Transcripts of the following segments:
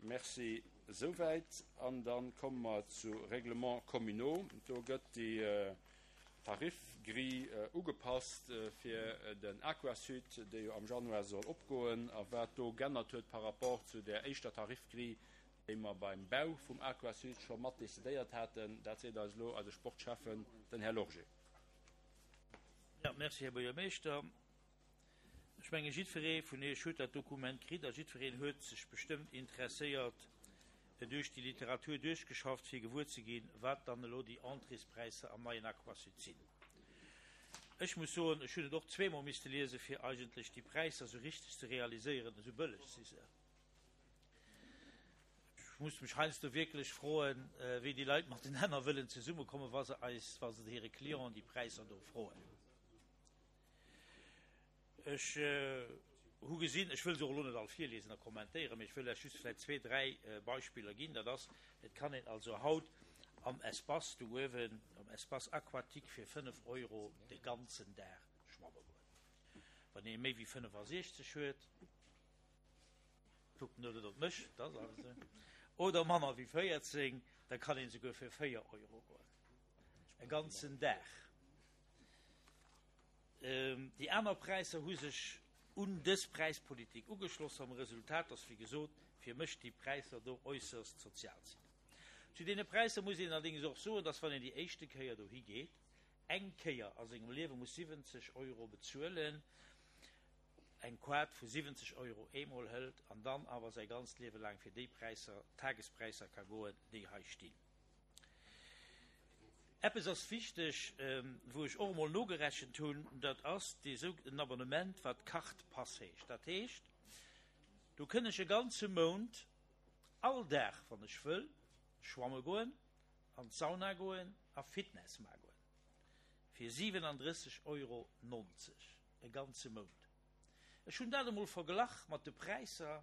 Merci esouwäit. An da komme mer zu Règlements communaux. Do gëtt déi Tarifgrille ugepasst fir den Aquasud, dee jo am Januar soll opgoen, a wat do g'ännert huet par rapport zu där éischter Tarifgrille, déi mer beim Bau vum Aquasud scho mat decidéiert haten, dat seet eis elo eise Sportschäffen, den Här Lorgé. Jo, merci, Här Buergermeeschter. Ech menge jiddweree vun Iech huet dat Dokument kritt a jiddwereen huet sech bestëmmt interesséiert duerch déi Literatur duerchgeschafft, fir gewuer ze ginn, wat dann elo déi Entréespräisser am neien Aquasud sinn. Ech muss soen, ech hunn et och zweemol misste liesen, fir eigentlech déi Präisser esou richteg ze realiséieren, esou bëlleg si se. Ech muss mech heiansdo wierklech froen, wéi déi Leit matenaner wëllen zesummekommen, wa se eis, wa se hire Clienten déi Präisser do froen. Ech hu gesinn, ech wëll se och elo net all virliesen a kommentéieren, mee ech wëll lech just vläicht zwee, dräi Beispiller ginn. Dat ass, et kann een also haut am Espace do uewen, am Espace aquatique fir 5 Euro de ganzen Dag schwamme goen. Wann ee méi wéi 65 huet, kuckt net op mech, dat ass alles esou, oder manner wéi 14, da kann een esouguer fir 4 Euro goen, e ganzen Dag. Déi aner Präisser hu sech un dës Präispolitik ugeschloss, mam Resultat, dass, wéi gesot, fir mech déi Präisser do äusserst sozial sinn. Zu deene Präisser muss een allerdéngs och soen, dass, wann een déi éischte Kéier dohi geet, eng Kéier a sengem Liewe muss 70 Euro bezuelen, eng Quart vu 70 Euro eemol hëlt an dann awer säi ganzt Liewe laang fir déi Präisser, Tagespräisser ka goen, déi hei stinn. Eppes ass wichteg, wou ech och emol nogerechent hunn, dat ass dee sougenannten Abonnement, wat Carte Pass heescht. Dat heescht, do kënn ech e ganze Mount all Dag, wann ech wëll, schwamme goen, an d'Sauna goen a Fitness maache goen, fir 37,90 Euro e ganze Mount. Ech hunn dat emol verglach mat de Präisser,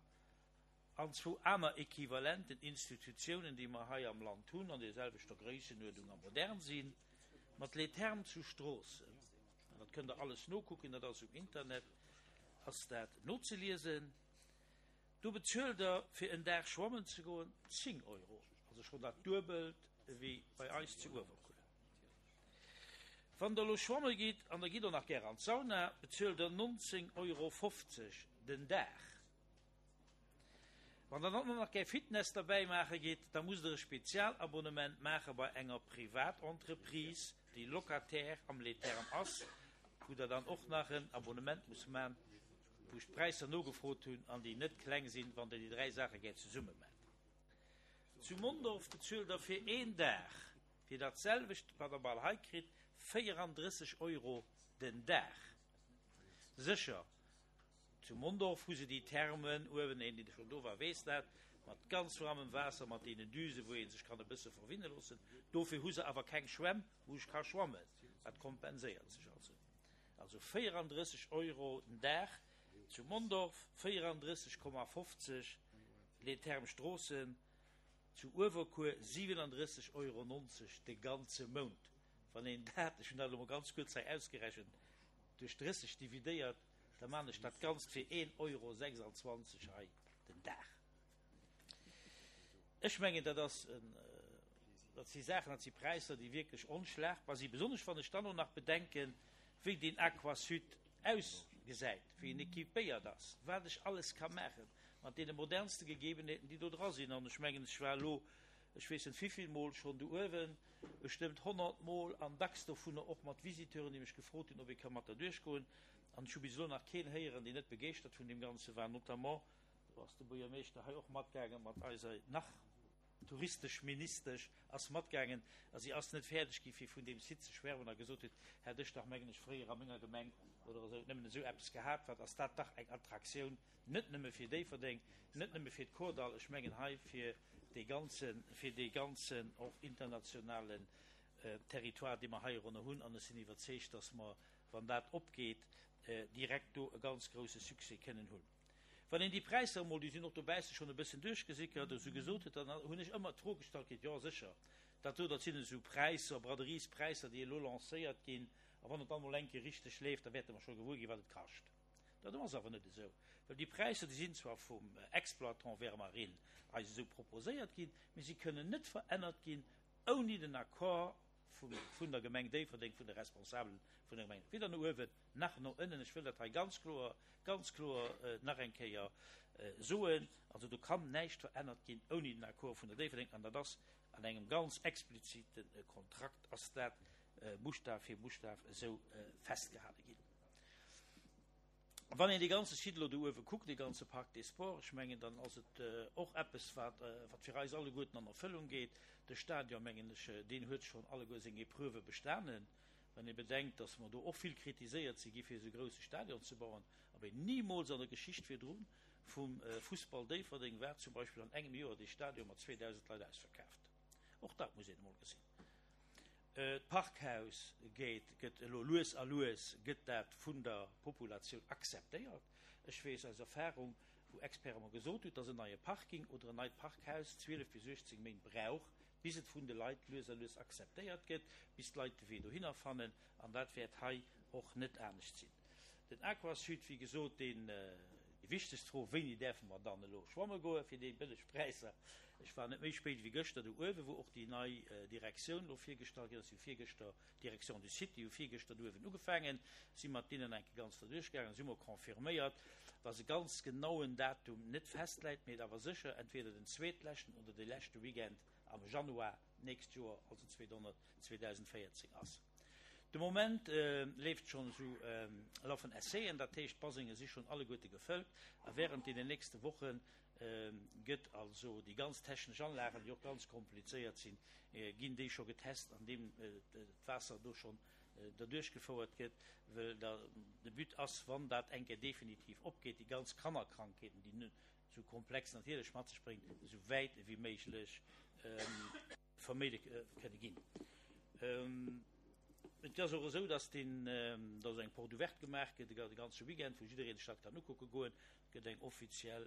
an zwou aner equivalenten Institutiounen, déi mer hei am Land hunn, an deerselwechter Gréissenuerdung a modern sinn, mat Les Thermes zu Stroossen, an dat kënnt Der alles nokucken, dat ass um Internet, ass dat nozeliesen, do bezuelt Der, fir en Dag schwammen ze goen, 10 Euro, also schonn dat Duebelt ewéi bei eis zu Uewerkuer. Wann Der elo schwamme gitt, an Der gitt och nach gär an d'Sauna, bezuelt Der 19,50 Euro den Dag. Wann der dann och nach gär Fitness derbäi maache gitt, da musst der e Spezialabonnement maache bei enger Privatentreprise, déi Locataire am Les Thermes ass, wou der dann och nach en Abonnement musst man, wou ech d'Präisser nogefrot hunn an déi net kleng sinn, wann der déi 3 Saache gär zesumme maacht. Zu Mondorf bezuelt der fir een Dag fir dat selwecht, wat der bal hei kritt, 34 Euro den Dag. Sécher, Zu Mondorf hu se déi Thermen uewen, een deen schonn do war weess dat, mat ganz waarmem Waasser, mat deenen Düsen, wou ee sech kann e bësse verwinne loossen. Dofir hu se awer keng Schwämm, wou ech ka schwammen. Dat kompenséiert sech also. Also 34 Euro den Dag zu Mondorf, 34,50 Les Thermes Stroossen, zu Uewerkuer 37,90 Euro de ganze Mount. Wann een dat, ech hunn dat elo mol ganz kuerz hei ausgerechent, duerch 30 dividéiert, da maan ech dat Ganzt fir 1,26 Euro hei den Dag. Ech mengen, dat ass en, dat si Saachen, dat si Präisser, déi wierklech onschlagbar sinn, besonnesch wann ech dann och nach bedenken, wéi deen Aquasud ausgesäit, wéi en équipéiert ass, wat ech alles ka maachen mat deene modernste Gegebenheeten, déi do dra sinn. An ech mengen, ech war elo, ech weess net wivill Mol schonn do uewen, bestëmmt 100 Mol an dacks dovunner och mat Visiteuren, déi mech gefrot hunn, ob ee ka mat derduerch goen. An ech hu bis elo nach keen héieren, deen net begeeschtert vun deem Ganze war. Notamment, do ass de Buergermeeschter hei och matgaangen, mat eiser nach Touristeschministesch ass matgaangen a si ass net fäerdeg gi fir vun deem Site ze schwärmen a gesot huet, hätt ech dach, mengen ech, fréier a menger Gemeng oder esou nëmmen esou eppes gehat, wat ass dat dach eng Attraktioun, net nëmme fir Déifferdeng, net nëmme fir d'Kordall, ech mengen hei fir dee ganzen, fir dee ganzen och internationalen Territoire, dee mer heironner hunn. An ech sinn iwwerzeegt, dass mer, wann dat opgeet, direkt do e ganz grouse Succès kënnen hunn. Wann een déi Präisser emol, déi sinn och dobausse schonn e bëssen duerchgesickert, esou gesot huet, dann hunn ech ëmmer d'Fro gestallt kritt, Jo sécher, dat do, dat sinn esou Präisser, Braderiespräisser, déi elo lancéiert ginn, a wann et dann emol eng Kéier richteg leeft, da wäerte mer scho gewuer ginn, wat et kascht. Dat ass awer net esou, well déi Präisser, déi sinn zwar vum Exploitant Vermarine eis esou proposéiert ginn, mee si kënnen net verännert ginn ouni den Accord vun der Gemeng Déifferdeng, vun de Responsabelen vun der Gemeng, weder no uewen nach no ënnen. Ech wëll dat hei ganz kloer, ganz kloer nach eng Kéier soen. Also do kann näischt verännert ginn ouni den Accord vun der Déifferdeng, an dat ass an engem ganz explizite Kontrakt ass dat Buschtaf fir Buschtaf esou festgehale ginn. Wann een dee ganze Site elo do uewe kuckt, dee ganze Parc des Sports, ech mengen, dann ass et och eppes, wat, wat fir eis alleguerten an Erfëllung geet. De Stadion, mengen ech, deen huet schonn alleguer seng Epreuve bestanen. Wann ee bedenkt, dass mer do och vill kritiséiert si gi fir esou e grouse Stadion ze bauen, awer nimools an der Geschicht virdru vum Fussball Déifferdeng war zum Beispill an engem Joer dee Stadion mat 2.000 Leit ausverkaaft. Och dat muss een emol gesinn. D'Parkhaus gétt, gëtt elo lues a lues gëtt dat vun der Populatioun akzeptéiert. Ech weess aus Erfahrung, wou Experte mer gesot hunn, dass en neie Parking oder en neit Parkhaus 12 bis 18 Méint brauch, bis et vun de Leit lues a lues akzeptéiert gëtt, bis d'Leit de Wee dohinner fannen. An dat wäert hei och net anescht sinn. Den Aquasud, wéi gesot, deen, déi wichtegst Fro, Wéini däerfe mer dann elo schwamme goe fir déi bëlleg Präisser? Ech war net méi spéit wéi gëschter do uewen, wou och déi nei Direktioun elo virgestallt ginn ass. Si hu virgëschter, d'Direction du site, déi hu virgëschter do uewen ugefaangen, si mat deenen eng Kéier ganz derduerchgaangen. Si hu mer confirméiert, dass e ganz genauen Datum net festläit, mee et awer sécher entweder den zweetleschten oder de leschte Weekend am Januar d'nächst Joer, also 2014 ass. De Moment leeft schonn esou lafen Essayen, dat heescht d'Basenge si schonn alleguerte gefëllt a wärend deenen nächste Woche gëtt also déi ganz technesch Anlagen, déi och ganz komplizéiert sinn, ginn déi scho getest an deem d'Waasser do schonn derduerch gefouert gëtt, well da de But ass, wann dat eng Kéier definitiv opgeet, déi ganz Kannerkrankheeten, déi esou komplex natierlech mat sech bréngt, esou wäit ewéi méiglech vermeide kënne ginn. Et ass och esou, dass deen, dass eng Porte ouverte gemaach gëtt, de ganze Weekend, wou jiddereen sech dat kann ukucke goen. Et gëtt eng offiziell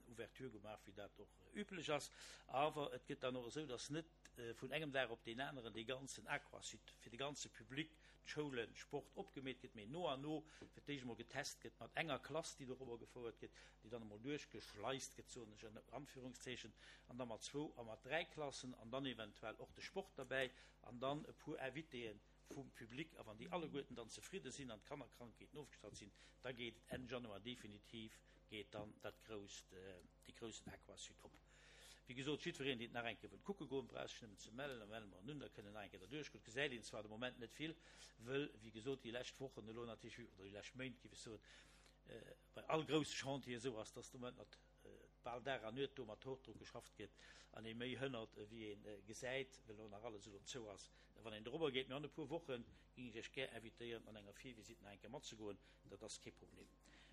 Ouverture gemaach, wéi dat och üblech ass. Awer et gëtt dann och esou, dass net vun engem Dag op deen aneren dee ganzen Aquasite fir de ganze Public, d'Schoulen, Sport opgemeet gëtt, mee no an no fir d'éischt emol getest gëtt mat enger Klass, déi dorobber gefouert gëtt, déi dann emol duerchgeschleist gëtt, soen ech ënner Anführungszeichen, an da mat zwou a mat dräi Klassen an dann eventuell och de Sport derbäi an dann e puer Invitéë vum Public. A wann déi alleguerten dann zefridde sinn an d'Kannerkrankheeten ofgestallt sinn, da geet et Enn Januar definitiv geet dann dat grousst, dee groussen Aquasud op. Wéi gesot, jiddwereen, deen et nach eng Kéier wëllt kucke goen, brauch sech nëmmen ze mellen, da melle mer en un, da kënnt en nach eng Kéier derduerch goen. Et gesäit een zwar de Moment net vill, wëll, wéi gesot, déi lescht Wochen elo natierlech, oder déi lescht Méint, géif ech soen, bei all grousse Chantier esou ass, dass de Moment mat bal Dag an Nuet do mat Hochdruck geschafft gëtt an ee méi hënnert, ewéi ee gesäit, well elo nach alles elo zou ass, wann een dorobber geet. Mee an e puer Woche géing ech Iech gär invitéieren, an enger Virvisitt nach eng Kéier matzegoen. Dat ass kee Problem.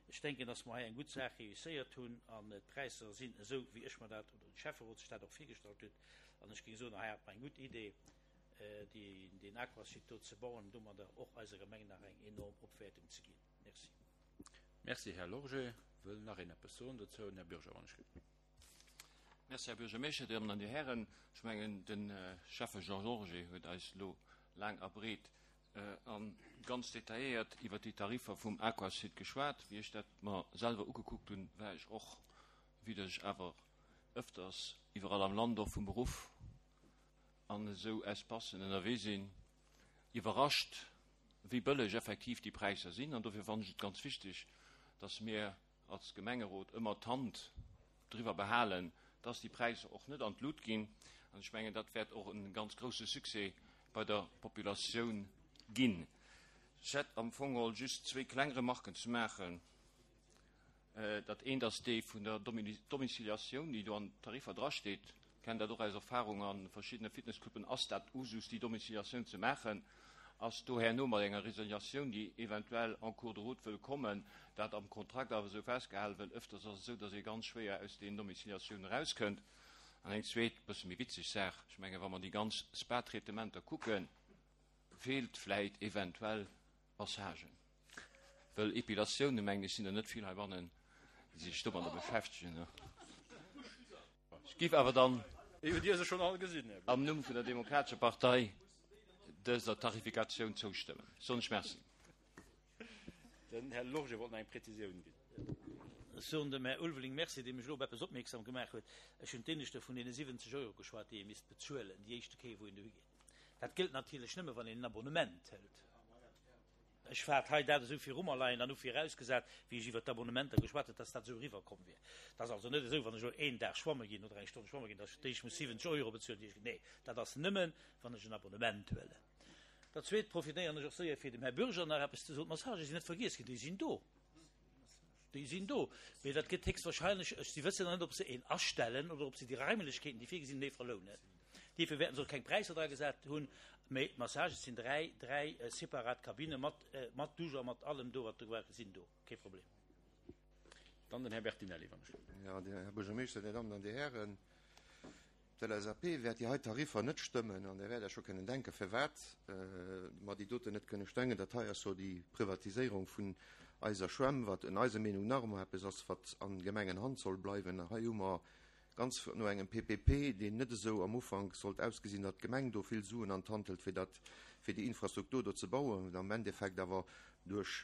Ech denken, dass mer hei eng gutt Saach réusséiert hunn an d'Präisser sinn esou, wéi ech mer dat, oder de Schäfferot sech dat och virgestallt huet. An ech géing soen, hei hat mer eng gutt Idee, deen Aquasite do ze bauen an domadder och eiser Gemeng nach eng enorm Opwäertung ze ginn. Merci. Merci, Här Lorgé. Wëll nach een eppes soen dozou? Den Här Bürger, wann ech gelift. Merci, Här Buergermeeschter, Dir Dammen an Dir Hären. Ech mengen, de Schäffe Jean Lorgé huet eis elo laang a breet a ganz detailléiert iwwert déi Tariffer vum Aquasud geschwat. Wéi ech dat mer selwer ugekuckt hunn, war ech och, vue dass ech awer ëfters iwwerall am Land och vum Beruff an esou Espacen ënnerwee sinn, iwwerrascht, wéi bëlleg effektiv déi Präisser sinn. An dofir fannen ech et ganz wichteg, dass mir als Gemengerot ëmmer d'Hand driwwer behalen, dass déi Präisser och net an d'Lut ginn. An ech mengen, dat wäert och e ganz grouse Succès bei der Populatioun ginn. Ech hätt am Fong geholl just zwéi kleng Remarken ze maachen. Dat eent ass déi vun der Domiciliatioun, déi do an den Tariffer drasteet. Ech kennen dat och aus Erfahrung a verschiddene Fitnesscluben ass dat Usus, déi Domiciliatioun ze maachen. Ass do herno mat enger Resiliatioun, déi eventuell en cours de route wëll kommen, dat am Kontrakt awer esou festgehalen, well ëfters ass et esou, datt ee ganz schwéier aus deenen Domiciliatiounen erauskënnt. An eng zweet, bësse méi witzeg Saach, ech menge wa mer déi ganz Spa-Traitementer kucken, feelt vläit eventuell Massagen, wëll Epilatioune mengen ech sinn der net vill heibannen, déi sech domadder beschäftegen. Ech géif awer dann am Numm vun der Demokratescher Partei dëser Tarifikatioun zoustëmmen. Soen ech Merci. Den Här Lorge wollt nach eng Präzisioun ginn. Ech soen dem Här Ulveling Merci, dee mech elo op eppes opmierksam gemaach huet. Ech hunn d'Éineschte vun deene 70 Euro geschwat, déi ee misst bezuelen, déi éischte Kéier, wou een dohi geet. Dat gëllt natierlech nëmme, wann een en Abonnement hëlt. Ech hat hei dat esou viru mer leien an hu virausgesat, wéi ech iwwert d'Abonnementer geschwat hunn, dass dat esou eriwwerkomm wier. Et ass also net esou, wann ech elo een Dag schwamme ginn oder eng Stonn schwamme ginn, dass ech d'éischt muss 70 Euro bezuelen, déi ech. Nee, dat ass nëmmen, wann ech en Abonnement huelen. Dat Zweet profitéieren ech och séier, fir dem Här Bürger nach eppes ze soen, D'Massagë sinn net vergiess ginn, déi sinn do. Déi sinn do. Mee dat gëtt héchstwahrscheinlech, ech, si wëssen nach net, ob se een astellen oder ob se déi Raimlechkeeten, déi virgesinn, méi verlounen. Dierfir wäerten se och keng Präisser dra gesat hunn. Mee d'Massagen, et sinn dräi, dräi separat Kabinne mat, mat Dusch a mat allem do, wat do gebraucht gëtt, sinn do. Kee Problem. Dann den Här Bertinelli, wann ech. Jo, Här Buergermeeschter, Dir Dammen an Dir Hären. D'LSAP wäert déi hei Tariffer net stëmmen an Dir wäert Iech scho kënnen denken, firwat mer déi doten net kënne stengen. Dat hei ass jo déi Privatiséierung vun eiser Schwämm, wat en eiser Meenung nach ëmmer eppes ass, wat an Gemengenhand soll bleiwen. Hei hu mer ganz no engem PPP, deen net esou am Ufank sollt ausgesinn, datt d'Gemeng do vill Suen an d'Hand hëlt, fir dat, fir déi Infrastruktur do ze bauen, am Endeffekt awer duerch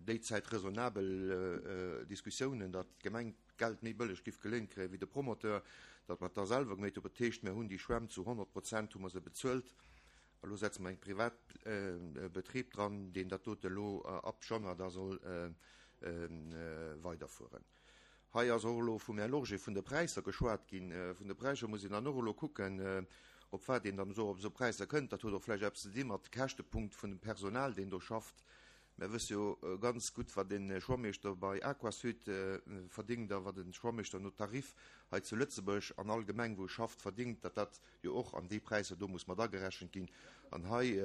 déi Zäit raisonnabel Diskussiounen, datt d'Gemeng d'Geld méi bëlleg giff geléint kréien wéi de Promoteur, datt mer et da selwer geméit hunn. Dat heescht, mir hunn déi Schwämm zu 100 Prozent hu mer se bezuelt a lo setze mer eng privat Betrib dran, deen dat dote lo ab Januar da soll weiderfueren. Hei ass och elo vum Här Lorgé vun de Präisser geschwat ginn. Vun de Präisser muss een dann och elo kucken, op wat een dann esou op esou Präisser kënnt. Dat huet och vläicht eppes ze di mat Käschtepunkt vun dem Personal, deen do schafft. Mär wësse jo ganz gutt, wat e Schwammeeschter bei Aquasud verdingt a wat e Schwammeeschter no Tarif hei zu Lëtzebuerg an all Gemeng, wou e schafft, verdingt, datt dat jo och an déi Präisser do muss mat agerechent ginn. An hei,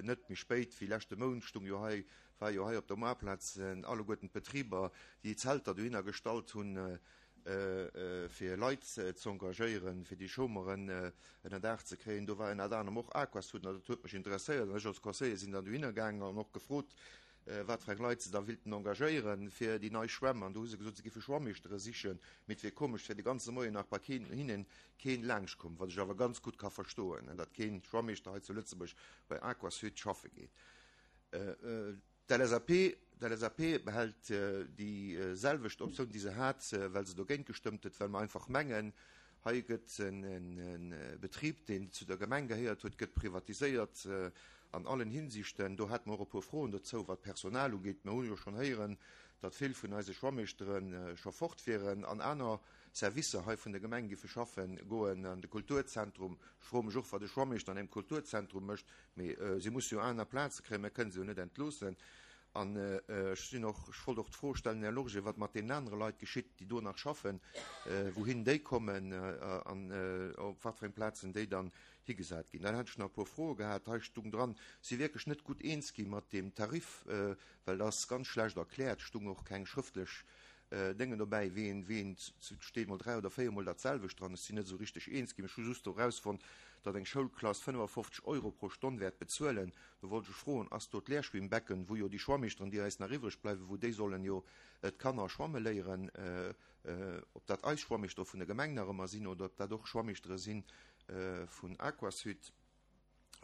net méi spéit wéi leschte Mount, stung jo hei, war jo hei op der Moarplaz alleguerten d'Betriber, déi Zelter dohinner gestallt hunn, fir Leit ze engagéieren, fir déi Chômeuren ënner Daach ze kréien. Do war ënnert anerem och Aquasud an dat huet mech interesséiert an ech als Conseiller sinn dann dohinner gaangen an och gefrot, wat fir eng Leit se da willten engagéieren fir déi nei Schwämm. An do hu se gesot, se giffe Schwammeeschtere sichen, mee et wier komesch, et wär de ganze Moien nach bei keen hinnen keen laanschtkomm, wat ech awer ganz gutt ka verstoen, datt keen Schwammeeschter hei zu Lëtzebuerg bei Aquasud schaffe geet. D'LSAP, d'LSAP behält déi selwecht Optioun, déi se hat, well se dogéint gestëmmt huet, well mer einfach mengen, hei gëtt e Betrib, deen zu der Gemeng gehéiert huet, gëtt privatiséiert an allen Hinsichten. Do hate mer och e puer Froen dozou, wat d'Personal ugeet. Mer hu jo schonn héieren, datt vill vun eise Schwammeeschtere scho fort wieren an aner Servicer hei vun der Gemeng giffe schaffe goen, an de Kulturzentrum. Ech froe mech och, wat e Schwammeeschter an engem Kulturzentrum mécht. Mee si musse jo aner Plaze kréien, mir kënnen se jo net entloossen. An ech sinn och, ech wollt och d'Fro stellen, Här Lorgé, wat mat deenen anere Leit geschitt, déi do nach schaffen, wouhin déi kommen an op wat fir eng Plazen déi dann higesat ginn. Dann hätt ech nach e puer Froe gehat. Hei stung dran, si wierklech net gutt eens gi mat deem Tarif, well dat ass ganz schlecht erkläert, stung och keng schrëftlech Déngen dobäi, wéi een, wéi een, et steet mol dräi oder véiermol dat selwecht dran, ech sinn net esou richteg eens ginn. Ech hu just do erausfonnt, datt eng Schoulklass 55 Euro pro Stonn wäert bezuelen. Do wollt ech froen, ass do d'Lehrschwimmbecken, wou jo déi Schwammeeschteren, déi eis nach iwwreg bleiwen, wou déi sollen jo d'Kanner schwamme léieren, ob dat eis Schwammeeschtere vun der Gemeng nach ëmmer sinn oder ob dat och Schwammeeschtere si vun Aquasud?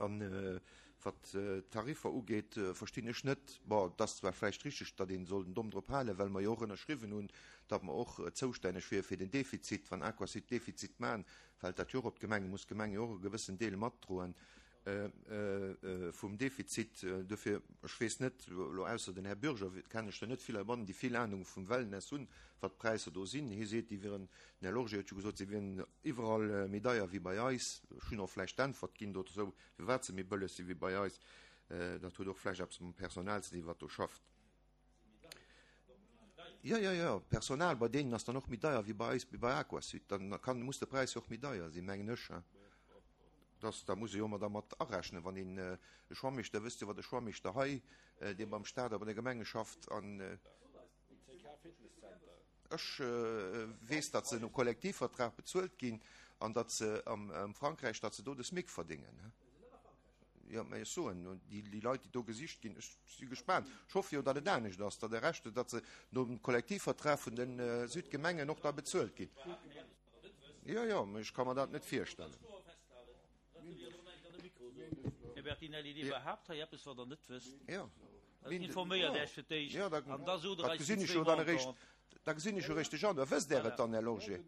An wat d'Tariffer ugeet, verstinn ech net, bon, et ass zwar vläicht richteg, datt ee soll den Domm drop halen, well mer jo och ënnerschriwwen hunn, datt mer och zoustänneg wiere fir den Defizit. Wann Aquasud Defizit maachen, fält dat jo och op d'Gemeng, muss d'Gemeng jo och e gewëssen Deel matdroen vum Defizit. Dofir, ech weess net, elo ausser den Här Bürger kennen ech der net vill heibannen, déi vill Anung vum Wellness hunn, wat d'Präisser do sinn. Hie seet, déi wieren, den Här Lorgé huet jo gesot, se wieren Iwwerall méi deier wéi bei eis. Ech hunn och vläicht d'Äntwert ginn dozou, firwat se méi bëlleg si wéi bei eis. Dat huet och vläicht eppes mam Personal ze dinn, wat do schafft. Jo, jo, jo, d'Personal bei deenen ass dann och méi deier wéi bei eis, wéi bei Aquasud. Dann kann, muss de Präis jo och méi deier sinn, mengen ech. Dass, da muss ee jo ëmmer da mat arechnen, wann een e Schwammeeschter, wësst Dir, wat e Schwammeeschter hei, dee beim Staat a bei de Gemenge schafft an. Ech weess, datt se no Kollektivvertrag bezuelt ginn an datt se am Frankräich, datt se do de SMIC verdéngen. Jo, mä ech soen, déi Leit, déi do gesicht ginn, ech si gespaant. Ech hoffe jo, datt et anescht ass, datt de Rescht, datt se nom Kollektivvertrag vun de Südgemengen och da bezuelt ginn. Jo, jo, mä ech ka mer dat net virstellen. Här Bertinelli, Dir behaapt hei eppes, wat Der net wësst. Jo. Informéiert Iech fir d'éischt an da sot Der eis déi zwéi Montanten. Da gesinn ech jo réischt de Januar. Wësst Der et dann, Här Lorgé?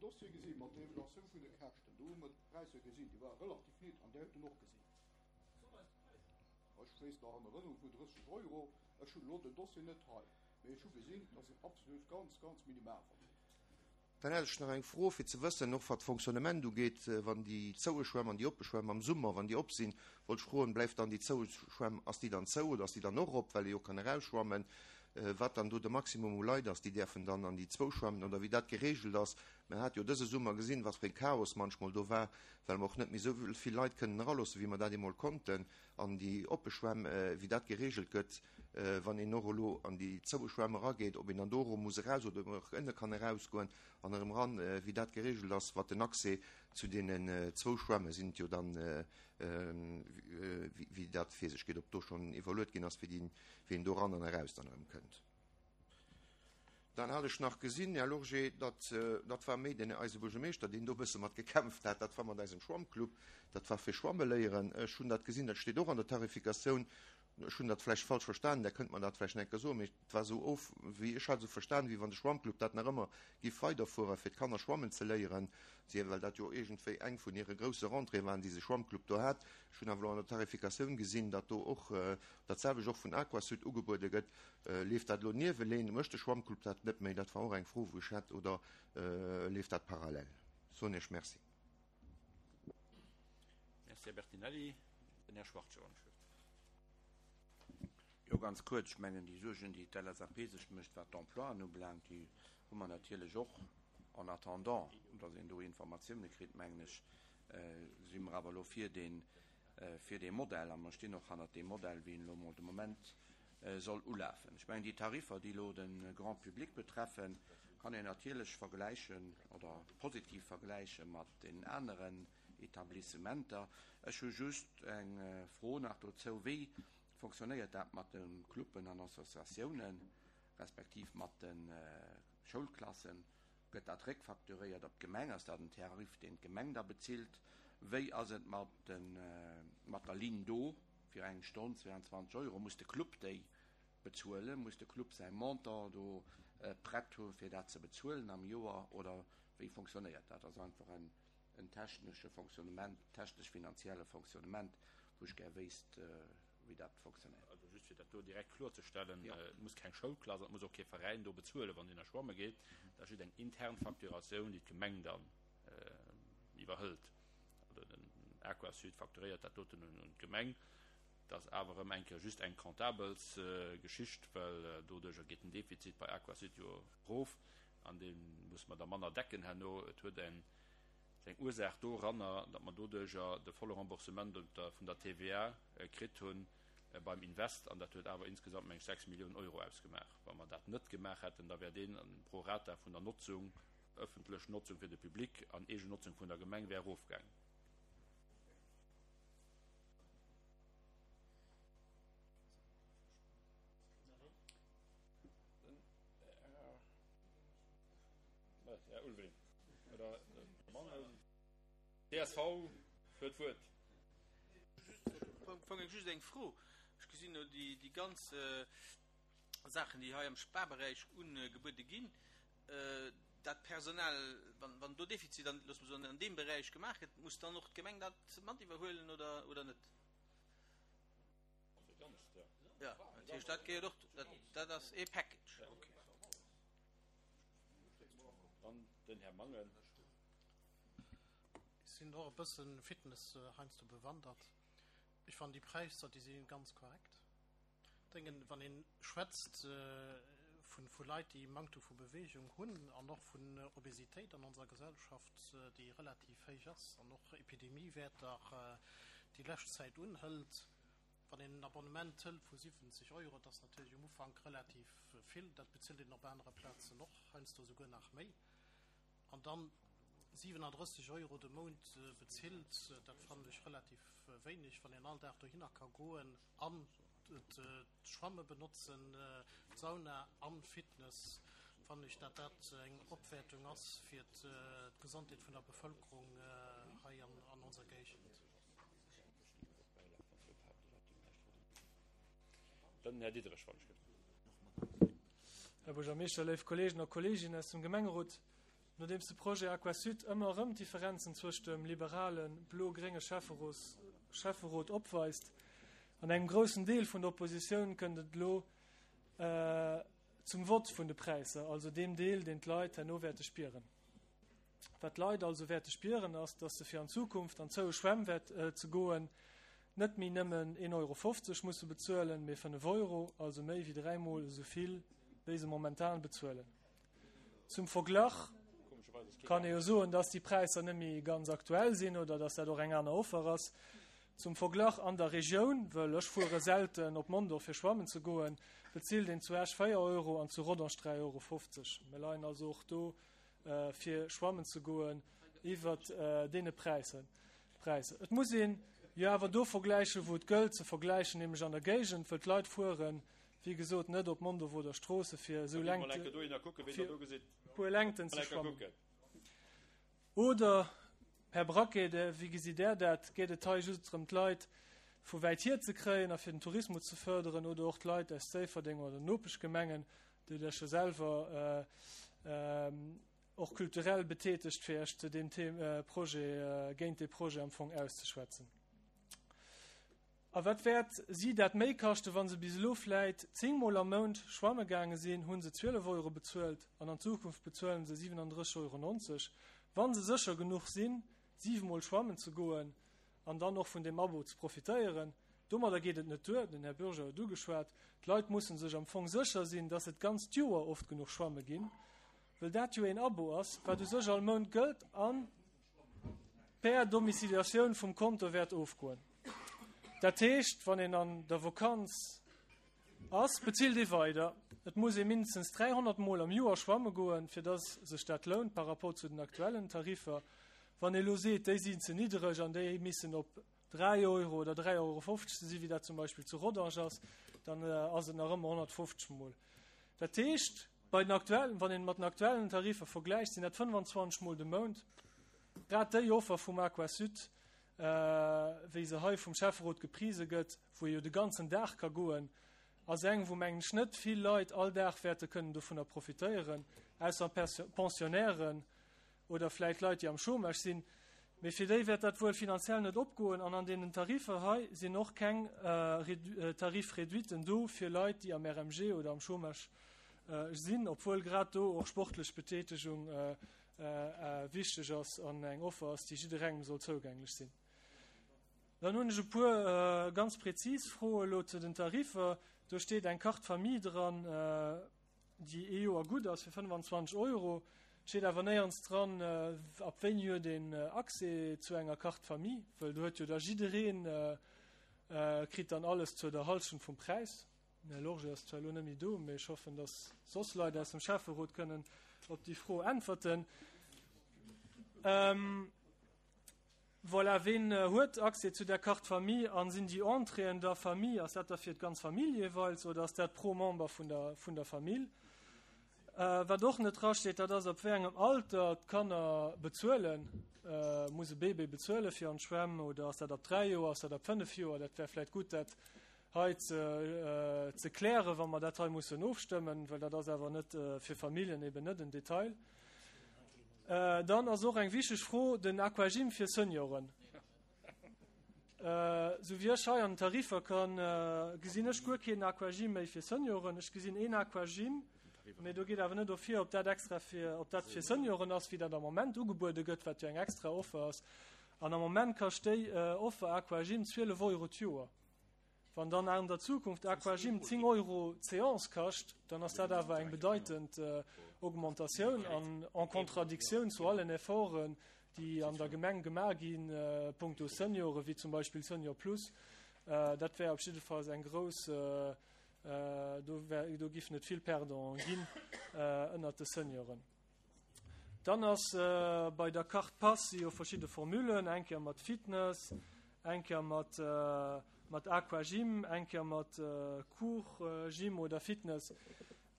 Dann hätt ech nach eng Fro, fir ze wëssen, och wat d'Fonctionnement ugeet, wann déi zoue Schwämm an déi oppe Schwämm am Summer, wann déi op sinn, wollt ech froen, bleift dann déi zoue Schwämm, ass déi dann zou oder ass déi dann och op, well ee jo kann erausschwammen, wat dann do de Maximum u Leit ass, déi däerfen dann an déi zwou schwammen oder wéi dat geregelt ass. Mer hate jo dëse Summer gesinn, wat fir e Chaos manchmol do war, well mer och net méi esou vill Leit kënnen eraloossen, wéi mer dat eemol konnten an déi oppe Schwämm, wéi dat geregelt gëtt, wann een och elo an déi zoue Schwämm erageet, ob een dann do erëm muss eraus oder ob een och ënne kann erausgoen an erëm eran, wéi dat geregelt ass, wat den Accès zu deenen zwou Schwämme sinn et jo dann, wéi dat fir sech geet, ob do schonn iwwerluet ginn ass, wéi een do eran an eraus dann erëm kënnt. Dann hat ech nach gesinn, Här Lorgé, datt, dat war méi den eise Buergermeeschter, deen do e bësse mat gekämpft hat, dat war mat eisem Schwammclub, dat war fir Schwamme léieren. Ech hunn dat gesinn, dat steet och an der Tarifikatioun. Ech hunn dat vläicht falsch verstanen, Der kënnt mer dat vläicht nach eng Kéier soen, mee et war esou of, wéi ech hat esou verstanen, wéi wann de Schwammclub dat nach ëmmer giff weiderfueren, fir d'Kanner schwammen ze léieren, well dat jo iergendwéi eng vun hire grousse Rentréeë waren, déi se Schwammclub do hat. Ech hunn awer elo an der Tarifikatioun gesinn, datt do och dat selwecht och vun Aquasud ugebuede gëtt. Leeft dat elo nieweleen? Mécht de Schwammclub dat net méi? Dat war och eng Fro, wou ech hat. Oder leeft dat parallel? Soen Iech Merci. Merci, Här Bertinelli. Den Här Schwachtgen. Jo, ganz kuerz. Ech mengen, déi Suergen, déi d'LSAP sech mécht, wat d'Emploien ubelaangt, déi hu mer natierlech och. En attendant, datt een do Informatioune kritt, mengen ech, si mer awer elo fir dee, fir dee Modell a mer stinn och hannert deem Modell, wéi en elo emol de Moment soll ulafen. Ech mengen, déi Tariffer, déi elo de Grand public betreffen, kann een natierlech vergläichen oder positiv vergläiche mat deenen aneren Etablissementer. Ech hu just eng Fro nach dozou, Wéi fonctionnéiert dat mat de Cluben an Associatiounen, respektiv mat de Schoulklassen? Gëtt dat réckfacturéiert op d'Gemeng? Ass dat en Tarif, deen d'Gemeng da bezilt? Wéi ass et mat der Ligne d'eau fir eng Stonn, 22 Euro? Muss de Club déi bezuelen? Muss de Club säi Montant do prett hu fir dat ze bezuelen am Joer oder wéi fonctionnéiert dat? Dat ass einfach en technesche Fonctionnement, technesch-finanzielle Fonctionnement, wou ech gär wéisst, wéi dat fonctionnéiert. Also just fir dat do direkt kloerzestellen, Et muss keng Schoulklass an et muss och kee Veräin do bezuelen, wann deen da schwamme geet. Dat ass just eng intern Facturatioun, déi d'Gemeng dann iwwerhëlt. Also den Aquasud facturéiert dat doten un d'Gemeng. Dat ass awer erëm eng Kéier just eng Comptabelsgeschicht, well doduerjer geet den Defizit bei Aquasud jo erof an dee musse mer da manner decken herno. Et huet eng seng Ursaach doranner, datt mer doduerjer de volle Remboursement vun der TVA kritt hu beim Invest, an dat huet awer insgesamt, meng ech, 6 Milliounen Euro ausgemaach. Wa mer dat net gemaach hätten, da wär dee pro rata vun der Notzung, ëffentlech Notzung fir de Public an eegen Notzung vun der Gemeng, wär erofgaangen. Här Ulveling oder Mangel. Csv huet d'Wuert. Am Fong just eng Fro. Ech gesinn elo déi ganz Saachen, déi hei am Sparberäich ugebuede ginn. Dat Personal, wann do Defizit an, loosse mer soen, an deem Beräich gemaach gëtt, muss dann och d'Gemeng dat mat iwwerhuelen oder net? Jo, dat heescht, dat gehéiert och, dat ass ee Package. Dann den Här Mangen. Ech sinn och e bësse Fitness heiansdo bewandert. Ech fannen déi Präisser, déi si ganz korrekt. Denken, wann ee schwätzt vu vu Leit, déi Manktum vu Beweegung hunn an och vun Obesitéit an onser Gesellschaft, déi relativ héich ass an och Epidemiewäerter déi lescht Zäit unhëlt, Wann een en Abonnement hëlt vu 70 Euro, dat ass natierlech um Ufank relativ vill, dat bezilt een op anere Plazen och, heiansdo esouguer nach méi, an dann 37 Euro de Mount bezilt, dat fannen ech relativ wéineg, wann een all Dag dohinner ka goen an d'Schwamme benotzen, d'Sauna an Fitness, fannen ech, dat dat eng Opwäertung ass fir d'Gesondheet vun der Bevëlkerung hei an onser Géigend. Dann den Här Diderich, wann ech gëtt. Här Buergermeeschter, léif Kolleegen a Kolleeginnen aus dem Gemengerot, nodeems de Projet Aquasud ëmmer erëm d'Differenzen zwëscht dem liberalen, blo-grénge Schäfferot opweist an engem groussen Deel vun der Oppositioun, kënnt et elo zum Vott vun de Präisser, also deem Deel, deen d'Leit herno wäerte spieren. Wat d'Leit also wäerte spieren, ass, dass se fir an Zukunft an d'zoue Schwämm wäert ze goen, net méi nëmmen 1,50 Euro musse bezuelen, mee 5 Euro, also méi wéi dräimol esou vill, wéi se momentan bezuelen. Zum Verglach kann ee jo soen, dass déi Präisser net méi ganz aktuell sinn oder dass dat och eng aner Offer ass. Zum Verglach, an der Regioun, wëll ech fuere selten op Mondorf fir schwammen ze goen, bezilt een zu Esch 4 Euro an zu Rodange 3,50 Euro. Mir leien also och do fir schwammen ze goen iwwert deene Präisser. Et muss een jo awer do vergläichen, wou et gëllt ze vergläichen, nämlech an der Géigend, wëll d'Leit fueren, wéi gesot, net op Mondorf oder Stroosse fir esou puer Längten ze schwammen. Oder, Här Braquet, wéi gesitt Der dat, geet et hei just drëm, d'Leit vu wäit hier ze kréien a fir den Tourismus ze fërderen oder och d'Leit aus Déifferdeng oder den Nopeschgemengen, déi Der scho selwer och kulturell betätegt, fir Iech zu deem Projet, géint dee Projet am Fong auszeschwätzen? A wat wäert si dat méi kaschten? Wa se bis elo vläit 10 Mol am Mount schwamme gaange sinn, hu se 12 Euro bezuelt an an Zukunft bezuelen se 37,90 Euro. Wa se sécher genuch sinn, siwe Mol schwammen ze goen an dann och vun deem Abo ze profitéieren. Domadder geet et net duer, den Här Bürger huet ugeschwat, d'Leit musse sech am Fong sécher sinn, dass se d'ganzt Joer oft genuch schwamme ginn, wëll dat jo een Abo ass, wat u sech all Mount gëllt a per Domiciliatioun vum Konto wäert ofgoen. Dat heescht, wann een an der Vakanz ass, bezilt ee weider. Et muss ee mindestens 300 Mol am Joer schwamme goen, fir dass sech dat lount par rapport zu den aktuellen Tariffer. Wann ee elo seet, déi sinn ze niddereg an déi missen op 3 Euro oder 3,50 Euro si wéi dat zum Beispill zu Rodange ass, dann ass et nach ëmmer 150 Mol. Dat heescht, bei den aktuellen, wann een mat den aktuellen Tariffer vergläicht, sinn dat 25 Mol de Mount. Grad déi Offer vum Aquasud, wéi se hei vum Schäfferot geprise gëtt, wou ee jo de ganzen Dag ka goen, ass eng, wou mengen ech net vill Leit all Dag wäerte kënnen dovunner profitéieren, ausser Pensionnairen oder vläit Leit, déi am Chômage sinn. Mee fir déi wäert dat wuel finanziell net opgoen. An an deenen Tariffer hei sinn och keng Tarif-réduiten do fir Leit, déi am RMG oder am Chômage sinn, obwuel grad do och sportlech Betätegung wichteg ass an eng Offer ass, déi jidderengem soll zougänglech sinn. Dann hunn ech e puer ganz prezis Froe elo zu den Tariffer. Do steet eng Carte Famille dran, déi ee Joer gutt ass fir 25 Euro. Et steet awer néierens dran, ab wéini huet een Accès zu enger Carte Famille, wëll do huet jo da jiddereen, kritt dann alles zur der Hallschent vum Präis. Den Här Lorgé ass zwar elo net méi do, mee ech hoffen, dass soss Leit aus dem Schäfferot kënnen op déi Fro äntwerten. Ähm, voilà, ween huet Accès zu der Carte Famille an sinn déi Entréeën der Famille, ass dat da fir d'ganz Famill jeeweils oder ass dat pro Member vun der, vun der Famill? Äh, wat och net drasteet, dat ass, ab wéi engem Alter d'Kanner bezuelen. Äh, muss e Bébé bezuele fir an d'Schwämm oder ass dat ab 3 Joer, ass dat ab 5 Joer? Dat wär vläicht gutt, dat hei ze klären, wa mer dat hei mussen ofstëmmen, well dat ass awer net fir Familljen eben net en Detail. Dann ass och eng wichteg Fro den Aquagym fir Senioren. Sou wéi ech hei an den Tariffer kann, gesinn ech guer keen Aquagym méi fir Senioren. Ech gesinn een Aquagym, mee do geet awer net ervir, ob dat extra fir, ob dat fir Senioren ass, wéi dat am Moment ugebuede gëtt, wat jo eng extra Offer ass. An am Moment kascht déi Offer Aquagym 12 Euro d'Joer. Wann dann an der Zukunft Aquagym 10 Euro d'Seance kascht, dann ass dat awer eng bedeitend Augmentatioun an en Contradictioun zu allen Efforten, déi an der Gemeng gemaach gi punkto Senioren, wéi zum Beispill Senior Plus. Dat wär op jiddefalls eng grouss, do wär, do giffen et vill Perdants ginn ënnert de Senioren. Dann ass bei der Carte Pass si jo verschidde Formulen, eng Kéier mat Fitness, eng Kéier mat mat Aquagym, eng Kéier mat Cours Gym oder Fitness.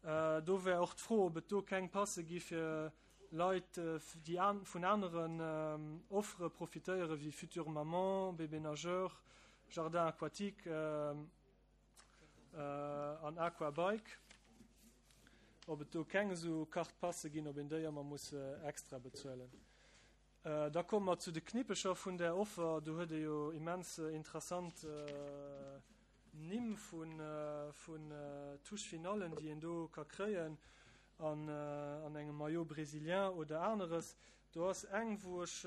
Do wär och d'Fro, ob et do keng Passe gi fir Leit, déi vun aneren Offere profitéieren, wéi Future Maman, Bébé Nageur, Jardin aquatique. an Aquabike, ob et do keng esou Carte passe ginn, ob een déi ëmmer muss extra bezuelen. Da komme mer zu de Knippecher vun där Offer. Do huet ee jo immens interessant Nimm vun Touche-finallen, déi een do ka kréien an engem Maillot brésilien oder aneres. Do ass eng, wou ech,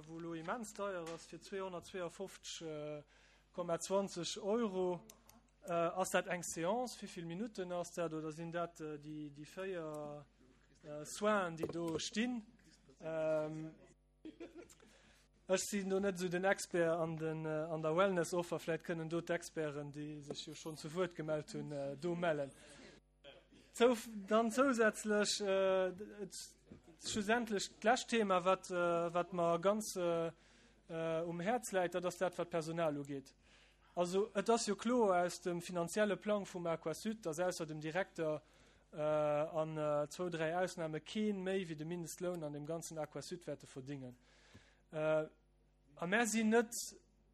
wou elo immens deier ass, fir 252,20 Euro. Ass dat eng Seance? Wéi vill Minutten ass dat? Oder sinn dat déi 4 Soinen, déi do stinn? Ech sinn do net esou den Expert an den, an der Wellness-Offer. Vläicht kënnen do d'Experten, déi sech jo schonn zu Wuert gemellt hunn, do mellen. Zou, dann zousätzlech, äh, schlussendlech d'lescht Thema, wat, äh, wat mer ganz äh, um Häerz läit, dat ass dat, wat d'Personal ugeet. Also et ass jo kloer aus dem finanzielle Plang vum Aquasud, dass ausser dem Direkter äh, an äh, zwou, dräi Ausnahme keen méi wéi de Mindestloun an dem ganzen Aquasud wäerte verdingen. Äh, A mär sinn net,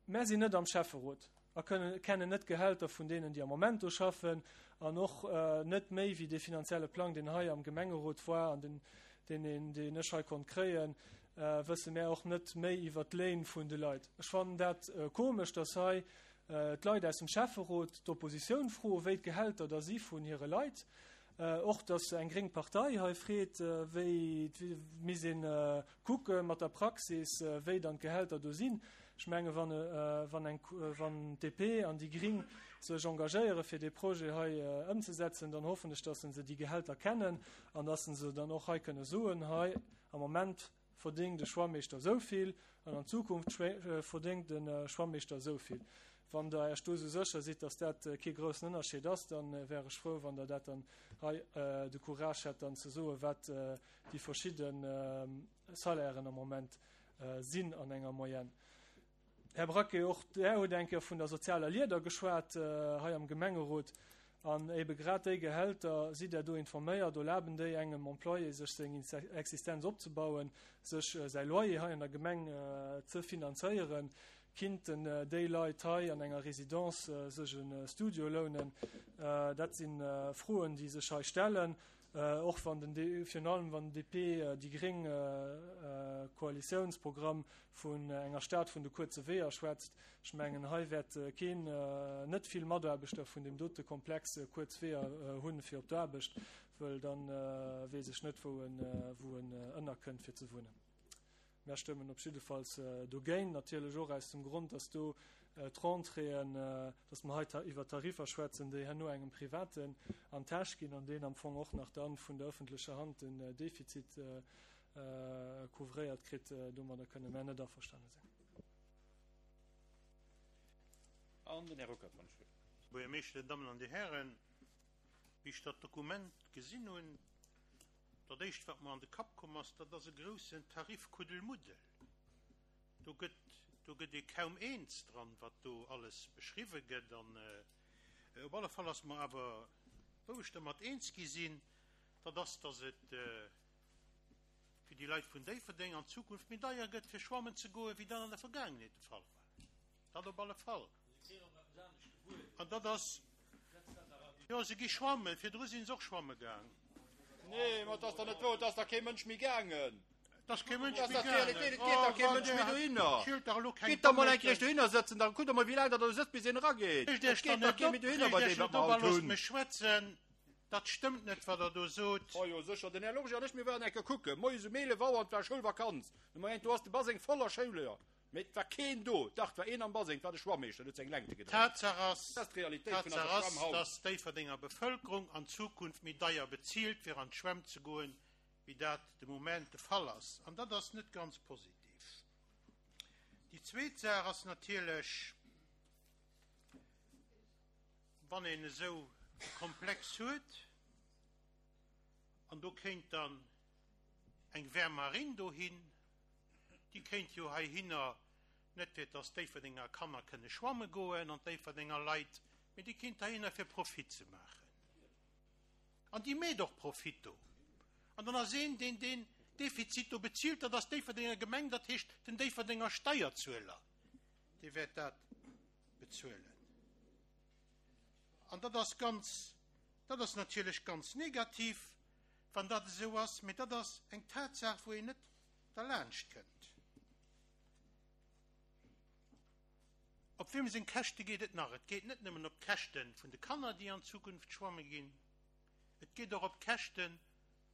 mär sinn net am Schäfferot a kënnen, kennen net d'Gehälter vun deenen, déi am Moment do schaffen, an och net méi wéi dee finanzielle Plang, deen hei am Gemengerot war an den, deen een, deen ech hei konnt kréien, wësse mär och net méi iwwert d'Léin vun de Leit. Ech fannen dat komesch, dass hei d'Leit aus dem Schäfferot d'Oppositioun froen, wéi d'Gehälter da si vun hire Leit. Och dass eng gréng Partei hei freet, wéi, misst een Kucke mat der Praxis, wéi dann d'Gehälter do sinn. Ech menge wann, wann eng, wann d'DP an déi Gring sech engagéiere fir dee Projet hei ëmzesetzen, dann hoffen ech, dass se déi Gehälter kennen an dass se dann och hei kënne soen, hei am Moment verdéngt e Schwammeeschter esou vill an an Zukunft verdéngt e Schwammeeschter esou vill. Wann Der Iech do esou sécher sidd, dass dat kee groussen Ënnerscheed ass, dann wär ech frou, wann Der dat dann hei de Courage hätt, dann ze soen, wat déi verschidde Salairen am Moment sinn an enger Moyenne. Här Braquet, och Der hutt eng Kéier vun der sozialer Lieder geschwat hei am Gemengerot. An ebe grad déi Gehälter, sidd Der do informéiert, erlaben déi engem Employé, sech seng Existenz opzebauen, sech säi Loyer hei an der Gemeng ze finanzéieren? Kinnten déi Leit hei an enger Résidence sech e Studio lounen? Dat si Froen, déi sech hei stellen. Och wann den, virun allem wann den DP, déi gréng Koalitiounsprogramm vun enger Stad vun de kuerze Weeër schwätzt, ech mengen hei wäert keen, net vill Mataarbechter vun deem dote Komplex kuerz Weeër hunn fir op d'Aarbecht, wëll dann weess ech net wou en, wou en ënnerkënnt fir ze wunnen. Mär stëmmen op jiddefalls dogéint, natierlech och aus dem Grond, dass do d'Rentréeën, dass mer hei iwwer Tariffer schwätzen, déi herno engem Privaten an d'Täsch ginn an deen am Fong och nach dann vun der öffentlecher Hand den Defizit couvréiert kritt. Domadder kënne mär net averstane sinn. An den Här Ruckert, wann ech wëll. Buergermeeschter, Dir Dammen an Dir Hären, wéi ech dat Dokument gesinn hunn, Dat éischt wat mer an de Kapp komm ass, dat ass e groussen Tarifkuddelmuddel. Do gëtt, do gëtt ee kaum eens dran, wat do alles beschriwwe gëtt. An op alle Fall ass mer awer, wou ech dermat eens gi sinn, dat ass, datt et fir déi Leit vun Déifferdeng an Zukunft méi deier gëtt fir schwammen ze goen, wéi dat an der Vergaangenheet de Fall war. Dat op alle Fall. An dat ass, jo, se gi schwammen, virdru si se och schwamme gaang. Nee, ma et ass dach net wouer, et ass dach kee Mënsch méi gaangen. Et ass kee Mënsch Dat méi ass dach d'Realitéit, et geet dach kee Mënsch méi dohinner. Schielt dach elo keng Gitt da mol eng Kéier dohinner sëtzen, da kuckt der mol, wéi laang der do sëtzt, bis een erageet. Reegt Et Iech geet dann dach net kee op, méi dohinner reegt bei Iech deem, wat net op mer a haut loosst hunn. mech schwätzen. Dat stëmmt net, wat Der do sot. Oh jo, sécher, den Här Lorge an ech, mir waren eng Kéier kucken, moies um 11 Auer, an et war Schoulvakanz. Nummer eent, do ass de Baseng voller Schouler. Mee et war keen do. Dach, et war een am Baseng, et war de Schwammeeschter, deen huet seng Längte gedréint. Tatsaach ass, Dat ass d'Realitéit vun Tatsaach eiser ass, Schwamm haut. dass d'Déifferdenger Bevëlkerung an Zukunft méi deier bezilt, fir an d'Schwämm ze goen, wéi dat de Moment de Fall ass. An dat ass net ganz positiv. Déi zweet Saach ass natierlech, wann een esou e Komplex huet, an do kéint dann eng Wärmarinn dohin, Déi kéint jo heihinner, net fir dass d'Déifferdenger Kanner kënne schwamme goen an d'Déifferdenger Leit, mee déi kéint heihinner fir Profit ze maachen. An déi meet och Profit do. An dann ass een, deen deen Defizit do bezilt, dat ass d'Déifferdenger Gemeng, dat heescht den Déifferdenger Steierzueler, dee wäert dat bezuelen. An dat ass ganz, dat ass natierlech ganz negativ, wann dat esou ass, mee dat ass eng Tatsaach, wou een net derlaanscht kënnt. Op wiem seng Käschte geet et nach? Et geet net nëmmen op d'Käschte vun de Kanner, déi an Zukunft schwamme ginn, et geet och op d'Käschte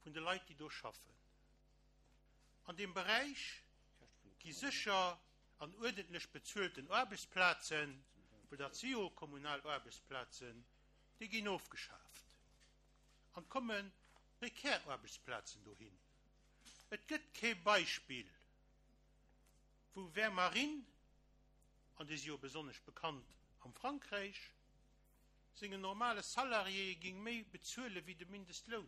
vun de Leit, déi do schaffen. An deem Beräich gi sécher an uerdentlech bezuelten Aarbechtsplazen, well dat si jo kommunal Aarbechtsplazen, déi ginn ofgeschaaft an et komme prekär Aarbechtsplazen dohin. Et gëtt kee Beispill, wou Vermarine, an déi si jo besonnesch bekannt am Frankräich, sengen normale Salariéë géing méi bezuele wéi de Mindestloun.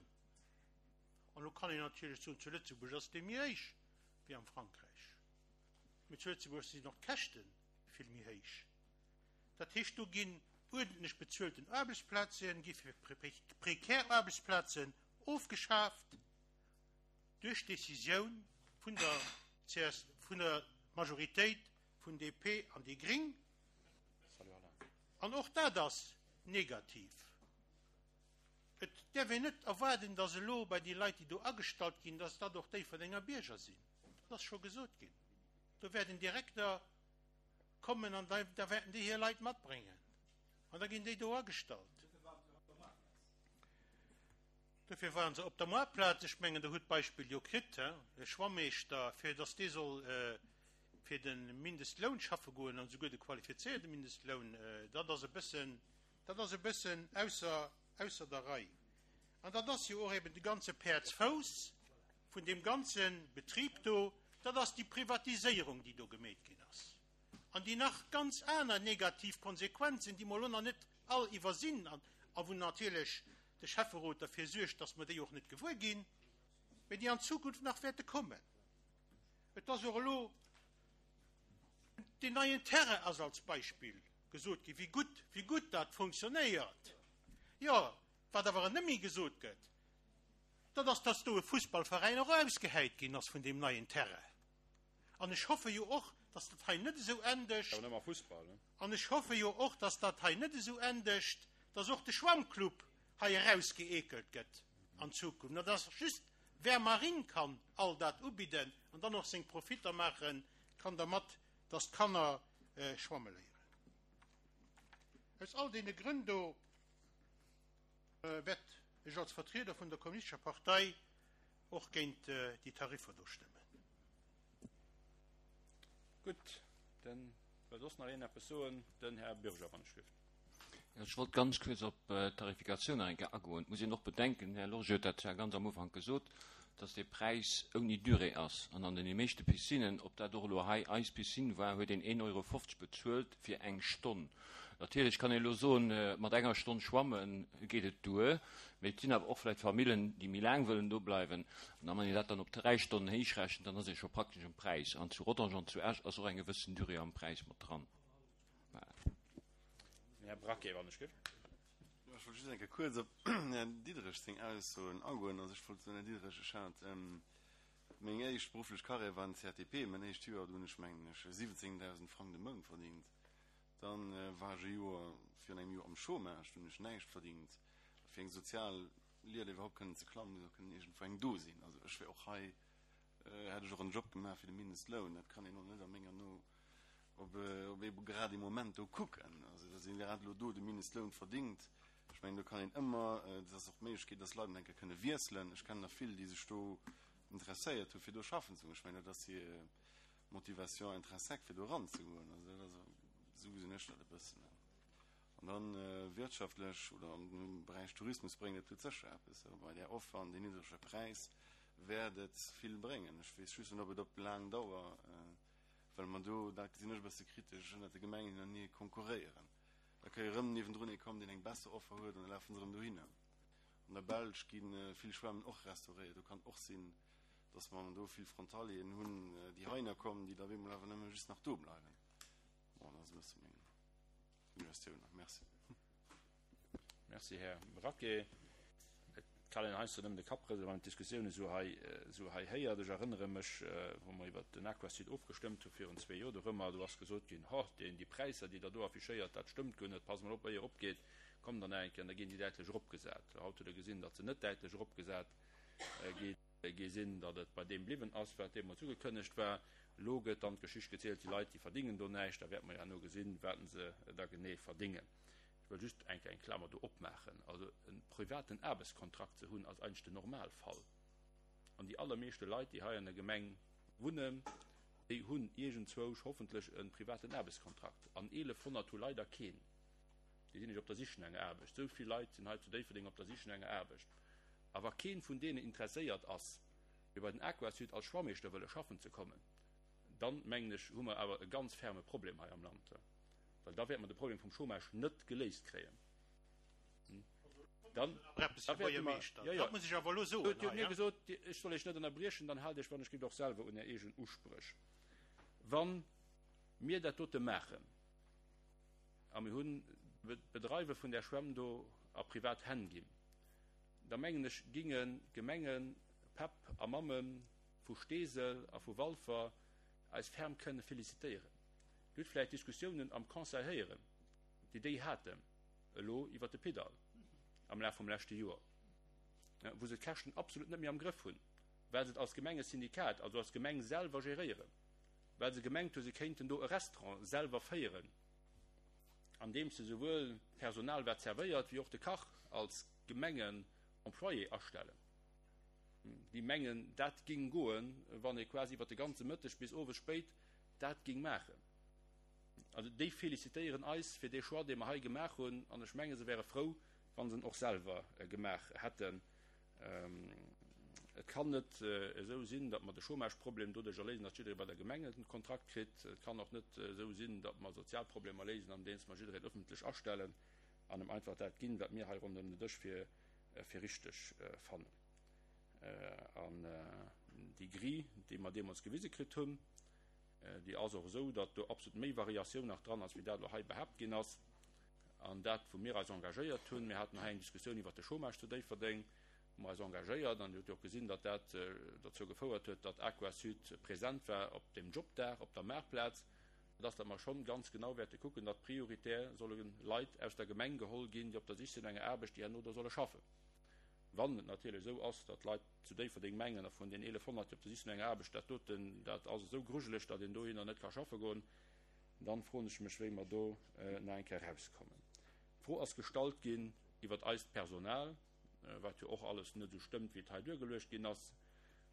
An elo kann een natierlech soen, zu Lëtzebuerg ass dee méi héich wéi am Frankräich. Mee zu Lëtzebuerg sinn och d'Käschte vill méi héich. Dat heescht, do ginn uerdentlech bezuelten Aarbechtsplazen, gi fir prekär Aarbechtsplazen ofgeschaaft duerch d'Decisioun vun der CS, vun der Majoritéit vun DP an déi Gring. An och dat ass negativ. Et däerf een net erwaarden, datt elo bei déi Leit, déi do agestallt ginn, datt dat och Déifferdenger Bierger sinn. Dat ass scho gesot ginn. Do wäert en Direkter kommen an da wäerten déi hir Leit matbréngen an da ginn déi do agestallt. Dofir waren se op der Moartplaz. Ech mengen, Der hutt d'Beispill jo kritt, e Schwammeeschter, fir datt dee soll fir de Mindestloun schaffe goen an esouguer de qualifizéierte Mindestloun, dat ass e bëssen, dat ass e bëssen ausser, ausser der Rei. An dat ass jo och eben de ganze Päerdsfouss vun deem ganze Betrib do, dat ass déi Privatiséierung, déi do gemeet ginn ass an déi nach ganz aner negativ Konsequenzen, déi mer elo nach net all iwwersinn an a wou natierlech de Schäfferot derfir suergt, dass mer déi och net gewuer ginn, mä déi an Zukunft nach wäerte kommen. Et ass och elo deen neien Terrain ass als Beispill gesot ginn, wéi gutt, wéi gutt dat funktionéiert. Jo, wat awer net méi gesot gëtt, dat ass, dass do e Fussballveräin och ausgehäit ginn ass vun deem neien Terrain. An ech hoffe jo och, dass dat hei net esou endegt. Awer nëmme Fussball, ne? An ech hoffe jo och, dass dat hei net esou endegt, dass och de Schwammclub hei erausgeekelt gëtt an Zukunft, an dass just Vermarine kann all dat ubidden an dann och seng Profitter maache kann dermat, dass d'Kanner schwamme léieren. Aus all deene Grënn do wäert ech als Vertrieder vun der Kommunistescher Partei och géint déi Tariffer do stëmmen. Gutt, dann wëll soss nach een eppes soen? Den Här Bürger, wann ech dierft. Ech wollt ganz kuerz op d'Tarifikatioun nach eng Kéier agoen. Et muss een och bedenken, den Här Lorge huet dat zwar ganz am Ufank gesot, dass dee Präis ouni Durée ass. An an den meeschte Piscinnen, ob dat och elo hei eis Piscine war, huet een 1,50 Euro bezuelt fir eng Stonn. Natierlech kann een elo soen, mat enger Stonn schwamme geet et duer, mee et sinn awer och vläicht Famillen, déi méi laang wëllen do bleiwen. An wann een dat dann op dräi Stonnen héichrechent, dann ass ee scho praktesch um Präis. An zu Rodange an zu Esch ass och eng gewëssen Durée am Präis mat dran. Den Här Braquet, wann ech géif. Jo, ech wollt just eng Kéier kuerz op den Här Diderich seng Aussoen agoen. Also ech wollt soen, Här Diderich, ech hat meng éischt berufflech Karriär war en CATP. Mäin éischt Joer, do hunn ech, mengen ech, 17.000 Frang de Mount verdingt. Dann war ech e Joer, virun engem Joer am Chômage, do hunn ech näischt verdingt. A fir eng sozial Lieder iwwerhaupt kënnen ze klammen, muss och kënnen iergendwou eng do sinn. Also ech wär och hei, hätt ech och en Job gemaach fir de Mindestloun. Dat kann een och net a menger No op ee grad ee Moment do kucken. Also datt een grad elo do de Mindestloun verdingt, ech mengen do kann een ëmmer, et ass och d'Méiglechkeet, datt Leit eng Kéier kënne wiesselen. Ech kennen der vill, déi sech do interesséiert hu fir do schaffen ze goen. Ech mengen dat ass hir Motivation intrinsèque fir do eranzegoen. Also dat ass, esou gesinn ech dat e bëssen. An dann wirtschaftlech oder am Beräich Tourismus bréngt et sécher eppes. Bei där Offer an deen niddrege Präis wäert et vill bréngen. Ech weess just net, ob et op laang Dauer, well mer do, dat gesinn ech e bësse kritesch, ënnert de Gemengen hinenee konkurréieren. Da ka jo erëm niewendrun ee kommen, deen eng besser Offer huet, an da lafe se erëm dohinner. An der Belsch gi vill Schwämmen och restauréiert. Do kann och sinn, dass mer do vill Frontalieren hunn, déi heihinner kommen, déi da op eemol awer nëmme just nach do bleiwen. Bon, dat ass e bësse meng Suggestioun nach. Merci. Merci, Här Braquet. Et kann een heiansdo nëmmen de Kapp rëselen, wann een d'Diskussioun esou hei, esou hei héiert. Ech erënnere mech, wou mer iwwert den Aquasud ofgestëmmt hu virun zwee Joer, do rëmmer, do ass gesot ginn, Ho, deen, déi Präisser, déi Der do affichéiert, dat stëmmt guer net, passt mol op, éier opgeet. Kommt dann nach eng Kéier an da ginn déi däitlech eropgesat. Haut hutt Der gesinn, datt se net däitlech eropgesat gi sinn, datt et bei deem bliwwen ass, wat deemools ugekënnegt war. Elo gëtt dann d'Geschicht gezielt, déi Leit, déi verdingen do näischt. Da wäerte mer jo herno gesinn, wat se da genee verdingen. Ech wëll just eng Kéier eng Klamer do opmaachen. Also e privaten Aarbechtskontrakt ze hunn, ass eigentlech den Normalfall. An déi allermeeschte Leit, déi hei an der Gemeng wunnen, déi hunn iergendzwousch hoffentlech e privaten Aarbechtskontrakt. An 1.100 hu leider keen. Déi sinn nämlech op der Sich no enger Aarbecht. Esou vill Leit sinn hei zu Déifferdeng op der Sich no enger Aarbecht. A wa keen vun deenen interesséiert ass, fir bei den Aquasud als Schwammeeschter wëlle schaffen ze kommen, dann, mengen ech, hu mer awer e ganz ferme Problem hei am Land. Well da wäerte mer de Problem vum Chômage net geléist kréien. Dann, da wäerte mer, jo, jo, Dat muss ech awer elo soen Dir hutt hei, mir ja. gesot, ech soll Iech net ënnerbriechen, dann haalt Iech wann ech gitt och selwer un Är eegen Uspréch. Wa mir dat dote maachen, a mir hunn d'Bedreiwe vun där Schwämm do a privat Hänn ginn, da mengen ech, ginge Gemenge Päpp a Mamme vu Steesel a vu Walfer eis ferm kënne felicitéieren. Dir hutt vläicht d'Diskussiounen am Conseil héieren, déi déi haten elo iwwert de Pidal am Laf vum leschte Joer, wou se d'Käschten absolut net méi am Grëff hunn, well se et als Gemengesyndikat, also als Gemeng selwer geréieren. well se gemengt hu se kéinten do e Restaurant selwer féieren, andeems se souwuel d'Personal wat zerwéiert wéi och de Kach als Gemengenemployé astellen. Déi mengen dat ging goen, wann ee quasi iwwer de ganze Mëtteg bis owes spéit dat ging maachen. Also déi felicitéieren eis fir dee Choix, dee mer hei gemaach hunn, an ech menge se wäre frou, wa se en och selwer gemaach hätten. Et kann net esou sinn, datt mer de Chômageproblem doduercher léisen, datt jidderee bei der Gemeng e Kontrakt kritt. Et kann och net esou sinn, datt mer Sozialproblemer léisen, andeems mer jiddereen ëffentlech astellen an em einfach dat ginn, wat mir hei ronderëm den Dësch fir fir richteg fannen. An déi Grille, déi mer deemools gewise kritt hunn, déi ass och esou, datt do absolut méi Variatioun nach dran ass, wéi dat elo hei behaapt ginn ass. An dat, wou mir eis engagéiert hunn, mir haten hei eng Diskussioun iwwert de Chômage zu Déifferdeng, hu mer eis engagéiert an Dir hutt jo och gesinn, datt dat dozou gefouert huet, datt Aquasud present war op deem Jobdag op der Maartplaz. Dat ass, datt mer schonn ganz genau wäerte kucken, datt prioritär solle Leit aus der Gemeng geholl ginn, déi op der Sich sinn no enger Aarbecht, déi herno do solle schaffen. Wann et natierlech esou ass, datt Leit zu Déifferdeng mengen, a vun den 1.100, déi op der Sich sinn no enger Aarbecht, dat doten, dat ass esou grujeleg, datt een dohinner net ka schaffe goen, Dann froen ech mech, wéi mer do nach eng Kéier erauskommen. D'Fro ass gestallt ginn iwwert eist Personal, wat jo och alles net esou stëmmt, wéi et hei duergeluecht ginn ass.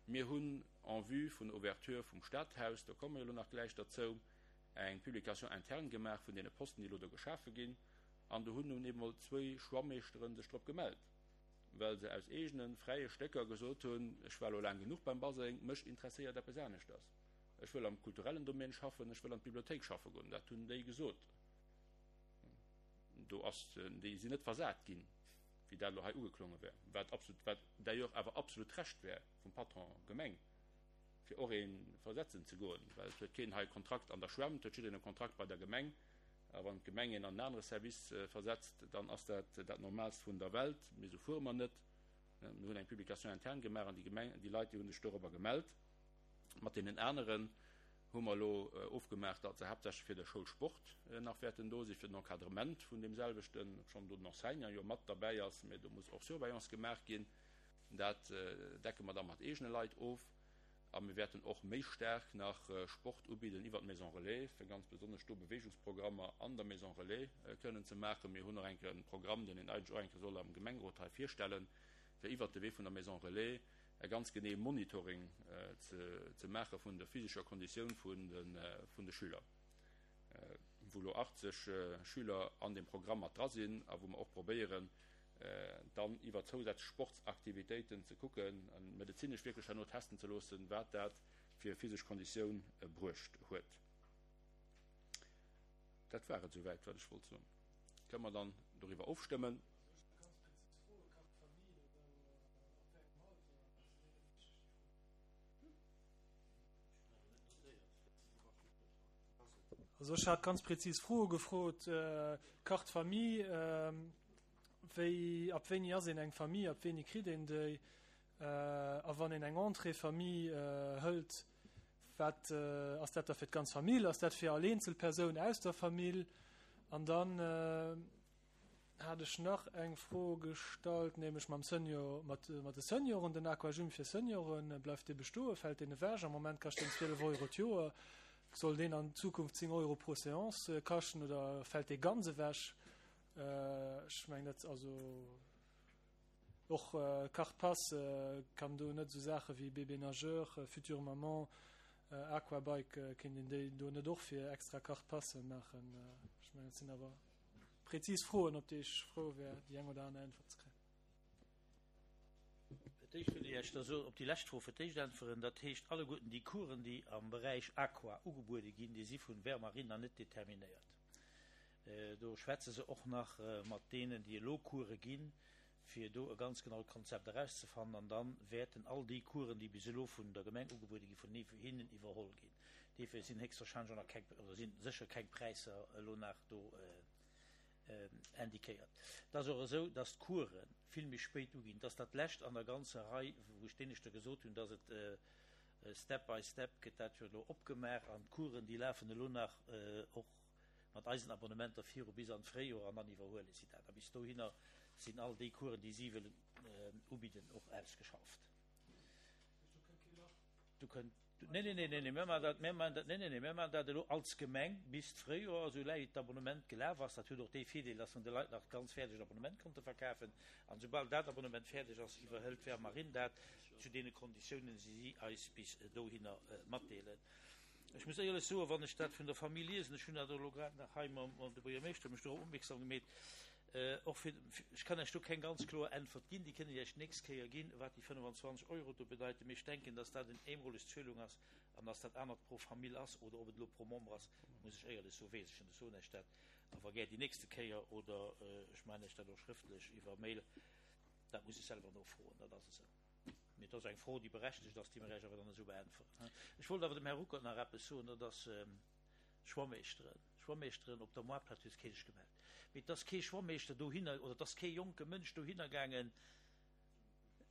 Mir hunn en vue vun der Ouverture vum Stadhaus, do komme mer jo elo nach gläich derzou, eng Publication interne gemaach vun deene Posten, déi elo do geschafe ginn. An do hunn nun eemol zwéi Schwammeeschteren sech drop gemellt, well se aus eegene fräie Stécker gesot hunn, Ech war elo laang genuch beim Baseng, mech interesséiert eppes aneschters. Ech wëll am kulturellen Domaine schaffen, ech wëll an d'Bibliothéik schaffe goen. Dat hunn déi gesot. Do ass, déi sinn net versat ginn, wéi dat elo hei ugeklonge wär, wat absolut, wat d'ailleurs awer absolut d'Recht wär vum Patron Gemeng, fir och ee versetzen ze goen, well et huet keen hei e Kontrakt an der Schwämm, et huet jiddereen e Kontrakt bei der Gemeng. A wann d'Gemeng een an en anere Service versetzt, dann ass dat dat Normaalst vun der Welt. Mee esou fuere mer net. Mir hunn eng Publication interne gemaach an déi Gemeng, déi Leit, déi hu sech dorobber gemellt. Mat deenen aneren hu mer elo ofgemaach, datt se haaptsächlech fir de Schoulsport nach wäerten do sinn, fir den Encadrement vun deem selwechten, obschonn do den Enseignant jo mat derbäi ass, mä do muss och Surveillance gemaach ginn. Dat decke mer da mat eegene Leit of. A mir wäerten och méi staark nach Sport ubidden iwwer d'Maison Relais, fir ganz besonnesch do Beweegungsprogrammer an der Maison Relais kënnen ze maachen. Mir hunn och eng Kéier e Programm, deen een eigentlech och eng Kéier soll am Gemengerot hei virstellen, fir iwwert de Wee vun der Maison Relais e ganz genee Monitoring ze maache vun der physescher Konditioun vun de Schüler, wou elo 80 Schüler an deem Programm mat dra sinn a wou mer och probéieren, dann iwwer zousätzlech Sportsaktivitéiten ze kucken a medezinesch wierklech herno testen ze loossen, wat dat fir physesch Konditioun bruecht huet. Dat war et esouwäit, wat ech wollt soen. Kënne mer dann doriwwer ofstëmmen? Also ech hat ganz präzis Froe gefrot, Carte Famille, wéi, ab wéini ass een eng Famille, ab wéini kritt een déi, a wann een eng Entrée Famille hëlt, wat ass dat da fir d'ganz Famill, ass dat fir all eenzel Persoun aus der Famill? An dann. hat ech nach eng Fro gestallt, nämlech mam Senior, mat, mat de Senioren, den Aquagym fir Senioren, bleift dee bestoen, fält deen ewech? Am Moment kascht deen 12 Euro d'Joer. Soll deen an Zukunft 10 Euro pro Seance kaschten oder fält dee ganz ewech? Ech mengen dat, also och Carte Pass kann do net esou Saache wéi Bébé Nageur, Future Maman, Aquabike, kéint een déi do net och fir extra Carte Passe maachen? Ech mengen dat sinn awer prezis Froen, op déi ech frou wär, déi eng oder aner Äntwert ze kréien. Fir d'éischt wëll ech Iech da soen, op déi lescht Fro fir d'éischt äntweren. Dat heescht, alleguerten déi Coursen, déi am Beräich Aqua ugebuede ginn, déi si vun Vermarine net determinéiert. Do schwätze se och nach mat deenen, déi elo Course ginn, fir do e ganz genaut Konzept erauszefannen. An da wäerten all déi Coursen, déi bis elo vun der Gemeng ugebuede ginn, vun hinnen iwwerholl ginn. Duerfir sinn héchstwahrscheinlech och nach keng, oder si sécher keng Präisser elo nach do indiquéiert. Et ass och esou, dass d'Course vill méi spéit uginn. Et ass dat lescht an der ganzer Rei, wou ech d'éineschter gesot hunn, dass et step by step gëtt dat jo elo opgemaach an d'Coursen, déi lafen elo nach och mat eisen Abonnementer viru bis an d'Fréijoer an dann iwwerhuele si dat. A bis dohinner sinn all déi Coursen, déi si wëllen ubidden, och ausgeschafft. Du kënnt, nee, nee, nee, nee, nee, mir maachen dat, mir maachen dat, nee, nee, nee, mir maachen dat elo als Gemeng bis d'Fréijoer, esou laang d'Abonnement gelaf ass. Dat huet och dee Virdeel, dass mer de Leit nach d'ganz fäerdegt Abonnement konnte verkafen. An soubal dat Abonnement fäerdeg ass, iwwerhëlt d'Vermarine dat zu deene Konditiounen, déi si eis bis dohinner matdeelen. Ech muss éierlech soen, wann ech dat vun der Famille liesen, ech hunn dat och elo grad nach hei mam de Buergermeeschter mech dorop opmierksam gemeet, och fir, ech kann Iech do keng ganz kloer Äntwert ginn, déi kënne ech Iech d'nächst Kéier ginn, wat déi 25 Euro do bedeiten, mee ech denken, dass dat en eemoleg Zuelung ass an dass dat anert pro Famill ass oder ob et elo pro Member ass, muss ech éierlech soen, weess ech net. Ech soen Iech dat awer gär déi nächste Kéier oder ech maachen Iech dat och schrëftlech iwwer Mail, dat muss ech selwer nofroen, dat ass esou. Mee et ass eng Fro, déi berechtegt ass, déi mer Iech awer dann esou beäntweren. Ech wollt awer dem Här Ruckert nach eppes soen, dat ass Schwammeeschteren. Schwammeeschteren op der Moartplaz huet kee sech gemellt. Mee et ass kee Schwammeeschter dohinner, oder et ass kee jonke Mënsch dohinner gaangen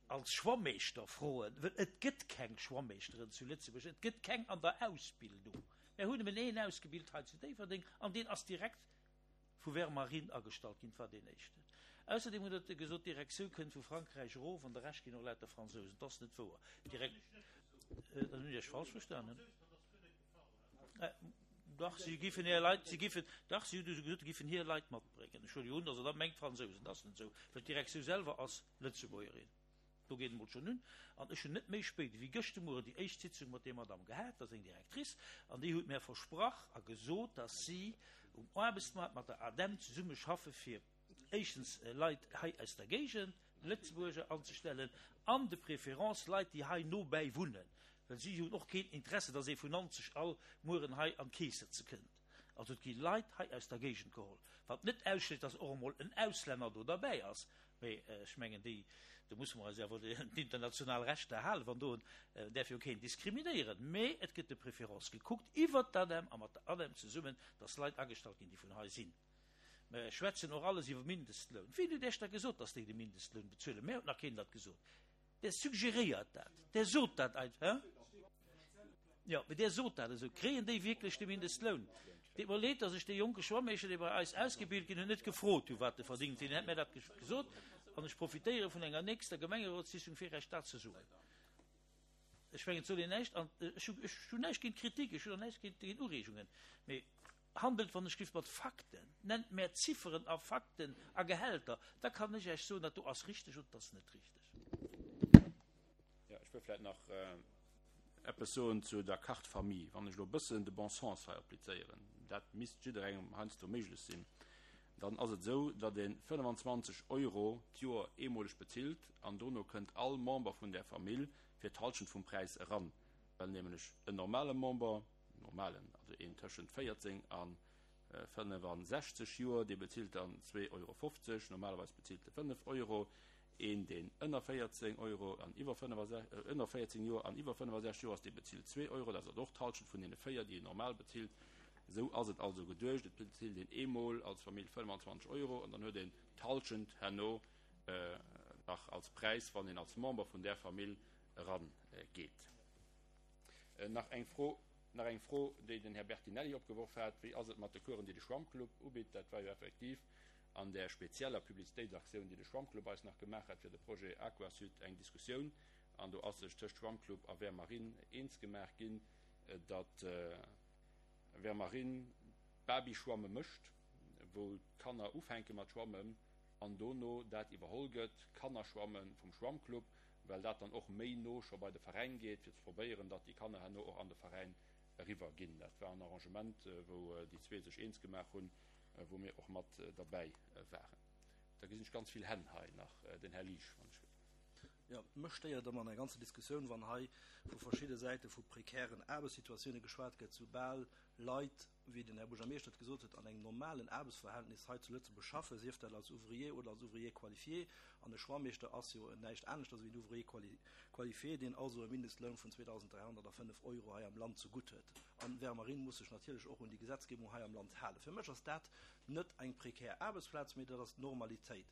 als Schwammeeschter froen, well et gëtt keng Schwammeeschteren zu Lëtzebuerg, et gëtt keng an der Ausbildung. Mär hunn nëmmen een ausgebilt hei zu Déifferdeng an deen ass direkt vu Vermarine agestallt ginn, war deen éischten. Ausserdeem huet Der gesot, d'Direktioun kënnt vu Frankräich erof an de Rescht ginn och lauter Fransousen. Dat ass net wouer. D'Direk-, dann hunn ech Iech falsch verstanen. Dach, si giffen hir Leit, si giffen, dach, si hunn gesot, si giffen hir Leit matbréngen. Ech huele jo un, datt Der da mengt Fransousen. Dat ass net esou, well d'Direktioun selwer ass Lëtzebuergerin. Do geet et emol schonn un. An ech hunn net méi spéit ewéi gëscht de Mueren déi éischt Sitzung mat där Madame gehat, dat ass eng Directrice, an déi huet mär versprach a gesot, dass si um Aarbechtsmaart mat der ADEM zesumme schaffe fir éischtens Leit hei aus der Géigend, Lëtzebuerger, anzestellen an de préférence Leit, déi hei nobäi wunnen, well si hunn och keen Interesse, dass ee vun Nanzeg all Mueren hei an d'Keess sëtze kënnt. Also et gi Leit hei aus der Géigend geholl, wat net ausschléisst, dass och emol en Auslänner do derbäi ass, mee ech mengen déi, do musse mer eis awer un d'international Rechter halen, wann do en, däerf jo keen diskriminéieren, mee et gëtt de préférence gekuckt iwwert d'ADEM a mat der ADEM zesummen, dass Leit agestallt ginn, déi vun hei sinn. Mer schwätzen och alles iwwer Mindestloun. Wien huet Iech da gesot, dass déi de Mindestloun bezuelen? Mär huet nach keen dat gesot. Der suggeréiert dat, der sot dat einfach. Jo, mee der sot dat esou. Kréien déi wierklech de Mindestloun? Deet mer leed, dass ech dee jonke Schwammeeschter, dee bei eis ausgebilt ginn, hunn, net gefrot hu wat e verdingt. Deen hätt mär dat gesot. An ech profitéiere vun enger nächster Gemengerotssitzung, fir Iech dat ze soen. Ech mengen, et soll een näischt, an ech hunn näischt géint Kritik, ech hunn och näischt géint Ureegungen, mee handelt wann ech giff mat Fakten, nennt mär Zifferen a Fakten a Gehälter, da kann ech Iech soen, dat do ass richteg oder dat ass net richteg. Jo, ech wëll vläicht nach eppes soen zu der Carte Famille. Wann ech elo e bëssen de bon sens hei applizéieren, dat misst jidderengem heiansdo méiglech sinn, dann ass et esou, datt ee 25 Euro d'Joer eemoleg bezilt an dono kënnt all Member vun där Famill fir d'Halschent vum Präis eran, well nämlech en normale Member, normalen, also een tëschent 14 a 65 Joer, dee bezilt dann 2,50 Euro, normalerweis bezilt e 5 Euro, een deen ënner 14 Euro an iwwer ënner 14 Joer an iwwer 65 Joer ass, dee bezilt 2 Euro, dat ass also och d'Halschent vun deene 4, déi een normal bezilt. Esou ass et also geduecht, et bezilt een eemol als Famill 25 Euro an dann huet een d'Halschent herno nach als Präis, wann een als Member vun där Famill erangeet. Nach eng Fro, nach eng Fro, déi den Här Bertinelli opgeworf hat, Wéi ass et mat de Coursen, déi de Schwammclub ubitt? Dat war jo effektiv. An där spezieller Publizitéitsaktioun, déi de Schwammclub eis nach gemaach hat fir de Projet Aquasud, eng Diskussioun. An do ass sech tëscht Schwammclub a Ver Marine eens gemaach ginn, datt Ver Marine Babyschwamme mécht, wou d'Kanner ufänke mat schwammen an dono dat iwwerholl gëtt, Kannerschwamme vum Schwammclub, well dat dann och méi no scho bei de Veräin geet, fir ze probéieren, datt déi Kanner herno och an de Veräin eriwwer ginn. Dat war en Arrangement, wou déi zwee sech eens gemaach hunn, wou mir och mat derbäi waren. Da gesinn ech ganz vill Hänn hei nach. Den Här Liesch, wann ech. Jo, mech stéiert ëmmer an der ganzer Diskussioun, wann hei vu verschidde Säite vu prekären Aarbechtssituatioune geschwat gëtt, soubal Leit, wéi den Här Buergermeeschter et gesot huet, an engem normalen Aarbechtsverhältnis hei zu Lëtzebuerg schaffen, sief dat als Ouvrier oder als Ouvrier qualifié, an e Schwammeeschter ass jo näischt aneschters ewéi en Ouvrier qualifié, deen also e Mindestloun vun 2.305 Euro hei am Land zegutt huet. An Vermarine muss sech natierlech och un déi Gesetzgebung hei am Land halen. Fir mech ass dat net eng prekär Aarbechtsplaz, mee dat ass d'Normalitéit.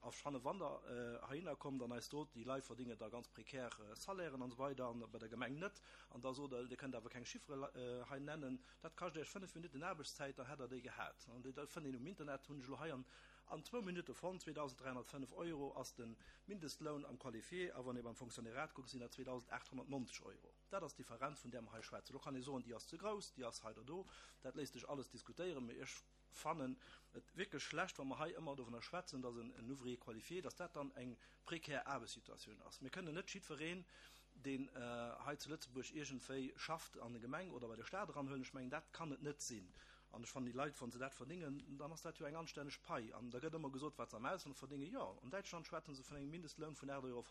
A schanne wann Der heihinner kommt an eis sot, déi Leit verdéngen da ganz prekär Salairen an esou weider an bei der Gemeng net, an da sot Der, Dir kënnt awer keng Chiffere hei nennen, dat kascht Iech 5 Minutten Aarbechtszäit, dann hätt Der déi gehat. An déi fënnt een um Internet, hunn ech elo hei an zwou Minutte fonnt, 2.305 Euro ass de Mindestloun am Qualifié, a wann ee beim Fonctionnairat kuckt, sinn dat 2.890 Euro. Dat ass d'Differenz, vun där mer hei schwätzen. Elo kann ee soen, déi ass ze grouss, déi ass hei oder do, dat léisst sech alles diskutéieren, mee ech fannen et wierklech schlecht, wa mer hei ëmmer dovunner schwätzen, dass en Ouvrier qualifié, dass dat dann eng prekär Aarbechtssituatioun ass. Mir kënnen net jiddwereen, deen hei zu Lëtzebuerg iergendwéi schafft, an e Gemeng oder bei de Stat eranhuelen. Ech mengen, dat kann et net sinn. An ech fannen, déi Leit, wa se dat verdéngen, dann ass dat jo eng anstänneg Pai. An da gëtt ëmmer gesot, wat se am Ausland verdéngen. Jo, an Däitschland schwätze se vun engem Mindestloun vun 8,50 Euro.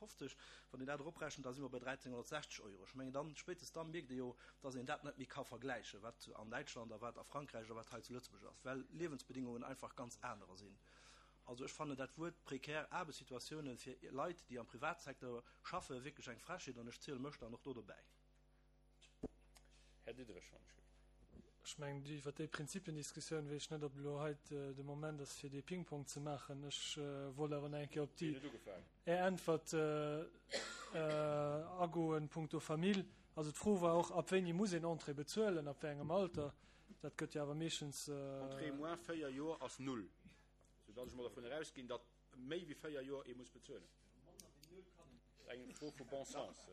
Wann een dat eroprechent, da si mer bei 1.360 Euro. Ech mengen, dann, spéitstens da mierkt ee jo, dass een dat net méi ka vergläichen, wat an Däitschland a wat a Frankräich a wat hei zu Lëtzebuerg ass, well Liewensbedingungen einfach ganz anerer sinn. Also ech fannen dat Wuert prekär Aarbechtssituatiounen fir Leit, déi am Privatsecteur schaffen, wierklech eng Frechheet an ech ziele mech dann och do dobäi. Här Diderich, wann ech. Ech mengen, iwwert déi Prinzipiendiskussioun weess ech net, ob elo hei de Moment ass, fir dee Ping-Pong ze maachen. Ech wollt awer nach eng Kéier op déi. Är Äntwert agoen punkto Famill. Also d'Fro war och, ab wéini muss een Entrée bezuelen, ab wéi engem Alter. Dat gëtt jo awer meeschtens. Entrée moins 4 Joer ass null, soudatt ech mol dervun erausginn, datt méi wéi 4 Joer ee muss bezuelen. Eng Fro vu bon sens.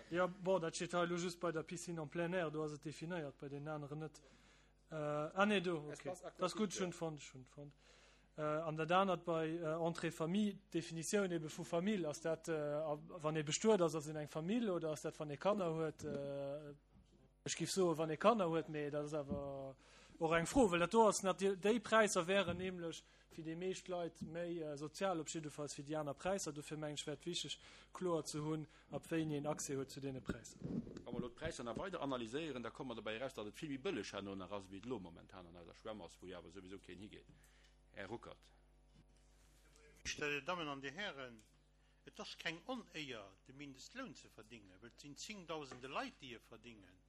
Jo, bon, dat steet hei elo just bei der Piscine en plein air, do ass et definéiert, bei deenen aneren net. Ah nee, do, okay. Dat ass gutt, ech hunn et fonnt, ech hunn et fonnt. An dat anert bei Entrée Famille, d'Definitioun ebe vu Famill, ass dat, wann ee bestuet ass, ass een eng Famill oder ass dat, wann ee Kanner huet? Ech géif soen, wann ee Kanner huet, mee dat ass awer och eng Fro, well dat do ass natierlech, déi Präisser wären nämlech fir déi meescht Leit méi sozial op jiddefalls wéi déi aner Präisser. Dofir mengen ech, wär et wichteg, kloer ze hunn, ab wéini een Accès huet zu deene Präisser. Wa mer elo d'Präisser nach weider analyséieren, da komme mer dobäi eraus, datt et vill méi bëlleg herno nach ass, wéi et elo momentan an eiser Schwämm ass, wou jo awer souwisou keen higeet. Här Ruckert. Dir Dammen an Dir Hären, et ass keng Onéier, de Mindestloun ze verdingen, well et sinn zéngdausende Leit, déi e verdingen.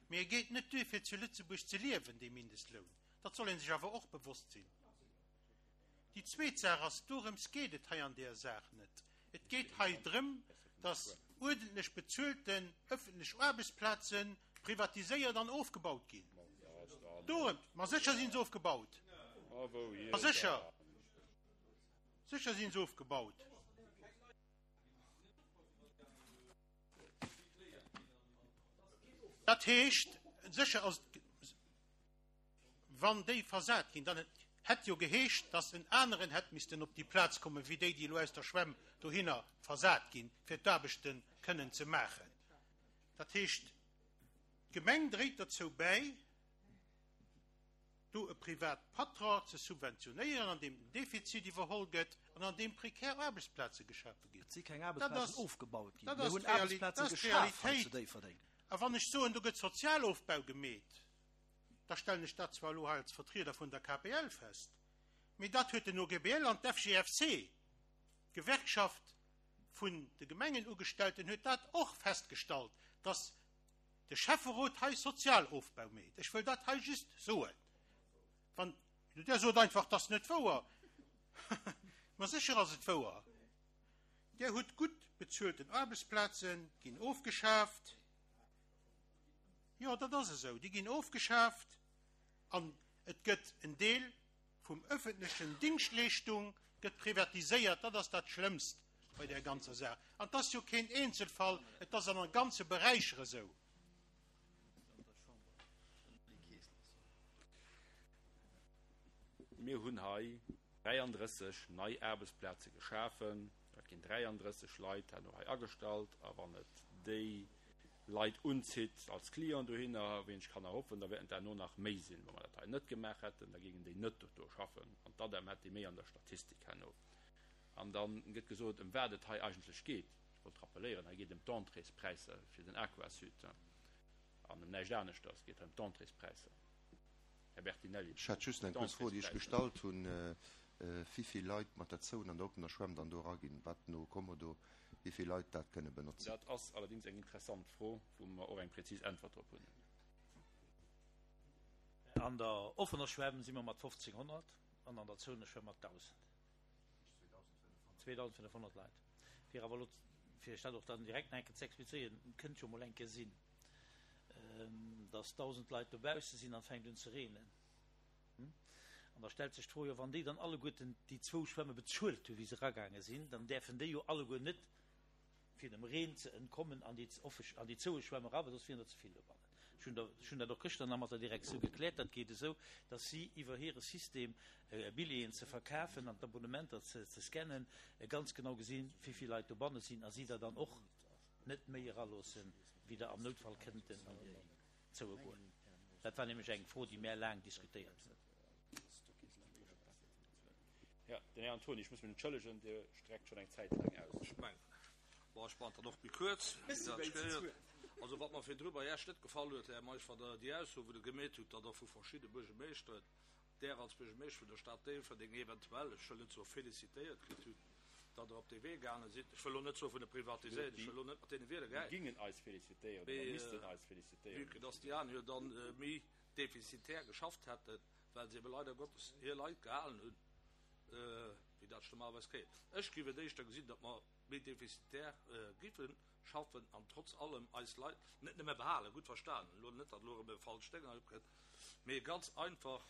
Mee e geet net duer, fir zu Lëtzebuerg ze liewen, dee Mindestloun. Dat soll ee sech awer och bewosst sinn. Déi zweet Saach ass, dorëms geet et hei an där Saach net. Et geet hei drëm, dass uerdentlech bezuelten ëffentlech Aarbechtsplaze privatiséiert an ofgebaut ginn. Dorëm, ma sécher sinn se ofgebaut. Ma sécher, sécher sinn se ofgebaut. Dat heescht, sécher ass et. Wann déi versat ginn, dann hätt jo geheescht, datt en aneren hätt missten op déi Plaz kommen, wéi déi, déi elo aus der Schwämm dohinner versat ginn, fir d'Aarbechte kënnen ze maachen. Dat heescht, d'Gemeng dréit derzou bäi, do e Privatpatron ze subventionéieren, an deem den Defizit iwwerholl gëtt an an deem prekär Aarbechtsplaze geschafe ginn. Et si keng Aarbechtsplazen ofgebaut ginn. Mir hunn Aarbechtsplaze geschaf hei zu Déifferdeng. A wann ech soen, do gëtt Sozialofbau gemeet, da stellen ech dat zwar elo hei als Vertrieder vun der KPL fest, mee dat huet den OGBL an d'FGFC, d'Gewerkschaft vun de Gemengenugestellten, huet dat och festgestallt, dass de Schäfferot hei Sozialofbau meet. Ech wëll dat hei just soen. Wann Der sot einfach, dat ass net wouer. Ma sécher ass et wouer. Der hutt gutt bezuelten Aarbechtsplazen ginn ofgeschaaft. Jo, dat ass esou. Déi ginn ofgeschaaft an et gëtt en Deel vum öffentlechen Dingschtleeschtung gëtt privatiséiert. Dat ass dat Schlëmmst bei där ganzer Saach. An et ass jo keen Eenzelfall, et ass an a ganze Beräicher esou. Mir hunn hei 33 nei Aarbechtsplaze geschafen. Dat ginn 33 Leit herno hei agestallt. A wann et déi Leit unzitt als Client dohinner, wéi ech kann erhoffen, da wäerten et herno nach méi sinn. Wa mer dat hei net gemaach hätten, da géingen déi net do schaffen an d'ADEM hätt déi méi an der Statistik herno. An da gëtt gesot, ëm wat et hei eigentlech geet. Ech wollt rappeléieren, hei geet ëm d'Entréespräisser fir den Aquasud an ëm näischt aneschters. Et geet hei ëm d'Entréespräisser. Här Bertinelli, Ech hat just eng kuerz Fro, déi ech gestallt hunn, Wéivill Leit mat der Zone an der oppener Schwämm dann do eraginn, wat no Kommodo, wéivill Leit dat kënne benotzen? Dat ass allerdings eng interessant Fro, wou mer och eng präzis Äntwert drop hunn. An der offener Schwämm si mer mat 1.500 an an der zouener Schwämm mat 1.000. 2.500 Leit. Fir awer elo, fir Iech dat och dann direkt nach eng Kéier ze explizéieren, Et kënnt jo emol eng Kéier sinn, dass 1.000 Leit dobausse sinn an et fänkt un ze reenen. An da stellt sech d'Fro jo, wann déi dann alleguerten déi zwou Schwämme bezuelt hunn, wéi se eragaange sinn, dann däerfen déi jo alleguer net, fir dem Reen ze entkommen, an déi offe, an déi zoue Schwämm era, well soss wieren der ze vill dobannen. Ech hunn der, ech hunn dat och gëschter nach mat der Direktioun gekläert. Dat geet esou, datt si iwwer hire System, Billjeeën ze verkafen an d'Abonnementer ze, ze scannen, ganz genau gesinn, wéi vill Leit dobanne sinn a si der dann och net méi eraloossen, wéi der am Noutfall kënnten an déi zoue goen. Dat war nämlech eng Fro, déi mär laang diskutéiert hunn. Jo, den Här Antony, ech muss mech entschëllegen, Dir streckt schonn eng Zäit laang aus. Ech mengen, bon, ech maachen dat och méi kuerz, wéi dat ech gehéiert. Also, wat mer virdru bei Iech net gefall huet, Här Meisch, war der déi Ausso, wou Der gemeet hutt, datt Der vu verschidde Buergermeeschteren, Der als Buergermeeschter vun der Stad Déifferdeng eventuell, ech wëll net soe félicitéiert kritt hutt, datt Der op dee Wee gaange sidd. Ech wëll elo net soe vun de Privatiséiert, ech wëll elo net mat deene Wierder Déi gäien. gingen eis félicitéieren oder Mee missten eis félicitéieren. vue que datt déi aner jo dann méi defizitär geschafft hätten, well se ebe leider Gottes hir Leit gehalen hunn, wéi dat ech normalerweis kréien. Ech géif et éischter gesinn, datt mer méi defizitär géife schaffen an trotz allem eis Leit net nëmme behalen, gutt verstanen, elo net, datt elo erëm e falscht Déng hei opkënnt, mee ganz einfach,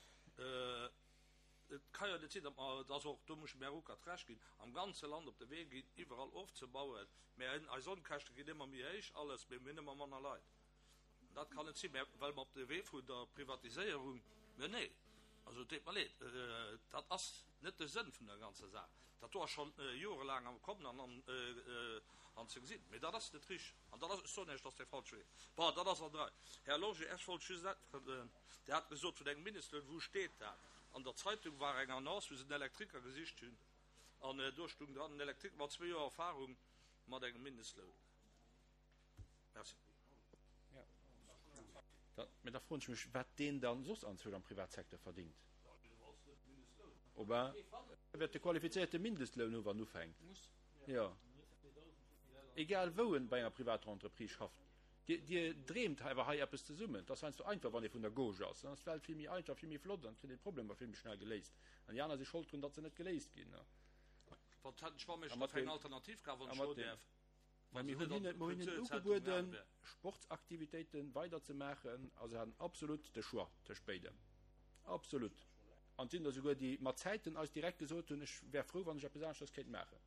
et ka jo net sinn, datt mer, et ass och, do muss ech dem Här Ruckert Recht ginn, am ganze Land op de Wee ginn, iwwerall ofzebauen, mä eis Onkäschte ginn ëmmer méi héich, alles, mee mir hunn ëmmer manner Leit. Dat kann net sinn, mä well mer op de Wee vun der Privatiséierung, mä nee, also et deet mer leed, dat ass net de Sënn vun der ganzer Saach. Dat do ass scho jorelaang am Kommen an an ze gesinn, mä dat ass net richteg an dat ass, ech soen Iech, dat ass dee falsche Wee. Bon, dat ass an der Rei. Här Lorsché, ech wollt just äntweren, Dir hat gesot vun engem Mindestloun, wou steet dat? An der Zeitung war eng Annonce, wou se en Elektriker gesicht hunn an do stung dran, en Elektriker mat zwee Joer Erfahrung mat engem Mindestloun. Merci. Da, mä da froen ech mech, wat deen dann soss anzwousch am Privatsecteur verdingt. Oh ben, e wäert de qualifizéierte Mindestloun hu wann en ufänkt. Jo. Egal wou en bei enger privater Entreprise schafft. Dir, Dir dreemt awer hei eppes zesummen. Et ass heiansdo einfach, wann ee vun der Gauche ass. Dann ass d'Welt vill méi einfach, vill méi flott an et kritt een d'Problemer vill méi schnell geléist. An déi aner si schold drun, datt se net geléist ginn. Wat hätt ech, wa mech da fir eng Alternativ gab, wann ech elo däerf? Mä mir hunn hinnen, mir hunn hinnen ugebueden, Sportsaktivitéite weider ze maachen a se haten absolut de Choix tëscht béidem. Absolut. An et sinn der souguer, déi mat Zäiten eis direkt gesot hunn, ech wär frou, wann ech eppes aneschters kéint maachen.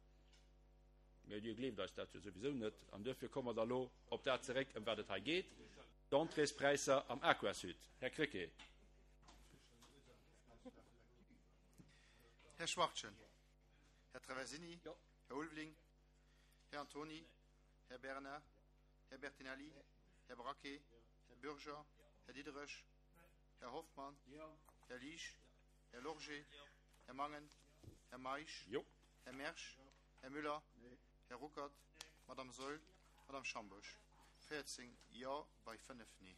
Mä Dir gleeft eis dat jo souwisou net an duerfir komme mer da lo op dat zeréck, ëm wat et hei geet, d'Entréespräisser am Aquasud. Här Krecké. Här Schwachtgen. Här Traversini. Här Ulveling. Här Antony, Här Bernard, Här Bertinelli, Här Braquet, Här Bürger, Här Diderich, Här Hoffmann, Här Liesch, Här Lorgé, Här Mangen, Här Meisch, Här Mersch, Här Müller, Här Ruckert, Madame Saeul, Madame Schambourg. 14 Jo bei 5 Nee.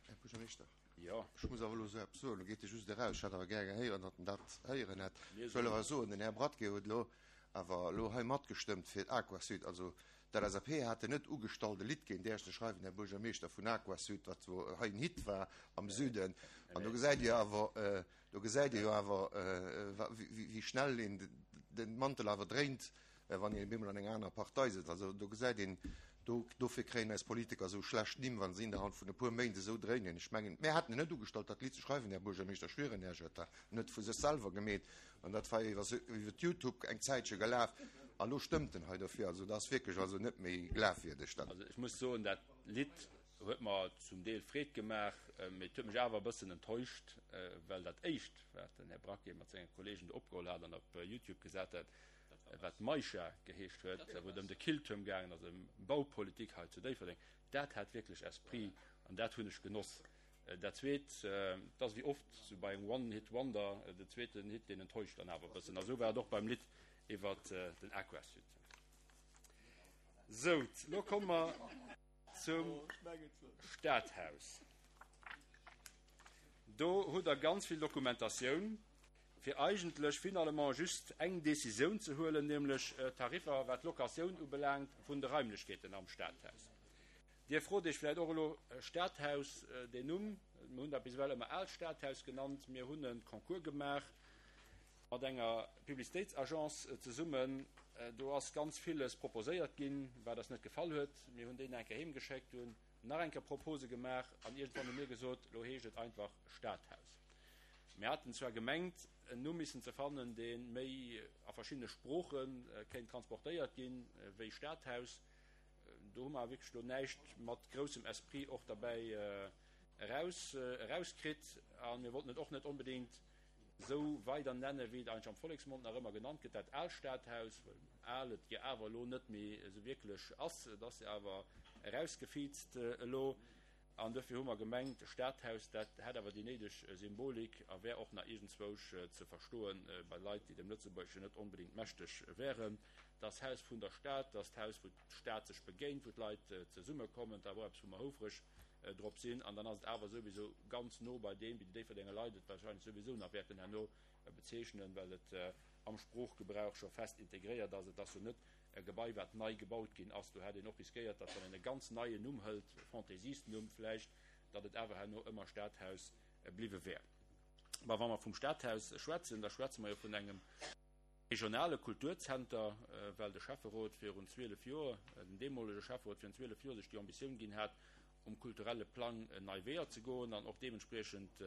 Här Buergermeeschter, ech muss awer elo esou eppes soen, elo geet e just eraus, ech hätt awer gär gehéieren, datt en dat héieren hätt. Ech wëll awer soen, den Här Bradtke huet elo awer elo hei matgestëmmt fir d'Aquasud. Also d'LSAP haten net ugestallt e Lidd géint Iech ze schreiwen, Här Buergermeeschter, vun Aquasud, wat wou hei en Hit war am Süden. An do gesäit Dir awer, do gesäit Dir jo awer, wéi schnell een de Mantel awer dréint, wann een op eemol an enger anerer Partei sëtzt. Also do gesäit een. Do, dofir kréien eis Politiker esou schlecht Nimm, wa se innerhalb vun e puer Méint esou dréinen. Ech mengen, mär haten en net ugestallt, dat Lidd ze schreiwen, Här Buergermeeschter, ech schwieren Iech, et war net vu sech selwer gemeet. An dat war iwwer, iwwer Youtube eng Zäitche gelaf. An elo stëmmt en hei dofir. Also dat ass wierklech also net méi glafwierdeg, dat. Also ech muss soen, dat Lidd huet mer zum Deel Freed gemaach, mee et huet mech awer e bëssen enttäuscht, well dat éischt, wat den Här Braquet mat senge Kollegen do opgeholl hat an op Youtube gesat hat, wat Maisha geheescht huet, wou et ëm de Killtuerm gaangen ass, ëm Baupolitik hei zu Déifferdeng, dat hat wierklech Esprit an dat hunn ech genoss. Dat Zweet, et ass wéi oft sou bei engem One-Hit-Wonder, den zweeten Hit, deen enttäuscht dann awer e bëssen. A sou war et och beim Lidd iwwer den Aquasud. Sou, lo komme mer zum Stadhaus. Do hutt Der ganz vill Dokumentatioun. fir eigentlech finalement just eng Décisioun ze huelen, nämlech d'Tariffer, wat d'Locatioun ubelaangt vun de Raimlechkeeten am Stadhaus. Dir frot Iech vläicht och elo, Stadhaus, deen Numm, mir hunn dat bis ewell ëmmer Aalt Stadhaus genannt, mir hunn e Concours gemaach mat enger Publicitéitsagence zesummen, do ass ganz villes proposéiert ginn, wat eis net gefall huet. Mir hunn déi nach eng Kéier heemgeschéckt, hunn nach eng Kéier Propose gemaach an iergendwann hu mir gesot, elo heescht et einfach Stadhaus. Mir haten zwar gemengt, en Numm missen ze fannen, dee méi a verschiddene Sprooche kéint transportéiert ginn, wéi Stadhaus. Do hu mer awer wierklech elo näischt mat groussem Esprit och derbäi eraus erauskritt. A mir wollten et och net onbedéngt esou weider nennen, wéi et eigentlech am Volleksmond nach ëmmer genannt gëtt, dat aalt Stadhaus, well al et jo awer elo net méi esou wierklech ass. Et ass jo awer erausgefiizt elo. An dofir hu mer gemengt, Stadhaus, dat hätt awer déi néideg Symbolik a wär och nach iergendzwousch ze verstoe bei Leit, déi dem Lëtzebuergeschen net onbedéngt mächteg wären. Et ass d'Haus vun der Stad, et ass d'Haus, wou d'Stad sech begéint, wou d'Leit zesummekommen. Et awer och eppes, wou mer houfreg drop sinn. An dann ass et awer souwisou ganz no bei deem, wéi déi Déifferdenger Leit et wahrscheinlech souwisou nach wäerten herno bezeechnen, well et am Sproochgebrauch scho fest integréiert ass. Et ass jo net e Gebai, wat nei gebaut ginn ass. Do hätt een och riskéiert, datt, wann een e ganz neien Numm hëlt, e Fantaisisten-Numm vläicht, datt et awer herno ëmmer Stadhaus bliwwe wär. Mä wa mer vum Stadhaus schwätzen, da schwätze mer jo vun engem regionale Kulturzenter, well de Schäfferot virun 12 Joer, den deemolege Schäfferot virun 12 Joer sech déi Ambitioun ginn hat, um kulturelle Plang nei Weeër ze goen an och deementspriechend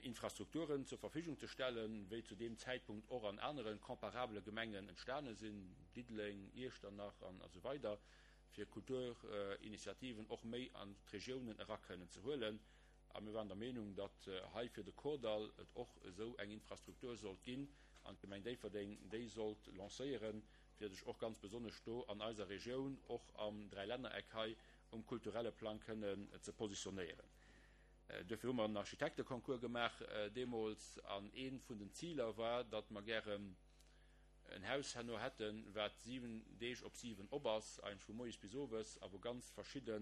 Infrastrukturen zur Verfügung ze stellen, wéi zu deem Zäitpunkt och an anere comparabele Gemengen entstane sinn, Diddeleng, Iechternach an esou weider, fir Kulturinitiativen och méi an d'Regiounen era kënnen ze huelen. A mir waren der Meenung, datt hei fir de Kordall et och esou eng Infrastruktur sollt ginn an d'Gemeng Déifferdeng déi sollt lancéieren, fir sech och ganz besonnesch do an eiser Regioun, och am Dräilännereck hei, um kulturelle Plang kënnen ze positionéieren. Duerfir hu mer en Architekteconcours gemaach deemools an ee vun den Ziler war, datt mer gären en Haus herno hätten, wat 7 Deeg op 7 op ass, eigentlech vu moies bis owes, a wou ganz verschidde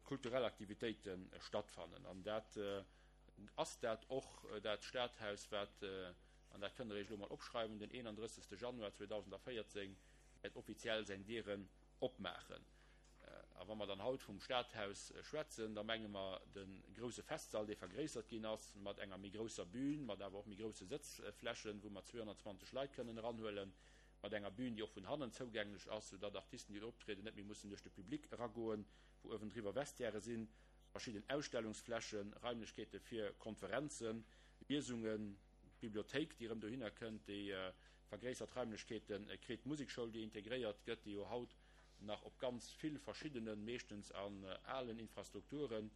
kulturell Aktivitéite stattfannen. An dat ass dat och, dat Stadhaus, wat, an dat kënnt Der Iech elo mol opschreiwen, den 31. Januar 2014 wäert offiziell seng Dieren opmaachen. A wa mer dann haut vum Stadhaus schwätzen, da menge mer de grouse Festsall, dee vergréissert ginn ass, mat enger méi grousser Bühn, mat awer och méi grouse Sëtzflächen, wou mer 220 Leit kënnen eranhuelen, mat enger Bühn, déi och vun hannen zougänglech ass, soudatt Artisten, déi do optrieden, net méi mussen duerch de Public eragoen, wou uewendriwwer Vestiairë sinn, verschidden Ausstellungsflächen, Raimlechkeete fir Konferenzen, Liesungen, d'Bibliothéik, déi erëm dohinner kënnt, déi vergréissert Raimlechkeete kritt, d'Musekschoul, déi integréiert gëtt, déi jo haut nach op ganz vill verschiddenen, meeschtens an alen Infrastrukturen,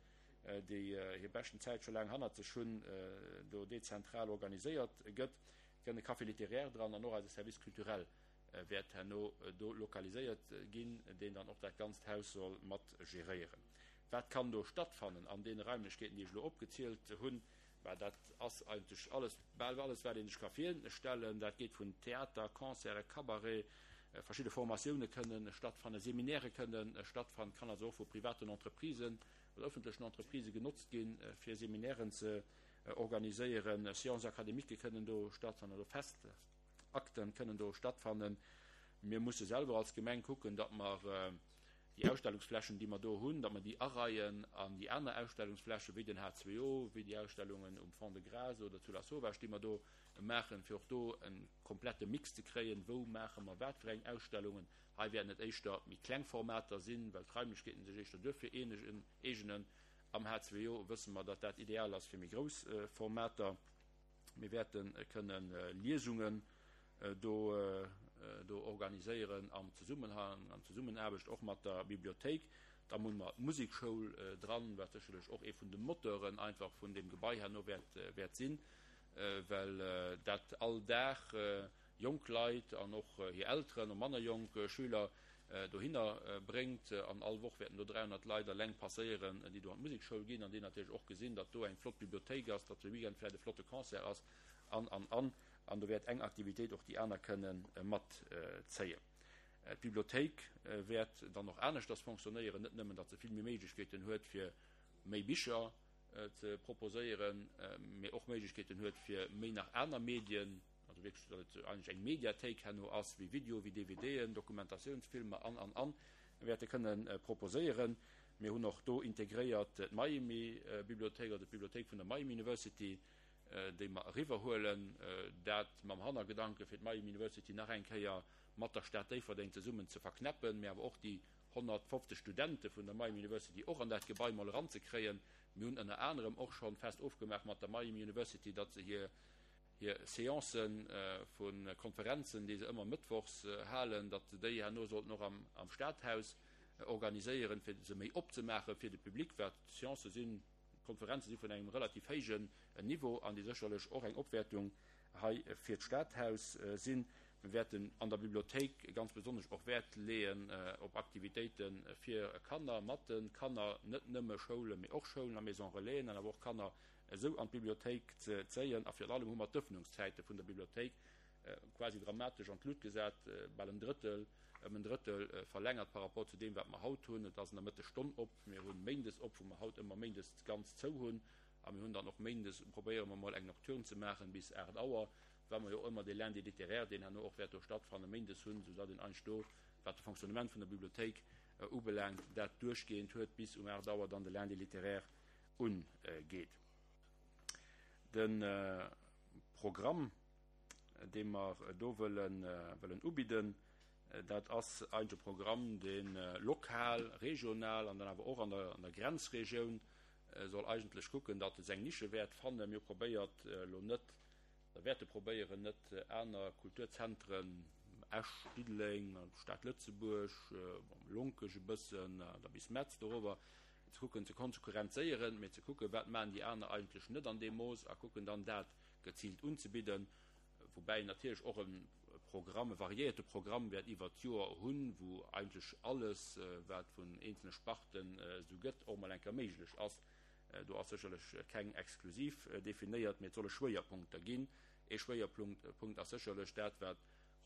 déi hir beschten Zäit scho laang hannert sech hunn, do dezentral organiséiert gëtt. Et kënnt e Café littéraire dran an och eise Service culturel wäert herno do lokaliséiert ginn, deen dann och dat ganzt Haus soll mat geréieren. Wat kann do stattfannen an deene Raimlechkeeten, déi ech elo opgezielt hunn? Bah, dat ass eigentlech alles, bal alles, wat ee sech ka virstellen. Dat geet vun Theater, Concerten, Cabaret, verschidde Formatioune kënnen stattfannen, Seminaire kënnen stattfannen, kann also och vu privaten Entreprisen oder ëffentlechen Entreprisë genotzt ginn, fir Seminairen ze organiséieren. Séances académiques kënnen do stattfannen oder Festakten kënnen do stattfannen. Mir musse selwer als Gemeng kucken, datt mer. Déi Ausstellungsflächen, déi mer do hunn, datt mer déi areien an déi aner Ausstellungsflächen, wéi den H2O, wéi déi Ausstellungen um Fond-de-Gras oder zu Lasauvage, déi mer do maachen, fir och do e komplette Mix ze kréien, wou maache mer wat fir eng Ausstellungen. Hei wäerten et éischter méi kleng Formater sinn, well d'Raimlechkeeten sech éischter duerfir eegenen. Am H2O wësse mer, datt dat ideal ass fir méi grouss Formater. Mir wäerte kënne Liesungen do do organiséieren am Zesummenhang, an Zesummenaarbecht och mat der Bibliothéik. Dann hu mer d'Musekschoul dran, wat sécherlech och ee vun de Moteuren einfach vun deem Gebai herno wäert wäert sinn, well dat all Dag jonk Leit an och hir Elteren a manner jonk Schüler dohinner bréngt. An all Woch wäerten do 300 Leit eleng passéieren, déi do an d'Musekschoul ginn an déi natierlech och gesinn, datt do eng flott Bibliothéik ass, datt de Weekend vläicht e flotte Concert ass an, an, an. An do wäert eng Aktivitéit och déi aner kënne matzéien. D'Bibliothéik wäert dann och aneschters fonctionnéieren, net nëmmen, datt se vill méi Méiglechkeeten huet, fir méi Bicher ze proposéieren, mee och Méiglechkeeten huet, fir méi nach aner Medien, also wierklech, datt et eigentlech eng Mediathéik herno ass, wéi Video, wéi DVDen, Dokumentatiounsfilmer an, an, an, wäerte kënne proposéieren. Mir hunn och do integréiert d'Miami-Bibliothéik, also d'Bibliothéik vun der Miami University, déi mer eriwwerhuelen, dat mam Hannergedanke fir d'Miami University nach eng Kéier mat der Stad Déifferdeng zesummen ze verknäppen, mä awer och déi 150 Studente vun der Miami University och an dat Gebai mol eranzekréien. Mir hunn ënner anerem och scho fest ofgemaach mat der Miami University, datt se hir hir Seancë vu Konferenzen, déi se ëmmer mëttwochs halen, datt se déi herno sollten och am am Stadhaus organiséieren, fir se méi opzemaache fir de Public, wat Seancë sinn, D'Konferenze si vun engem relativ héijen Niveau an déi sécherlech och eng Opwäertung hei fir d'Stadhaus sinn. Mir wäerten an der Bibliothéik ganz besonnesch och Wäert leeën op Aktivitéite fir Kanner, mat de Kanner, net nëmme Schoulen, mee och Schoulen a Maison Relaisen an awer och Kanner esou an d'Bibliothéik ze zéien. A virun allem hu mer d'Ëffnungszäite vun der Bibliothéik quasi dramatesch an d'Lut gesat, bal en Drëttel, ëm en Drëttel verlängert par rapport zu deem, wat mer haut hunn. Et ass an der Mëttesstonn op. Mir hu méindes op, wou mer haut ëmmer méindes ganz zou hunn. A mir hunn dann och méindes, probéiere mer mol eng Nocturne ze maachen bis 8 Auer, well mer jo och ëmmer dee Lundi littéraire, deen herno och wäert do stattfannen, méindes hunn, soudatt een eigentlech do, wat de Fonctionnement vun der Bibliothéik ubelaangt, dat duerchgehend huet, bis um 8 Auer dann de Lundi littéraire ungeet. De Programm, dee mer do wëllen ubidden, dat ass eigentlech e Programm, dee lokal, regional an dann awer och an der Grenzregioun soll eigentlech kucken, datt e seng Nische wäert fannen. Mir hu probéiert elo net, oder wäerte probéieren, net aner Kulturzentren, Esch, Diddeleng, Stad Lëtzebuerg, Lonkech e bëssen, da bis Metz dorower, ze kucken ze konkurrenzéieren, mee ze kucken, wat maachen déi aner eigentlech net an deem Mooss a kucken dann dat geziilt unzebidden, woubäi een natierlech och e Programm, e variéierte Programm wäert iwwert d'Joer hunn, wou eigentlech alles, wat vun eenzelne Sparten esou gëtt, och mol eng Kéier méiglech ass. Do ass sécherlech keng exklusiv definéiert, mee et solle Schwéierpunkter ginn. Ee Schwéierpunkt ass sécherlech dat, wat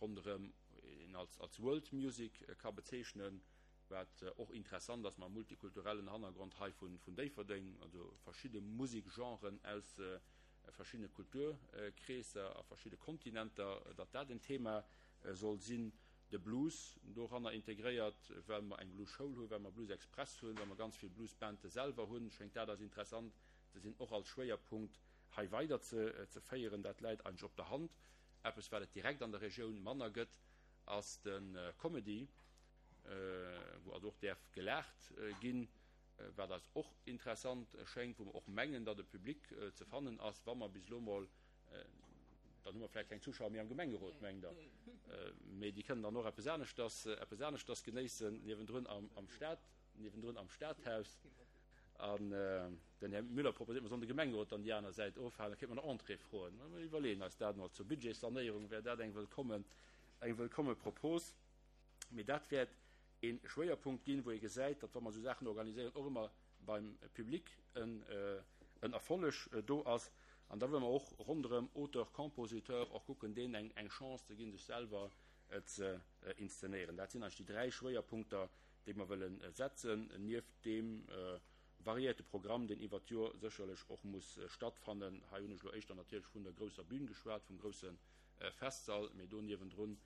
ronderëm een als World Music ka bezeechnen, Wat och interessant ass mam multikulturellen Hannergrond hei vun Déifferdeng, also verschidde Musikgenren aus verschiddene Kulturkreesser a verschidde Kontinenter, datt dat en Thema soll sinn. De Blues doranner integréiert, well mer eng Blues-Schoul hunn, well mer Blues Express hunn, well mer ganz vill Blues-Bande selwer hunn, schéngt dat eis interessant ze sinn, och als Schwéierpunkt hei weider ze féieren. Dat läit eigentlech op der Hand. Eppes, wat et direkt an der Regioun manner gëtt, ass de Comedy. wou also och däerf gelaacht ginn, wat eis och interessant schéngt, wou mer och mengen, datt e Public ze fannen ass, wa mer bis elo mol, dann hu mer vläicht keng Zuschauer méi am Gemengerot, mengt Der, mee déi kënnen dann och eppes aneschters, eppes aneschters genéissen niewendrun am Stad, niewendrun am Stadhaus. An den Här Müller proposéiert, mer sollen de Gemengerot dann déi aner Säit ofhalen, da kéinte mer no Entrée froen. Mer iwwerleeën eis dat mol. Zur Budgetssanéierung wär dat eng wëllkommen, eng wëllkomme Propos. Mee dat wäert ee Schwéierpunkt ginn, wou ee gesäit, datt wa mer esou Saachen organiséieren, och ëmmer beim Public en Erfolleg do ass. An da wëlle mer och ronderëm Auteur, Compositeur och kucken, deenen eng Chance ze ginn, sech selwer ze inszenéieren. Dat sinn eigentlech déi dräi Schwéierpunkter, déi mer wëlle setzen, nieft deem variéierte Programm, deen iwwert d'Joer sécherlech och muss stattfannen. Hei hunn ech elo éischter natierlech vun der grousser Bühn geschwat, vum grousse Festsall, mee do niewendrun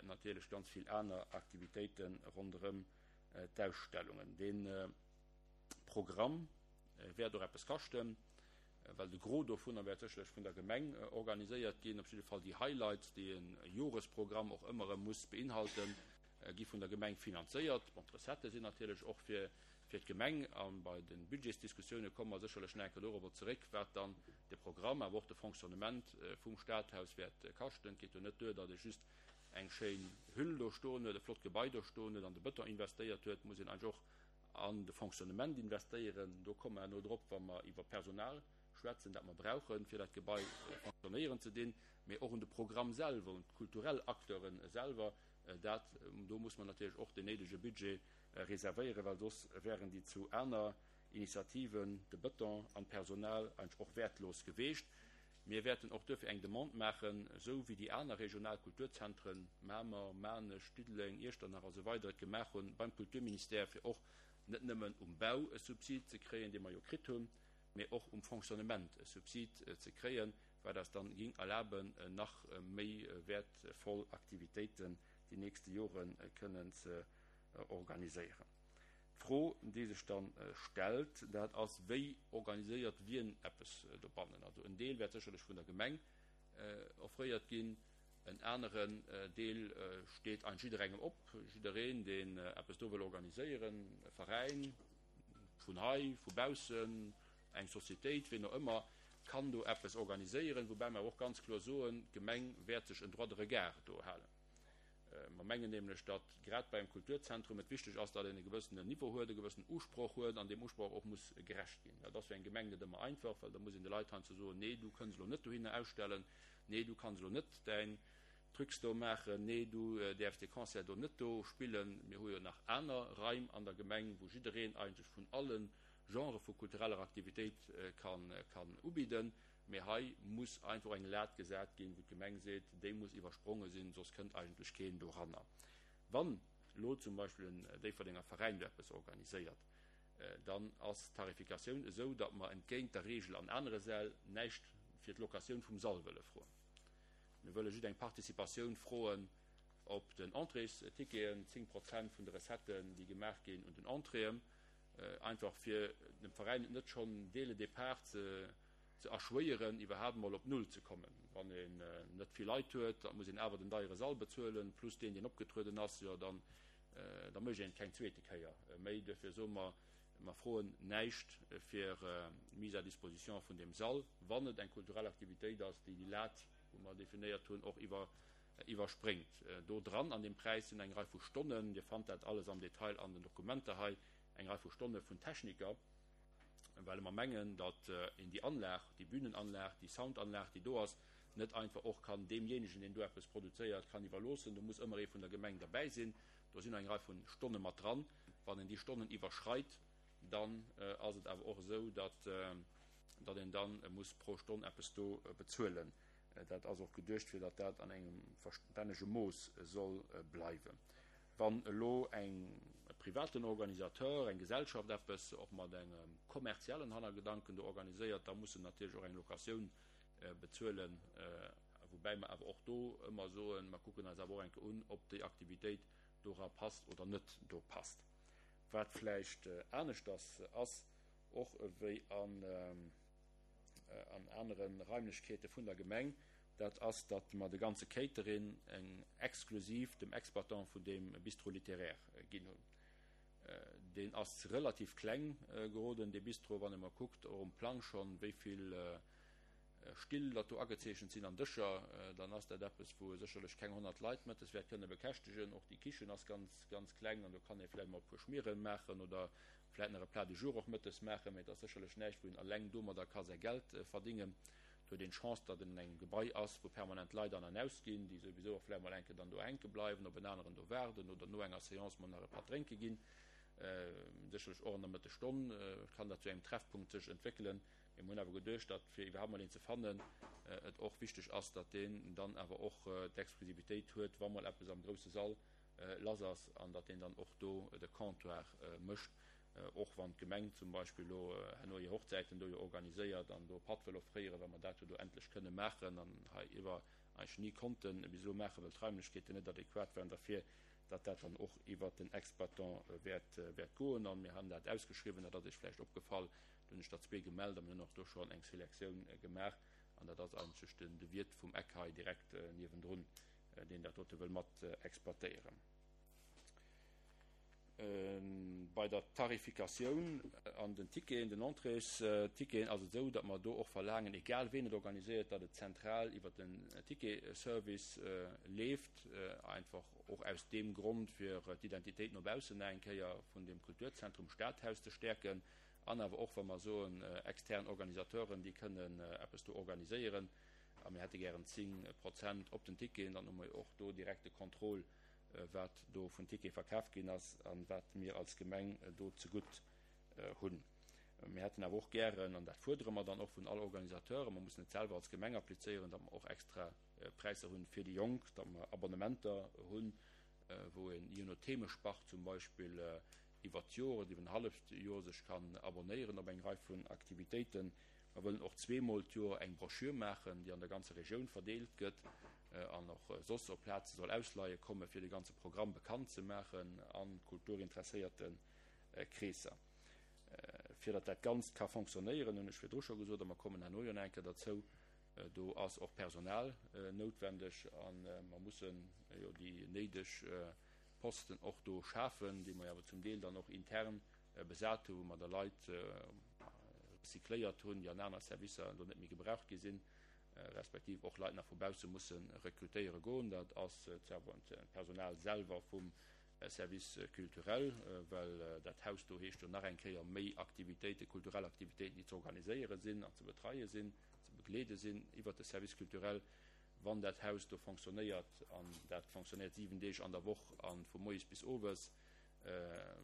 natierlech ganz vill aner Aktivitéite ronderëm. d'Ausstellungen. Dee Programm wäert och eppes kaschten, well de Gros dovunner wäert sécherlech vun der Gemeng organiséiert ginn. Op jidde Fall déi Highlights, déi e Joresprogramm och ëmmer erëm muss beinhalten, gi vun der Gemeng finanzéiert. Bon, d'Recettë sinn natierlech och fir d'Gemeng a bei de Budgetsdiskussioune komme mer sécherlech nach eng Kéier dorobber zeréck, wat dann de Programm, awer och de Fonctionnement vum Stadhaus wäert kaschten. Et geet jo net duer, datt ee just eng schéin Hüll do stoen huet, e flott Gebai do stoen huet, an de Bëton investéiert huet. Et muss een eigentlech och an de Fonctionnement investéieren. Do komme mer herno drop, wa mer iwwer Personal schwätzen, dat mer brauchen, fir dat Gebai fonctionnéieren ze dinn, mee och un de Programm selwer, un d'kulturell Acteure selwer. Dat, do muss mer natierlech och deen néidege Budget reservéieren, well soss wären déi zu aner Initiativen, de Bëton an d'Personal, eigentlech och wäertlos geweecht. Mir wäerten och duerfir eng Demande maachen, esou wéi déi aner regional Kulturzentren, Mamer, Maarnech, Diddeleng, Iechternach a sou weider, et gemaach hunn beim Kulturministère, fir och net nëmmen um Bau e Subsid ze kréien, dee mer jo kritt hunn, mee och um Fonctionnement e Subsid ze kréien, wat eis dann ging erlaben, nach méi wäertvoll Aktivitéiten déi nächste Jore kënnen ze organiséieren. D'Fro, déi sech dann stellt, dat ass, Wéi organiséiert wien eppes dobannen? Also en Deel wäert sécherlech vun der Gemeng offréiert ginn, en aneren Deel steet eigentlech jidderengem op. Jiddereen, deen eppes do wëll organiséieren, e Veräin vun hei, vu baussen, eng Societéit, wien och ëmmer, kann do eppes organiséieren, woubäi mer awer och ganz kloer soen, d'Gemeng wäert sech en Droit de regard do halen. Mer mengen nämlech, datt grad bei engem Kulturzentrum et wichteg ass, datt een e gewëssenen Niveau huet, e gewëssenen Usproch huet an deem Usproch och muss gerecht ginn. Dat ass fir eng Gemeng net ëmmer einfach, well da muss een de Leit heiansdo soen, nee, du kënns elo net dohinner ausstellen, nee, du kanns elo net däin Trucs do maachen, nee, du däerfs dee Concert do net do spillen. Mir hu jo nach aner Raim an der Gemeng, wou jiddereen eigentlech vun alle Genrë vu kultureller Aktivitéit kann ubidden. Mee hei muss einfach och eng Lat gesat ginn, wou d'Gemeng seet, déi muss iwwerspronge sinn, soss kënnt eigentlech keen doranner. Wann elo zum Beispill en Déifferdenger Veräin do eppes organiséiert, dann ass d'Tarifikatioun esou, datt mer entgéint der Regel an anere Säll näischt fir d'Locatioun vum Sall wëlle froen. Mir wëlle just eng Participatioun froen op den Entréesticketen, 10 Prozent vun de Recetten, déi gemaach ginn un den Entréeën. Einfach fir dem Veräin et net schonn dès le départ ze erschwéieren, iwwerhaapt emol op Null ze kommen. Wann een net vill Leit huet, da muss een awer den deiere Sall bezuelen, plus deen, deen opgetrueden ass, jo dann da mécht een et keng zweete Kéier méi. Duerfir soe mer, mer froen näischt fir d'Mise à disposition vun deem Sall, wann et eng kulturell Aktivitéit ass, déi déi Lat, wou mer definéiert hunn, och iwwer iwwerspréngt. Do dran an deem Präis sinn eng Rei vu Stonnen, Dir fannt dat alles am Detail an den Dokumenter hei, eng Rei vu Stonne vun Techniker, well mer mengen, datt een déi Anlag, déi Bühnenanlag, déi Soundanlag, déi do ass, net einfach och kann deemjéinegen, deen do eppes produzéiert, kann iwwerloossen. Do muss ëmmer ee vun der Gemeng derbäi sinn. Do sinn och eng Rei vu Stonne mat dran. Wann een déi Stonnen iwwerschreit, dann ass et awer och esou, datt een da muss pro Stonn eppes do bezuelen. Dat ass och geduecht, fir datt dat an engem verstännege Mooss soll bleiwen. Wann elo eng, e privaten Organisateur, eng Gesellschaft eppes och mat engem kommerziellen Hannergedanken do organiséiert, da muss en natierlech och eng Locatioun bezuelen, woubäi mer awer och do ëmmer soen, mer kucken eis awer och eng Kéier un, ob déi Aktivitéit dora passt oder net do passt. Wat vläicht aneschters ass och ewéi an. an anere Raimlechkeete vun der Gemeng, dat ass, datt mer de ganze Catering exklusiv dem Exploitant vun deem Bistrot littéraire ginn hunn. Deen ass relativ kleng geroden, dee Bistro, wann ee mol kuckt, och um Plang schonn, wéi vill Still datt do agezeechent sinn an Dëscher, dann ass dat eppes, wou e sécherlech keng 100 Leit mëttes wäert kënne bekäschtegen. Och déi Kichen ass ganz, ganz kleng an do kann ee vläicht mol e puer Schmiere maachen oder Vläit nach e Plat du jour och mëttes maachen, mee et ass sécherlech näischt, wou een eleng domadder ka säi Geld verdingen. Et huet een d'Chance, datt een an engem Gebai ass, wou permanent Leit an an aus ginn, déi souwisou och vläicht mol eng Kéier dann do hänke bleiwen, op en aneren do waarden oder no enger Seance mol nach e Patt drénke ginn. Sécherlech och an der Mëttesstonn kann dat zu engem Treffpunkt sech entwéckelen. Mee mir hunn awer geduecht, datt fir iwwerhaapt mol een ze fannen, et och wichteg ass, datt deen dann awer och d'Exklusivitéit huet, wa mol eppes am grousse Sall lass ass an datt deen dann och do de Comptoir mécht, och wann d'Gemeng zum Beispill elo herno hir Hochzäiten do jo organiséiert an do e Patt wëll offréieren, well mer dat jo do endlech kënne maachen an hei iwwer eigentlech ni konnte bis elo maachen, well d'Raimlechkeeten net adequat waren derfir. datt dat dann och iwwert den Exploitant wäert, wäert goen. A mir han dat ausgeschriwwen, dat ass Iech vläicht opgefall, do hunn ech der zwee gemellt a mir hunn och do schonn eng Selektioun gemaach an dat ass eigentlech den, de Wiert vum Eck hei direkt niewendrun, deen dat dote wëll mat exploitéieren. Bei der Tarifikatioun an den Ticketen, den Entréesticketen, ass et esou, datt mer do och verlaangen, egal ween et organiséiert, datt et zentral iwwert den Ticketservice leeft, einfach och aus deem Grond, fir d'Identitéit no baussen nach eng Kéier vun deem Kulturzentrum Stadhaus ze stäerken an awer och, wa mer soen, extern Organisateuren, déi kënnen eppes do organiséieren a mir hätte gären 10 Prozent op den Ticketen, dann hu mer jo och do direkt de Contrôle, wat do vun Tickete verkaf ginn ass a wat mir als Gemeng do zegutt hunn. Mir hätten awer och gären, an dat fuerdere mer dann och vun all Organisateuren, mer mussen et selwer als Gemeng applizéieren, datt mer och extra Präisser hunn fir déi Jonk, datt mer Abonnementer hunn, wou een je no Themespart zum Beispill iwwert d'Joer oder iwwer en halleft Joer sech kann abonnéieren op eng Rei vun Aktivitéiten. Mer wëllen och zweemol d'Joer eng Broschür maachen, déi an der ganzer Regioun verdeelt gëtt an och soss op Plaze soll ausleie komme fir de ganze Programm bekannt ze maachen a kulturinteresséierte Kreesser. Fir datt dat Ganzt ka fonctionnéieren, hunn ech virdru scho gesot, a mer kommen herno jo nach eng Kéier derzou, do ass och Personal noutwendeg a mer mussen jo déi néideg Posten och do schafen, déi mer jo awer zum Deel dann och intern besat hu, wou mer da Leit recycléiert hunn, déi an aner Servicer elo net méi gebraucht gi sinn, respektiv och Leit nach vu bausse musse rekrutéiere goen. Dat ass d'Personal selwer vum Service culturel, well dat Haus do heescht jo nach eng Kéier méi Aktivitéiten, kulturell Aktivitéiten, déi ze organiséiere sinn an ze betreie sinn, ze begleede sinn iwwert de Service culturel. Wann dat Haus do fonctionnéiert, an dat fonctionnéiert 7 Deeg an der Woch a vu moies bis owes,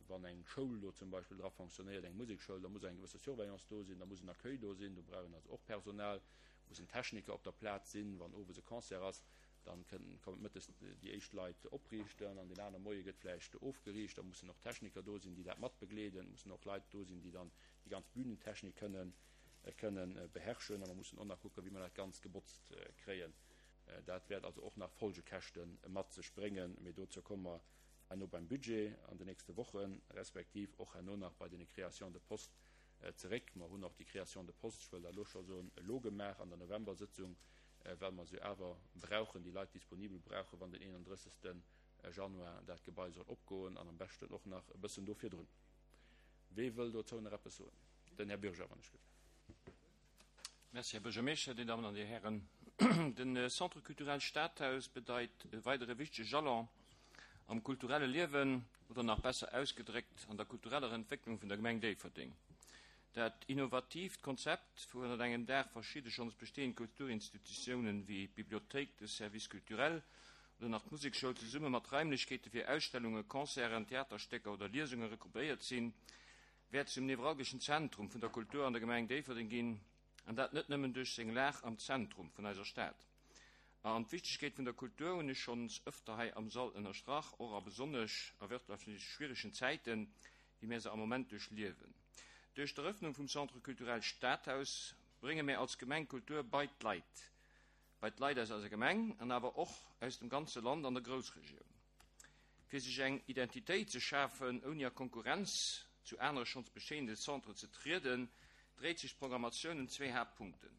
Wann eng Schoul do zum Beispill dra fonctionnéiert, eng Musekschoul, da muss eng gewësse Surveillance do sinn, da muss en Accueil do sinn, do brauch een also och Personal, mussen Techniker op der Plaz sinn. Wann owes e Concert ass, dann kënnen, kommen mëttes déi éischt Leit opriichten an deen anere Moie gëtt vläicht ofgeriicht. Da mussen och Techniker do sinn, déi dat matbegleeden. Et mussen och Leit do sinn, déi dann déi ganz Bühnentechnik kënnen, kënnen beherrschen. A mer mussen och nach kucken, wéi mer dat Ganzt gebotzt kréien. Dat wäert also och nach Folgekäschte mat sech bréngen, mee dozou komme mer herno beim Budget an den nächste Wochen, respektiv och herno nach bei deene Créations de postes zeréck. Mer hunn och déi Création de postes, ech wëll dat elo scho soen, elo gemaach an der Novembersëtzung, well mer se jo awer brauchen, déi Leit disponibel brauchen, wann den 31. Januar dat Gebai soll opgoen an am beschten och nach e bëssen do virdrun. Wee wëll dozou nach eppes soen? Den Här Bürger, wann ech gelift. Merci, Här Buergermeeschter, Dir Dammen an Dir Hären. De Centre culturel Stadhaus bedeit e weidere wichtege Jalon am kulturelle Liewen, oder nach besser ausgedréckt, an der kultureller Entwécklung vun der Gemeng Déifferdeng. Dat innovatiivt Konzept, wou ënnert engem Daach verschidde schonns bestehend Kulturinstitutiounen wéi d'Bibliothéik, de Service culturel oder nach d'Musekschoul zesumme mat Raimlechkeete fir Ausstellungen, Concerten, Theaterstécker oder Liesunge regroupéiert sinn, wäert zum nevralgeschen Zentrum vun der Kultur an der Gemeng Déifferdeng ginn, an dat net nëmmen duerch seng Lag am Zentrum vun eiser Stad. An d'Wichtegkeet vun der Kultur hunn ech schonns ëfter hei am Sall ënnerstrach, och a besonnesch a wirtschaftlech schwieregen Zäiten, wéi mär se am Moment duerchliewen. Duerch d'Erëffnung vum Centre culturel Stadhaus brénge mär als Gemeng Kultur bei d'Leit, bei d'Leit aus eiser Gemeng an awer och aus dem ganze Land an der Groussregioun. Fir sech eng Identitéit ze schafen, ouni a Konkurrenz zu anere schonns bestehende Centren ze trieden, dréit sech d'Programmatioun ëm zwee Haaptpunkten,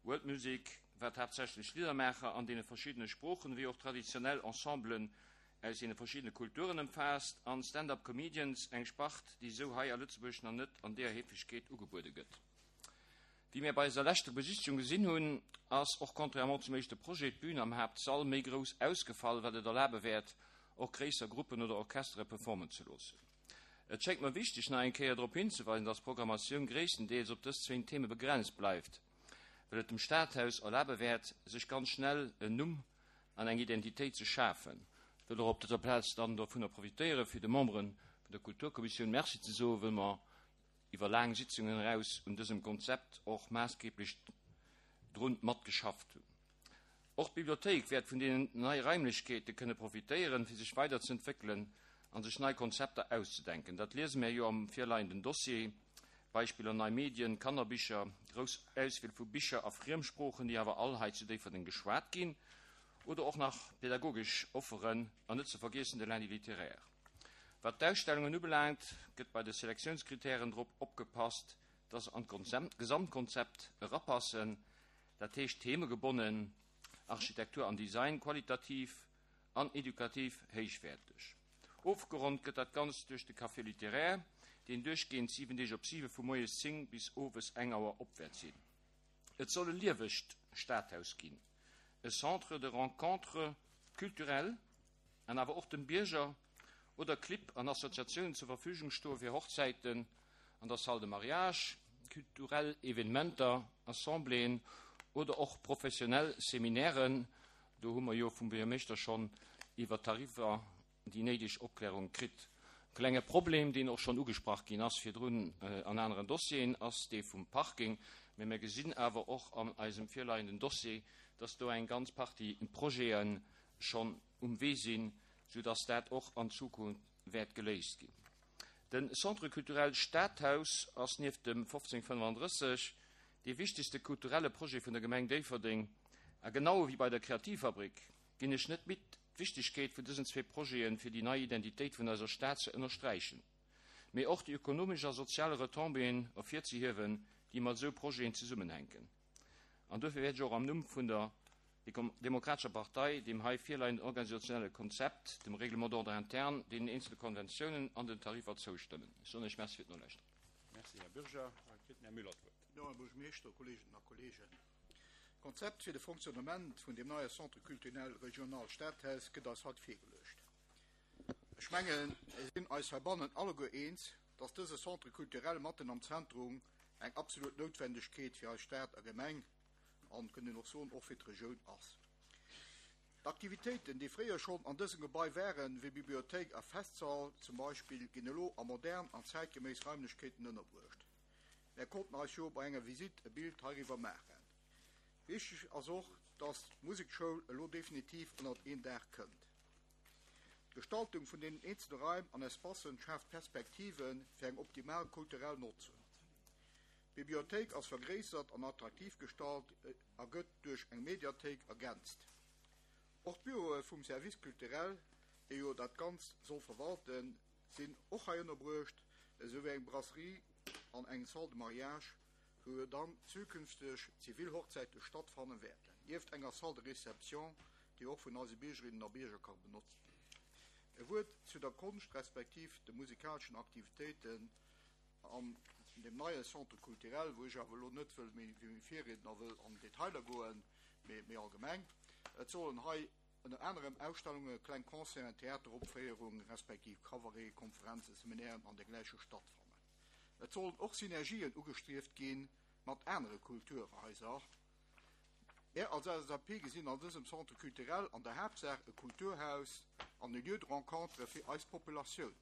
World Music, wat haaptsächlech Liddermaacher an deene verschiddene Sproochen ewéi och traditionell Ensemblen aus deene verschiddene Kulturen ëmfaasst, an Stand-Up Comedians, eng Spart, déi esou hei a Lëtzebuerg nach net an deeër Heefegkeet ugebuede gëtt. Wéi mir bei eiser leschter Besichtigung gesinn hunn, ass och contrairement zum éischte Projet d'Bün am Haaptsall méi grouss ausgefall, wat et erlabe wäert, och gréisser Gruppen oder Orchestere performen ze loossen. Et schéngt mer wichteg, nach eng Kéier drop hinzeweisen, dass d'Programmatioun gréisstendeels op dës zwéin Theme begrenzt bleift, well et dem Stadhaus erlabe wäert, sech ganz schnell en Numm an eng Identitéit ze schafen. Ech wëll och op dëser Plaz dann dovunner profitéieren, fir de Membere vun der Kulturkommissioun Merci ze soen, wëll mer iwwer laang Sitzungen eraus un dësem Konzept och maassgeblech drun matgeschafft hunn. Och d'Bibliothéik wäert vun deenen nei Raimlechkeete kënne profitéieren, fir sech weiderzeentwéckelen a sech nei Konzepter auszedenken. Dat liese mär jo am virleienden Dossier, Beispiller, nei Medien, Kannerbicher, grouss Auswiel vu Bicher a Friemsproochen, déi awer all hei zu Déifferdeng geschwat ginn. Oder och nach pädagogesch Offeren an net ze vergiessen de Lundi littéraire. Wat d'Ausstellungen ubelaangt, gëtt bei de Selektiounskritären drop opgepasst, dass se an d'Gesamtkonzept erapassen, dat heescht themegebonnen, Architektur an Design qualitativ an edukativ héichwäerteg. Ofgeronnt gëtt dat Ganzt duerch de Café littéraire, deen duerchgehend 7 Deeg op 7 vu moies 10 bis owes eng Auer op wäert sinn. Et soll e liewegt Stadhaus ginn, e Centre de rencontre culturelle an awer och dem Bierger oder Clibb an Associatiounen zur Verfügung stoe fir Hochzäiten an der Salle de mariage, kulturell Evenementer, Assembléeën oder och professionell Seminairen. Do hu mer jo vum Buergermeeschter schonn iwwer d'Tariffer déi néideg Opklärung kritt. E klenge Problem, deen och schonn ugesprach ginn ass virdrun an aneren Dossieren, ass dee vum Parking. Mä mir gesinn awer och an eisem virleienden Dossier, dass do eng ganz Partie Projete schonn um Wee sinn, soudass dat och an Zukunft wäert geléist ginn. De Centre culturel Stadhaus ass nieft dem 1535 dee wichtegste kulturelle Projet vun der Gemeng Déifferdeng a genau ewéi bei der Kreativfabrik ginn ech net midd, d'Wichtegkeet vun dësen zwee Projete fir déi nei Identitéit vun eiser Stad ze ënnersträichen, mee och déi ökonomesch a sozial Retombéeën ervirzehiewen, déi mat esou Projeten zesummenhänken. An duerfir wäert ech och am Numm vun der Demokratescher Partei deem hei virleienden organisationelle Konzept, dem Règlement d'ordre interne, deenen eenzele Konventiounen an den Tariffer zoustëmmen. Ech soen Iech Merci fir d'Nolauschteren. Merci, Här Bürger. Da kritt den Här Müller d'Wuert. Jo, Här Buergermeeschter, Kolleeginnen a Kolleegen, d'Konzept fir de Fonctionnement vun deem neie Centre culturel régional Stadhaus gëtt eis haut virgeluecht. Ech mengen, mir sinn eis heibannen alleguer eens, dass dëse Centre culturel matten am Zentrum eng absolut Noutwendegkeet fir eis Stad a Gemeng an, kënnt een och soen, och fir d'Regioun ass. D'Aktivitéiten, déi fréier schonn an dësem Gebai waren, wéi Bibliothéik a Festsall zum Beispill, ginn elo a modern an zäitgeméiss Raimlechkeeten ënnerbruecht. Mär konnten eis jo bei enger Visitt e Bild heiriwwer maachen. Wichteg ass och, dass d'Musekschoul elo definitiv ënnert een Daach kënnt. D'Gestaltung vun deenen eenzele Raim an Espacen schaaft Perspektive fir eng optimal kulturell Notzung. D'Bibliothéik ass vergréissert an attraktiv gestalt a gëtt duerch eng Mediathéik ergänzt. Och d'Büroe vum Service culturel, dee jo dat Ganzt soll verwalten, sinn och hei ënnerbruecht, esou wéi eng Brasserie an eng Salle de mariage, wou jo dann zukünfteg zivil Hochzäite stattfanne wäerten, nieft enger Salle de réception, déi och vun eise Biergerinnen a Bierger ka benotzt ginn. E Wuert zu der Konscht respektiv de musikaleschen Aktivitéiten an deem neie Centre culturel, wou ech awer elo net wëll méi wéi meng Virriedner wëll an Detailer goen, mee méi allgemeng. Et sollen hei ënner anerem Ausstellungen, kleng Concerten, Theateropféierungen respektiv Cabareten, Konferenzen, Seminairen an dergläiche stattfannen. Et sollen och Synergien ugestrieft gi mat anere Kulturhaiser. Mär als LSAP gesinn an dësem Centre culturel an der Haaptsaach e Kulturhaus an e Lieu de rencontre fir eis Populatioun.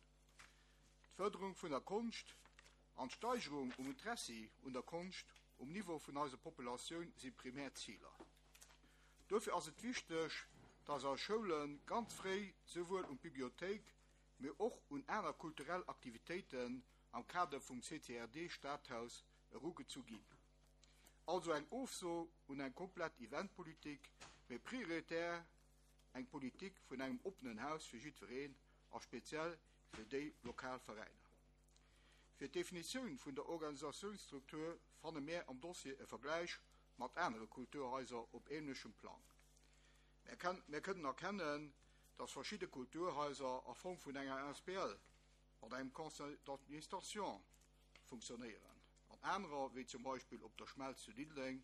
D'Fërderung vun der Konscht an d'Steigerung um Interessi un der Konscht um Niveau vun eiser Populatioun si primär Ziler. Dofir ass et wichteg, dass eis Schoule ganz fréi souwuel un d'Bibliothéik, mee och un aner kulturell Aktivitéiten am Kader vum CCRD Stadhaus erugezu ginn. Also eng Ofso un eng komplett Eventpolitik, mee prioritär eng Politik vun engem oppenen Haus fir jiddwereen a speziell fir déi lokal Veräiner. Fir d'Definitioun vun der Organisatiounsstruktur fanne mär am Dossier e Vergläich mat anere Kulturhaiser op ähnlechem Plang. Mär kënnen erkennen, dass verschidde Kulturhaiser a Form vun enger asbl mat engem Conseil d'administration funktionéieren an anerer, wéi zum Beispill Op der Schmelz zu Diddeleng,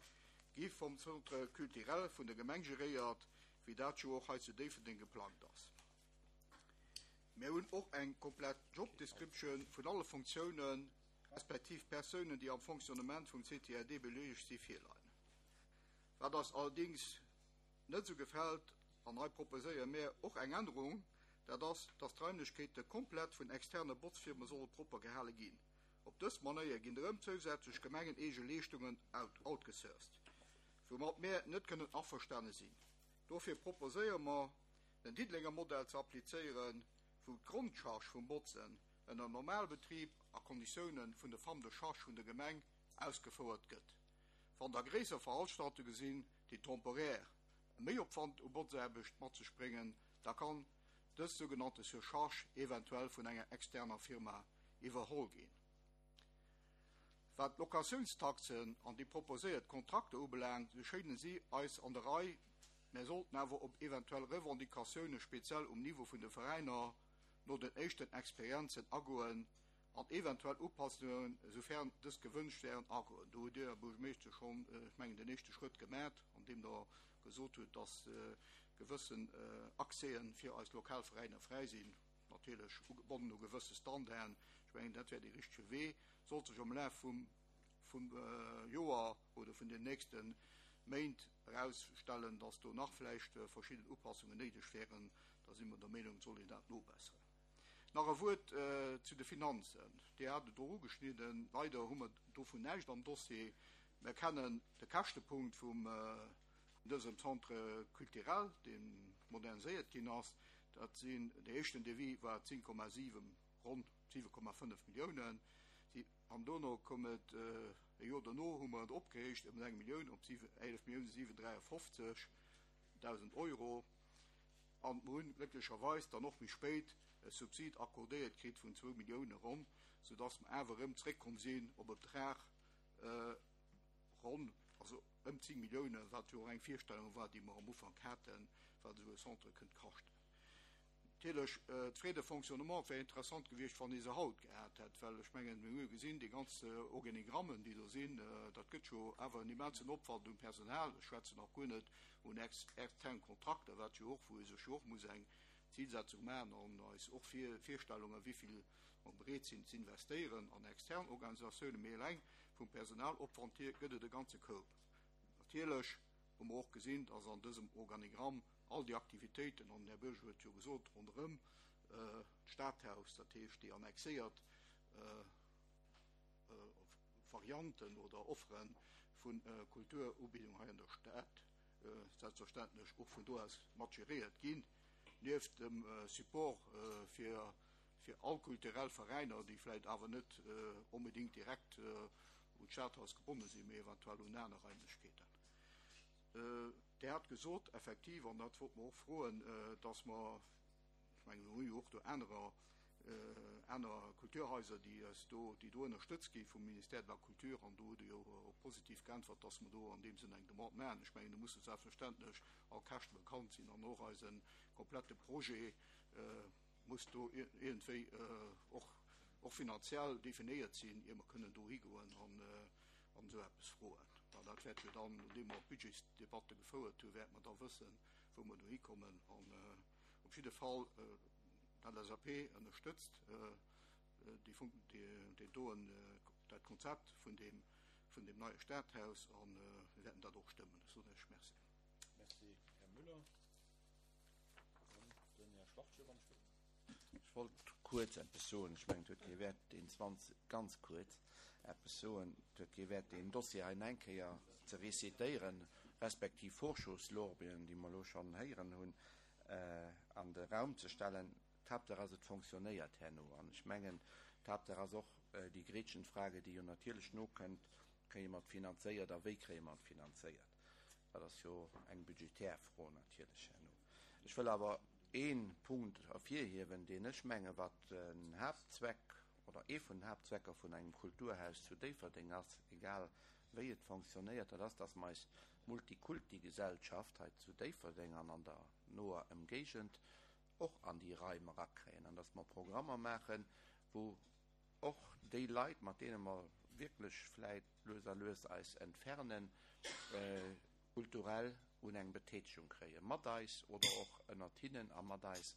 gi vum Centre culturel vun der Gemeng geréiert, wéi dat jo och hei zu Déifferdeng geplangt ass. Mär hunn och eng komplett Job description vun alle Funktiounen respektiv Persounen, déi am Fonctionnement vum CTRD beleegt si, virleien. Wat eis allerdéngs net esou gefält, an hei proposéiere mär och eng Ännerung, dat ass, dass d'Raimlechkeete komplett vun externe Botzfirme solle propper gehale ginn. Op dës Manéier ginn erëm zousätzlech gemengeneege Leeschtungen outgesourced, woumat mär net kënnen averstane sinn. Dofir proposéiere mer, den Diddelenger Modell ze applizéieren, wou d'Grondcharge vum Botzen ënner Normalbetrib a Konditiounen vun de Femmes de charge vun der Gemeng ausgefouert gëtt. Wann da gréisser Veranstaltunge sinn, déi temporär. Méiopwand u Botzaarbecht mat sech bréngen, da kann dës sougenannte Surcharge eventuell vun enger externer Firma iwwerholl ginn. Wat d'Locatiounstaxen an déi proposéiert Kontrakter ubelaangt, sou schéinen si eis an der Rei, mä sollten awer op eventuell Revendicatioune speziell um Niveau vun de Veräiner no den éischten Experienzen agoen an eventuell Upassungen, soufern dës gewënscht wären, agoen. Do hutt Dir, Här Buergermeeschter, schonn, ech mengen, den éischte Schrëtt gemat, andeem Der gesot hutt, dass gewëssen Accèsen fir eis lokal Veräiner fräi sinn. natierlech ugebonnen u gewësse Standarden. Ech mengen, dat wär dee richtege Wee. Sollt sech am Laf vum, vum Joer oder vun den nächste Méint erausstellen, dass do nach vläicht verschidden Upassungen néideg wären, da si mer der Meenung, et soll een dat nobesseren. Nach e Wuert zu de Finanzen. Dir hat et och ugeschnidden. Leider hu mer dovun näischt am Dossier. Mer kennen de Käschtepunkt vum, vun dësem Centre culturel, dee moderniséiert ginn ass. Dat sinn, dee éischten Devis war 10,7, ronn 7,5 Milliounen. An dono koum et, e Joer dono hu mer et opgehéicht ëm eng Millioun op 11 Milliounen 753 dausend Euro. An mer hunn glécklecherweis dann och méi spéit e Subsid accordéiert kritt vun zwou Millioune ronn, soudass mer awer erëm zréckkomm sinn op e Betrag ronn, also ëm 10 Milliounen, wat jo och eng Virstellung war, déi mer am Ufank haten, wat esou e Centre kënnt kaschten. Natierlech, d'Frais de fonctionnement wär interessant gewiescht, wann ee se haut gehat hätt, well ech mengen, mir hu jo gesinn, déi ganz Organigrammen, déi do sinn, dat gëtt jo awer en immensen Opwand um Personal. Ech schwätzen nach guer net un externe Kontrakter, wat jo och, wou ee sech jo och muss eng Zilsetzung maachen an eis och Virstellungen, wéi vill mer bereet sinn ze investéieren an extern Organisatiounen, mee eleng vum Personalopwand hier gëtt et e ganze Koup. Natierlech hu mer och gesinn, dass an dësem Organigramm all déi Aktivitéiten, an den Här Bürger huet jo gesot, ronderëm d'Stadhaus, dat heescht déi annexéiert Varianten oder Offere vu Kulturubildung hei an der Stad, selbstverständlech och vun do aus mat geréiert ginn, nieft dem Support fir fir all kulturell Veräiner, déi vläicht awer net onbedéngt direkt un d'Stadhaus gebonne sinn, mee eventuell un aner Raimlechkeeten. Dir hat gesot, effektiv, an dat wollt mer och froen, dass mer, ech mengen, mir hu jo och do anerer, aner Kulturhaiser, déi eis do, déi do ënnerstëtzt gi vum Ministère de la Culture, an do hutt Der jo och positiv geäntwert, dass mer do an deem Sënn eng Demande maachen. Ech mengen, do musse selbstverständlech all Käschte bekannt sinn an och eise komplette Projet, muss do iergendwéi och och finanziell definéiert sinn, ier mer kënnen do higoen an an esou eppes froen. Mä dat wäert jo dann, nodeem mer d'Budgetsdebatte gefouert hunn, wäerte mer da wëssen, wou mer do hikommen. An op jidde Fall, d'LSAP ënnerstëtzt déi Funk-, déi doen, dat Konzept vun deem, vun deem neie Stadhaus a mir wäerten dat och stëmmen. Ech soen Iech Merci. Merci, Här Müller. Ech wollt kuerz eppes soen. Ech mengen, et huet kee Wäert, deen 20, ganz kuerz eppes soen, et huet kee Wäert, deen Dossier hei nach eng Kéier ze récitéieren, respektiv Vorschusslorbeeren, déi mer elo schonn héieren hunn, an de Raum ze stellen. D'Haaptsaach ass, et fonctionnéiert herno. An ech mengen, d'Haaptsaach ass och déi Gretchenfrage, déi jo natierlech nokënnt, Kréie mer et finanzéiert a wéi kréie mer et finanzéiert? Dat ass jo eng budgetär Fro natierlech herno. Ech wëll awer ee Punkt ervirhiewen, deen ech menge wat den Haaptzweck oder ee vun den Haaptzwecker vun engem Kulturhaus zu Déifferdeng ass, egal wéi et fonctionnéiert, dat ass, dass mer eis Multikulti-Gesellschaft hei zu Déifferdeng an an der noer Ëmgéigend och an déi Raim erakréien an dass mer Programmer maachen, wou och déi Leit, mat deene mer wierklech vläit lues a lues eis entfernen, kulturell un eng Betätegung kréien, mat eis oder och ënnert hinnen a mat eis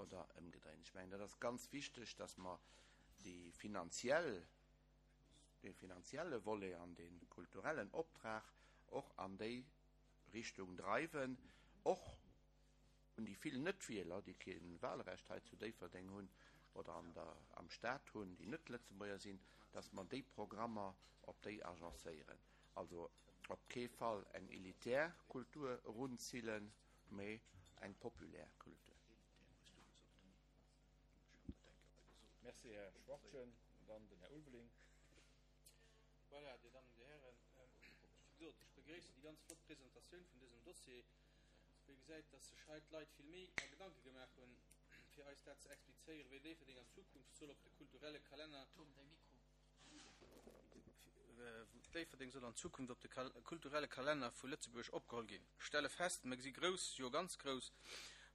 oder ëmgedréint. Ech mengen, dat ass ganz wichteg, dass mer déi finanziell, dee finanzielle Volet an dee kulturellen Optrag och an déi Richtung dreiwen, och un déi vill Net-Wieler, déi kee Wahlrecht hei zu Déifferdeng hunn oder an der, am Stat hunn, déi net Lëtzebuerger sinn, dass mer déi Programmer op déi agencéieren. Also op kee Fall eng elitär Kultur erunzillen, mee eng populär Kultur. Merci, Här Schwachtgen. Dann den Här Ulveling. Voilà, Dir Dammen, Dir Hären, wéi gesot, ech begréissen déi ganz flott Presentatioun vun dësem Dossier. Wou ee gesäit, dass sech hei d'Leit vill Méi a Gedanke gemaach hunn, fir eis dat ze explizéieren, wéi Déifferdeng an Zukunft soll op de kulturelle Kalenner, Déifferdeng soll an Zukunft op de kulturelle Kalenner vu Lëtzebuerg opgeholl ginn. Ech stelle fest, mer si grouss, jo ganz grouss,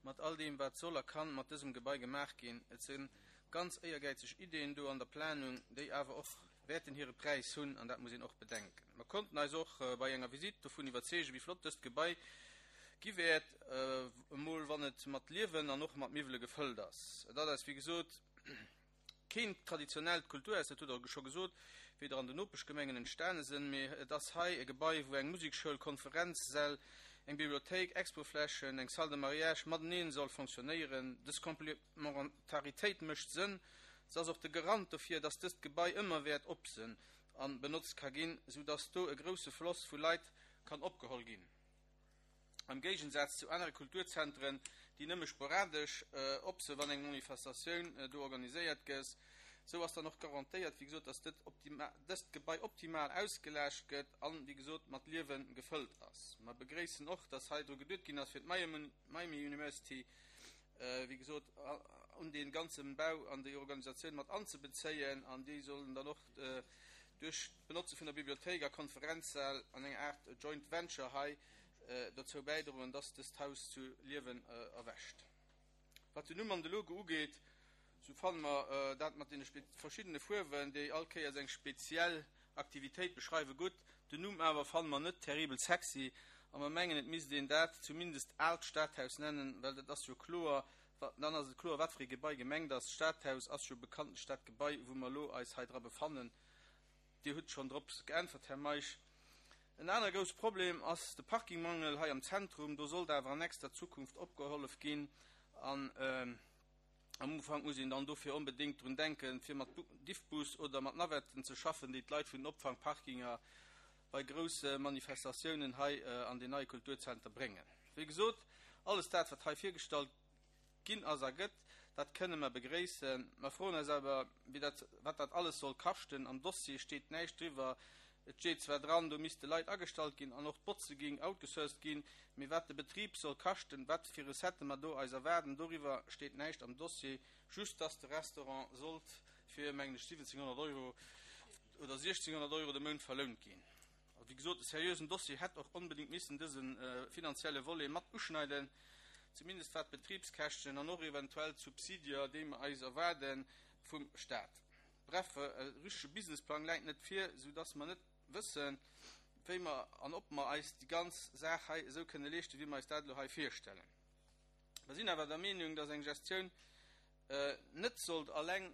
mat all deem, wat soll a kann mat dësem Gebai gemaach ginn. Et si ganz éiergäizeg Ideeën do an der Planung, déi awer och wäerten hire Präis hunn, an dat muss een och bedenken. Mer konnten eis och bei enger Visitt dovun iwwerzeegen, wéi flott dëst Gebai gi wäert, emol wann et mat Liewen an och mat Miwwele gefëllt ass. Et ass eis, wéi gesot, keen traditionellt Kulturhaus, dat hutt Der scho gesot, wéi der an den Nopeschgemengen entstane sinn, mee et ass hei e Gebai, wou eng Musekschoul, Konferenzsäll, eng Bibliothéik, Expoflächen, eng Salle de mariage mateneen soll fonctionnéieren. Dës Complementaritéit mécht Sënn. Se ass och de Garant dofir, dass dëst Gebai ëmmer wäert op sënn an benotzt ka ginn, sou dass do e grousse Floss vu Leit kann opgeholl ginn. Am Géigensaz zu anere Kulturzentren, déi nëmme sporadesch op së wann eng Manifestatioun do organiséiert gëss. Sou ass dann och garantéiert, wéi gesot, dass dëst Gebai optimal ausgelaascht gëtt an, wéi gesot, mat Liewe gefëllt ass. Mer begréissen och, dass hei dru geduet ginn ass, fir d'Miami University, wéi gesot, un dee ganze Bau an déi Organisatioun mat anzebezéien an déi sollen dann och duerch d'Benotze vun der Bibliothéik a Konferenzsäll an enger Aart Joint Venture hei dozou bäidroen, dass dëst Haus zu Liewen erwächt. Wat den Numm an de Logo ugeet, sou fanne mer dat mat deene verschiddene Fuerwen, déi all Kéiers eng speziell Aktivitéit beschreiwe gutt, den Numm awer fanne mer net terribel sexy a mer mengen et misst een dat zumindest Aalt Stadhaus nennen, well dat ass jo kloer, dann ass et kloer wat fir ee Gebai gemengt ass. D'Stadhaus ass jo bekanntlech dat Gebai wou mer elo eis hei dra befannen. Dir hutt schonn drop geäntwert, Här Meisch. En anere grousse Problem ass de Parkingmangel hei am Zentrum. Do sollt awer an nächster Zukunft opgehollef ginn an Am Ufank muss een dann dofir onbedéngt drun denken, fir mat Diffbus oder mat Navetten ze schaffen, déi d'Leit vun den Opfangparkinger bei grousse Manifestatiounen hei an den neie Kulturzenter bréngen. Wéi gesot, alles dat, wat hei virgestallt ginn ass a gëtt, dat kënne mer begréissen. Mer froen eis awer, wéi dat, wat dat alles soll kaschten. Am Dossier steet näischt driwwer. Et steet zwar dran, do misste Leit agestallt ginn an och d'Botze géing outgesourced ginn, mee wat de Betrib soll kaschten, wat fir Recettë mer do eis erwaarden, doriwwer steet näischt am Dossier, just dass de Restaurant sollt fir, mengen ech, 1.700 Euro oder 1.600 Euro de Mount verlount ginn. A wéi gesot, e seriösen Dossier hätt och onbedéngt missen dëse finanzielle Volet mat uschneiden, zumindest wat d'Betribskäschten an och eventuell d'Subsidier, déi mer eis erwaarde vum Stat. Bref, e richtege Businessplang läit net vir, sou dass mer net wëssen, wéi mer an ob mer eis déi ganz Saach hei esou kënne leeschten, wéi mer eis dat elo hei virstellen. Mer sinn awer der Meenung, dass eng Gestioun net sollt alleng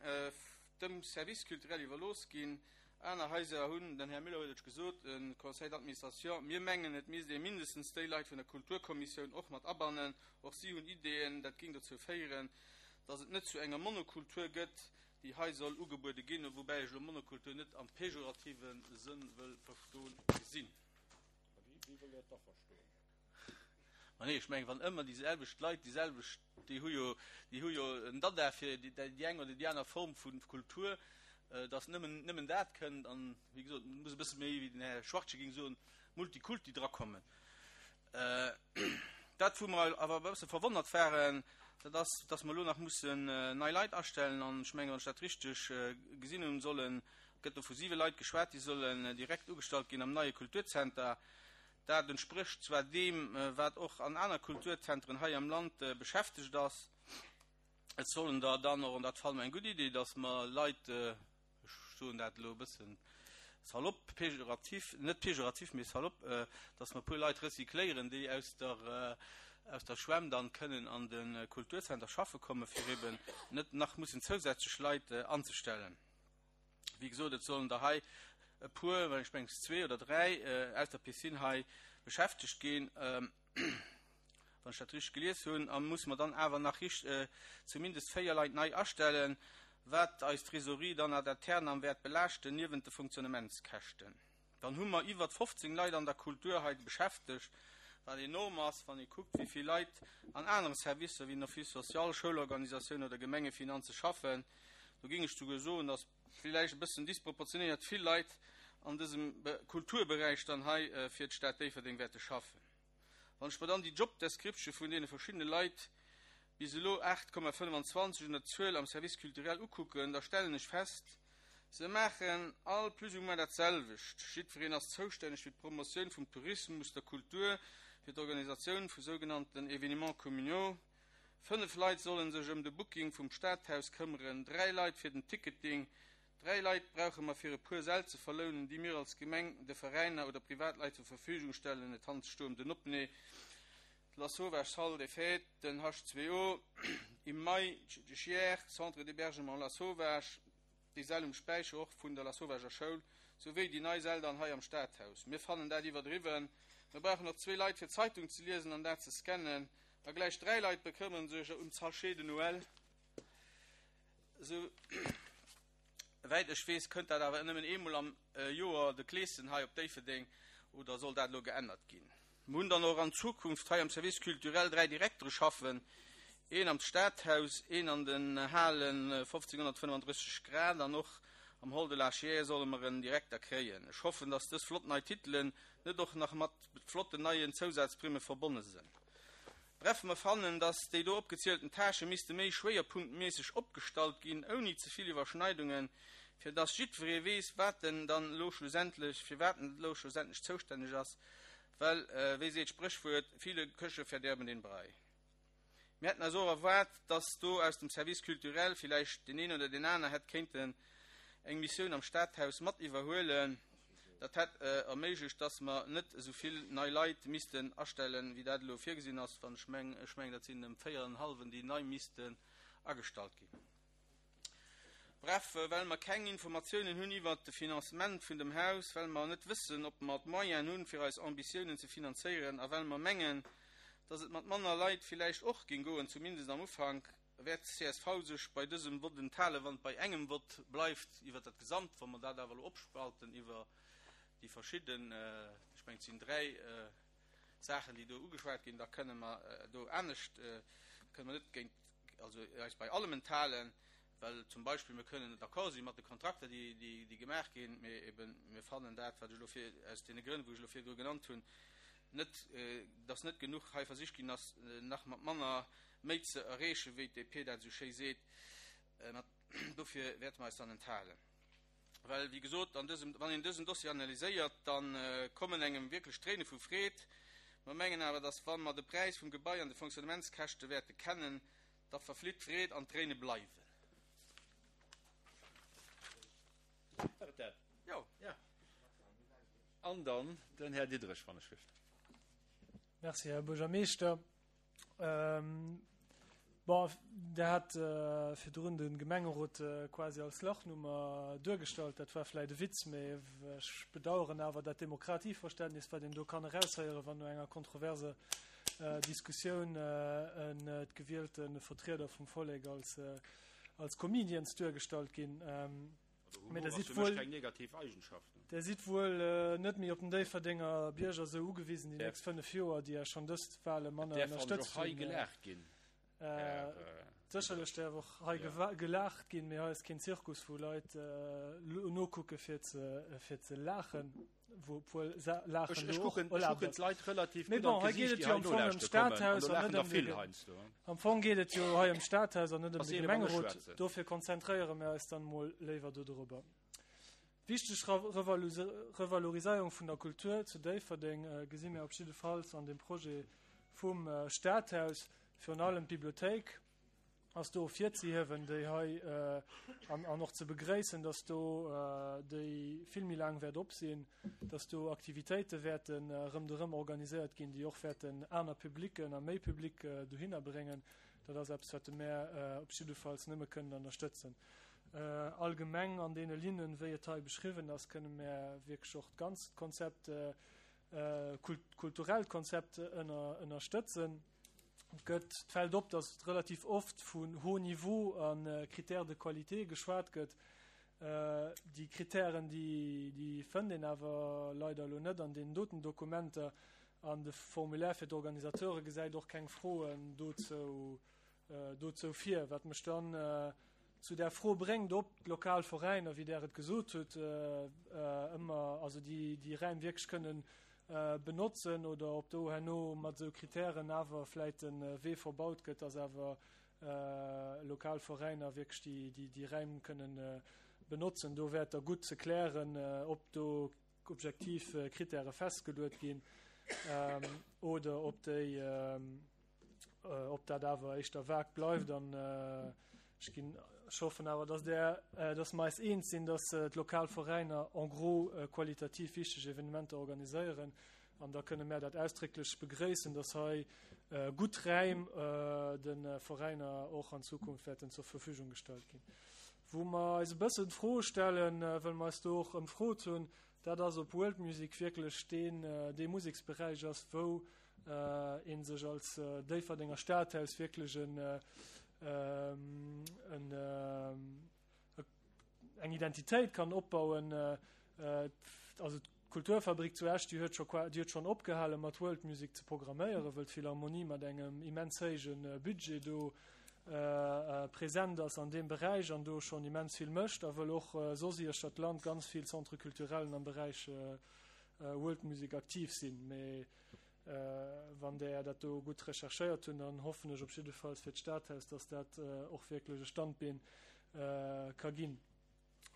dem Service culturel iwwerlooss ginn. Aner Haiser hunn, den Här Müller huet et gesot, e Conseil d'administration. Mir mengen, et misst ee mindestens déi Leit vun der Kulturkommissioun och mat abannen. Och si hunn Ideeën. Dat géing dozou féieren, dass et net zu enger Monokultur gëtt, déi hei soll ugebuede ginn, woubäi ech elo Monokultur net am pejorative Sënn wëll verstoen gesinn. Wéi wëllt Der et da verstoen? Ma nee, ech mengen, wann ëmmer déi selwecht Leit déi selwecht, déi hu jo, déi hu jo en Dada fir déi eng oder déi aner Form vu Kultur, datt nëmmen, nëmmen dat kënnt an, wéi gesot, et muss e bësse méi, wéi den Här Schwachtgen géing soen, Multikulti drakommen. Dat, wou mer awer e bësse verwonnert waren, dat ass, dass mer elo nach mussen nei Leit astellen. An ech mengen, wann ech dat richteg gesinn hunn, sollen, gëtt do vu siwe Leit geschwat, déi sollen direkt ugestallt ginn am neie Kulturzenter. Dat entsprécht zwar deem, wat och an aner Kulturzentren hei am Land beschäftegt ass. Et sollen der dann och, an dat fanne mer eng gutt Idee, dass mer Leit, ech soen dat elo e bëssen salopp, pejorativ, net pejorativ, mee salopp, dass mer e puer Leit recycléieren, déi aus der, aus der Schwämm dann kënnen an de Kulturzenter schaffe kommen, fir eben net nach mussen zousätzlech Leit anzestellen. Wéi gesot, et sollen der hei e puer, well ech mengen zwee oder dräi, aus der Piscine hei beschäftegt ginn. Wann ech dat richteg gelies hunn, a musse mer dann awer nach richt zumindest 4 Leit nei astellen, wat eis Trésorerie dann ad aeternam wäert belaaschten, niewent de Funktionnementskäschten. Dann hu mer iwwert 15 Leit an der Kultur hei beschäftegt, wat enorm ass, wann ee kuckt, wéi vill Leit an anere Servicer wéi den Office social, Schoulorganisatioun oder Gemengefinanze schaffen. Do géing ech souguer soen, dass villäicht e bëssen disproportionéiert vill Leit an dësem Kulturberäich dann hei fir d'Stad Déifferdeng wäerte schaffen. Wann ech mer dann déi Jobdescription vun deene verschiddene Leit, bis elo 8,25 un der Zuel, am Service culturel ukucken, da stellen ech fest, se maachen all plus ou moins dat selwecht. Jiddwereen ass zoustänneg fir d'Promotioun vum Tourismus, der Kultur, fir d'Organisatioun vu sougenannten Événements communaux. Fënnef Leit solle sech ëm de Booking vum Stadhaus këmmeren, dräi Leit fir den Ticketing, dräi Leit brauche mer fir e puer Säll ze verlounen, déi mir als Gemeng de Veräiner oder Privatleit zur Verfügung stellen. Et handelt sech do ëm den Opnee, d'Lasauvage Salle des Fêtes, den H2O im Mai, de Chiers, Centre d'hébergement Lasauvage, déi Säll um Späicher och vun der Lasauvager Schoul, souwéi déi nei Säll dann hei am Stadhaus. Mir fannen dat iwwerdriwwen. Mir brauchen och zwee Leit fir d'Zeitung ze liesen an dat ze scannen. A gläich dräi Leit bekëmmere sech ëm d'Sachets de Noël. Esou wäit ech weess, kënnt dat awer nëmmen eemol am Joer, de Kleeschen hei op Déifferdeng, oder soll dat elo geännert ginn? Mir hunn dann och an Zukunft hei am Service culturel dräi Direktere schaffen, een am Stadhaus, een an den Halen 1535 Grad an och am Hall de la Chiers solle mer en Direkter kréien. Ech hoffen, dass dës flott nei Titelen net och nach mat flotten neien Zousazprimme verbonne sënn. Bref, mer fannen, dass déi do opgezielten Tâchë misste méi schwéierpunktméisseg opgestallt ginn, ouni ze vill Iwwerschneidungen, fir dass jiddweree weess, wat en dann elo schlussendlech, fir wat en elo schlussendlech zoustänneg ass, well, wéi seet d'Spréchwuert, viele Köche verderben den Brei. Mir hätten eis och erwaart, dass do aus dem Service culturel villäicht deen een oder deen aner hätt kéinten eng Missioun am Stadhaus mat iwwerhuelen. Dat hätt erméiglecht, dass mer net esou vill nei Leit missten astellen, wéi dat elo virgesinn ass, wann ech meng, ech mengen, dat sinn ëm véier an en hallwen, déi nei missten agestallt ginn. Bref, well mer keng Informatiounen hunn iwwert de Financement vun dem Haus, well mer net wëssen, ob mer d'Moyenen hunn, fir eis Ambitiounen ze finanzéieren, a well mer mengen, dass et mat manner Leit villäicht och géing goen, zumindest am Ufank, wäert csv sech bei dësem Vott enthalen. Wann et bei engem Vott bleift iwwert dat Gesamt, wa mer dat awer elo opspalten iwwer déi verschidden, ech mengen, et sinn dräi Saachen, déi do ugeschwat ginn, da kënne mer do anescht, kënne mer net géint, also eis bei allem enthalen, well zum Beispill mir kënnen d'accord si mat de Kontrakter, déi, déi, déi gemaach ginn, mee eben mir fannen dat, wat ech elo vir, aus deene Grënn, wou ech elo virdru genannt hunn, net, dass net genuch hei versicht ginn ass, nach mat manner méi ze erreechen, wéi d'DP dat esou schéi seet. Mat, dofir wäerte mer eis dann enthalen. Well, wéi gesot, an dësem, wann een dësen Dossier analyséiert, da kommen engem wierklech d'Tréine vu Freed. Mer mengen awer, dass wa mer de Präis vum Gebai an de Fonctionnementskäschte wäerte kennen, da verflitt d'Freed an d'Tréine bleiwen. War et dat? Jo. Ja. An dann den Här Diderich, wann ech gelift. Merci, Här Buergermeeschter. Ähm, bon, Der hat äh, virdrun de Gemengerot äh, quasi als Lachnummer duergestallt. Dat war vläicht e Witz, mee ech bedauern awer dat Demokratieverständnis, wat een do kann eraushéieren, wann no enger kontroverser äh, Diskussioun äh, en äh, d'gewielte Vertrieder vum Vollek als, äh, als Comedians duergestallt ginn. Ähm, Mee der sidd wuel keng negativ Eigenschaften. Der sidd wuel äh, net méi op den Déifferdenger Bierger sou ugewisen déi nächst 5 Joer, déi Är schonn dëst Wale manner ënnerstëtzt hunn. Hei gelaacht ginn. Äh, sécherlech däerf och hei ja. gelaacht ginn, mee hei ass keen Zirkus, wou Leit äh, nokucke fir ze, fir ze laachen. Wou obwuel laachen ech, ech kucken, ech kucken d'Leit relativ gutt an d'Gesiicht, déi hei nolauschte kommen, an do laachen der vill heiansdo. Am Fong geet et jo hei ëm d'Stadhaus an net ëm de Gemengerot, dofir konzentréiere mir eis dann emol léiwer dodrobber. Wichteg Revaloriséierung vun der Kultur zu Déifferdeng gesi mir op jiddefalls an dem Projet vum Stadhaus, virun allem d'Bibliothéik. ass do ervirzehiewen, déi hei an, an och ze begréissen, dass do déi vill méi laang wäert op sinn, dass do Aktivitéite wäerten erëm derëm organiséiert ginn, déi och wäerten aner Publicken a méi Public dohinner bréngen. Dat ass eppes, wat de mär op jiddefalls nëmme kënnen ënnerstëtzen. Allgemeng an deene Linnen, wéi et hei beschriwwen ass, kënne mär wierklech och d'ganzt Konzept, kulturellt Konzept ënner, ënnerstëtzen. Et gëtt, et fält op, datt relativ oft vun haut niveau a Critères de qualité geschwat gëtt. Déi Kritären, déi, déi fënnt een awer leider elo net an deenen doten Dokumenter. An de Formulaire fir d'Organisateure gesäit och keng Froen dozou, dozou vir. Wat mech dann zu där Fro bréngt, ob d'lokal Veräiner, wéi Der et gesot hutt, ëmmer, also déi, déi Räim wierklech kënnen. benotzen oder ob do herno mat esou Kritären awer vläit de Wee verbaut gëtt, dass awer lokal Veräiner wierklech déi Räim kënnen benotzen. Do wär et da gutt ze klären, ob do objektiv Kritäre festgeluet ginn oder ob déi ob dat awer éischter vag bleift. An ech ginn, ech hoffen awer, dass där, dass mer eis eens sinn, dass d'lokal Veräiner en gros qualitativ wichteg Evenementer organiséieren. An da kënne mär dat ausdrécklech begréissen, dass hei gutt Räim de Veräiner och an Zukunft wäerten zur Verfügung gestallt ginn. Wou mer eis e bëssen d'Fro stellen, well mer eis do och ëmfrot hunn, dat ass, ob World Music wierklech deen, dee Museksberäich ass, wou ee sech als Déifferdenger Stadhaus wierklech en, en, eng Identitéit kann opbauen. Also d'Kulturfabrik zu Esch, déi huet scho, déi huet schonn opgehale mat World Music ze programméieren, wëll d'Philharmonie mat engem immens héije Budget do present ass an deem Beräich an do schonn immens vill mécht a wëll och soss iech dat Land ganz vill Centre culturellen am Beräich World Music aktiv sinn. Mee wann där dat do gutt recherchéiert hunn, dann hoffen ech op jiddefalls fir d'Stadhaus, dass dat och wierklech e Standbeen ka ginn.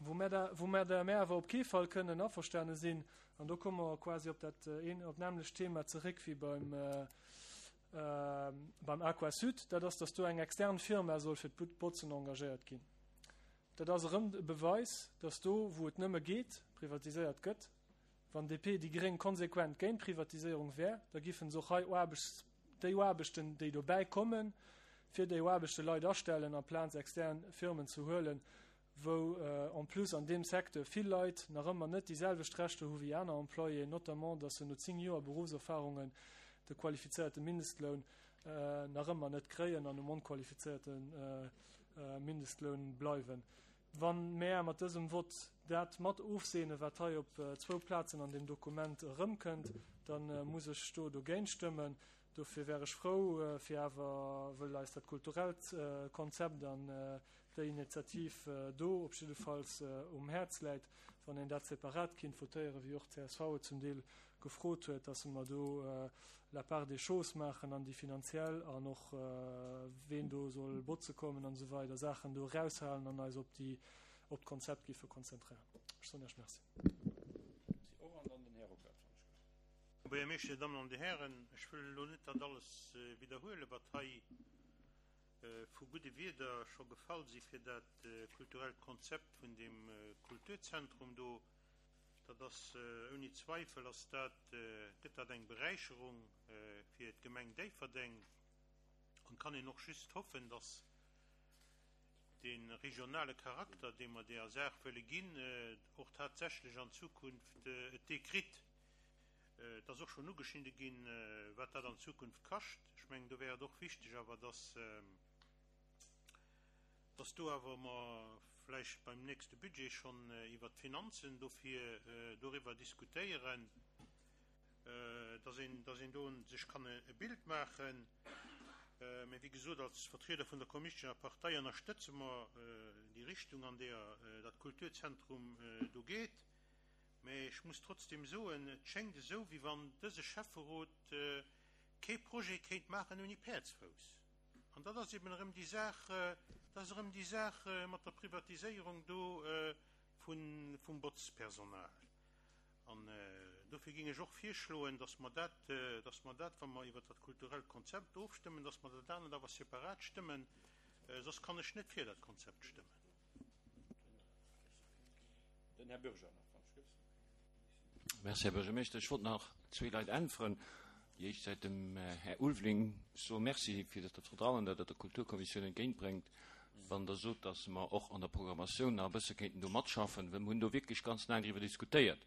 Wou mär da, wou mär der mär awer op kee Fall kënnen averstane sinn, an do komme mer quasi op dat een, op d'nämmlecht Thema zeréck wéi beim, beim Aquasud, dat ass, dass do eng extern Firma soll fir d'Botzen engagéiert ginn. Dat ass erëm e Beweis, dass do, wou et nëmme geet, privatiséiert gëtt. Wann DP, déi gréng konsequent géint Privatiséierung wär, da giffen se och hei Aarbechts, déi Aarbechten, déi dobäi kommen, fir déi Aarbechte Leit astellen, amplaz extern Firmen ze huelen, wou en plus an deem Secteur vill Leit nach ëmmer net déi selwecht Rechter hu wéi aner Employéen, notamment dass se no 10 Joer Berufserfahrungen de qualifizéierte Mindestloun nach ëmmer net kréien an um onqualifizéierte Mindestloun bleiwen. Wa mär mat dësem Vott dat mat ofseene wat hei op zwou Plazen an deem Dokument erëmkënnt, da muss ech do dogéint stëmmen. Dofir wär ech frou, fir awer, wëll eis dat kulturellt Konzept an déi Initiativ do op jiddefalls um Häerz läit, wann een dat separat kinnt votéieren, wéi och csv et zum Deel gefrot huet, dass mer do la part des choses maachen an déi finanziell an och ween do soll botze kommen an esou weider Saachen do eraushalen an eis op déi op d'Konzept giffe konzentréieren. Ech soen Iech Merci. Här Buergermeeschter, Dir Dammen an Dir Hären, ech wëll elo net dat alles widderhuelen, wat hei vu gudde Wierder scho gefall si fir dat kulturellt Konzept vun deem Kulturzentrum do. Dat ass ouni Zweifel ass dat, gëtt dat eng Beräicherung fir d'Gemeng Déifferdeng an kann een och just hoffen, dass dee regionale Charakter, dee mer deeër Saach wëlle ginn, och tatsächlech an Zukunft et dee kritt. Et ass och schonn ugeschnidde ginn, wat dat an Zukunft kascht. Ech mengen, do wär et och wichteg awer, dass, dass do awer mer vläicht beim nächste Budget schonn iwwert d'Finanzen dofir doriwwer diskutéieren, dass een, dass een do sech kann e Bild maachen. Mä wéi gesot, als Vertrieder vun der Kommunistescher Partei ënnerstëtze mer déi Richtung, an deeër dat Kulturzentrum do geet. Mä ech muss trotzdem soen, et schéngt esou, wéi wann dëse Schäfferot kee Projet kéint maachen ouni Päerdsfouss. An dat ass eben erëm déi Saach, dat ass erëm déi Saach mat der Privatiséierung do vum Botzpersonal. An dofir géing ech och virschloen, dass mer dat, dass mer dat, wa mer iwwert dat kulturellt Konzept ofstëmmen, dass mer dat anert awer separat stëmmen, soss kann ech net fir dat Konzept stëmmen. Den Här Bürger nach, wann ech gëss. Merci, Här Buergermeeschter. Ech wollt nach zwee Leit äntweren. Déi éischt Säit dem Här Ulveling soe Merci fir dat Vertrauen, dat Der der Kulturkommissioun entgéintbréngt, wann Der sot, dass mer och an der Programmatioun nach e bësse kéinten do matschaffen, well mer hunn do wierklech ganz laang driwwer diskutéiert.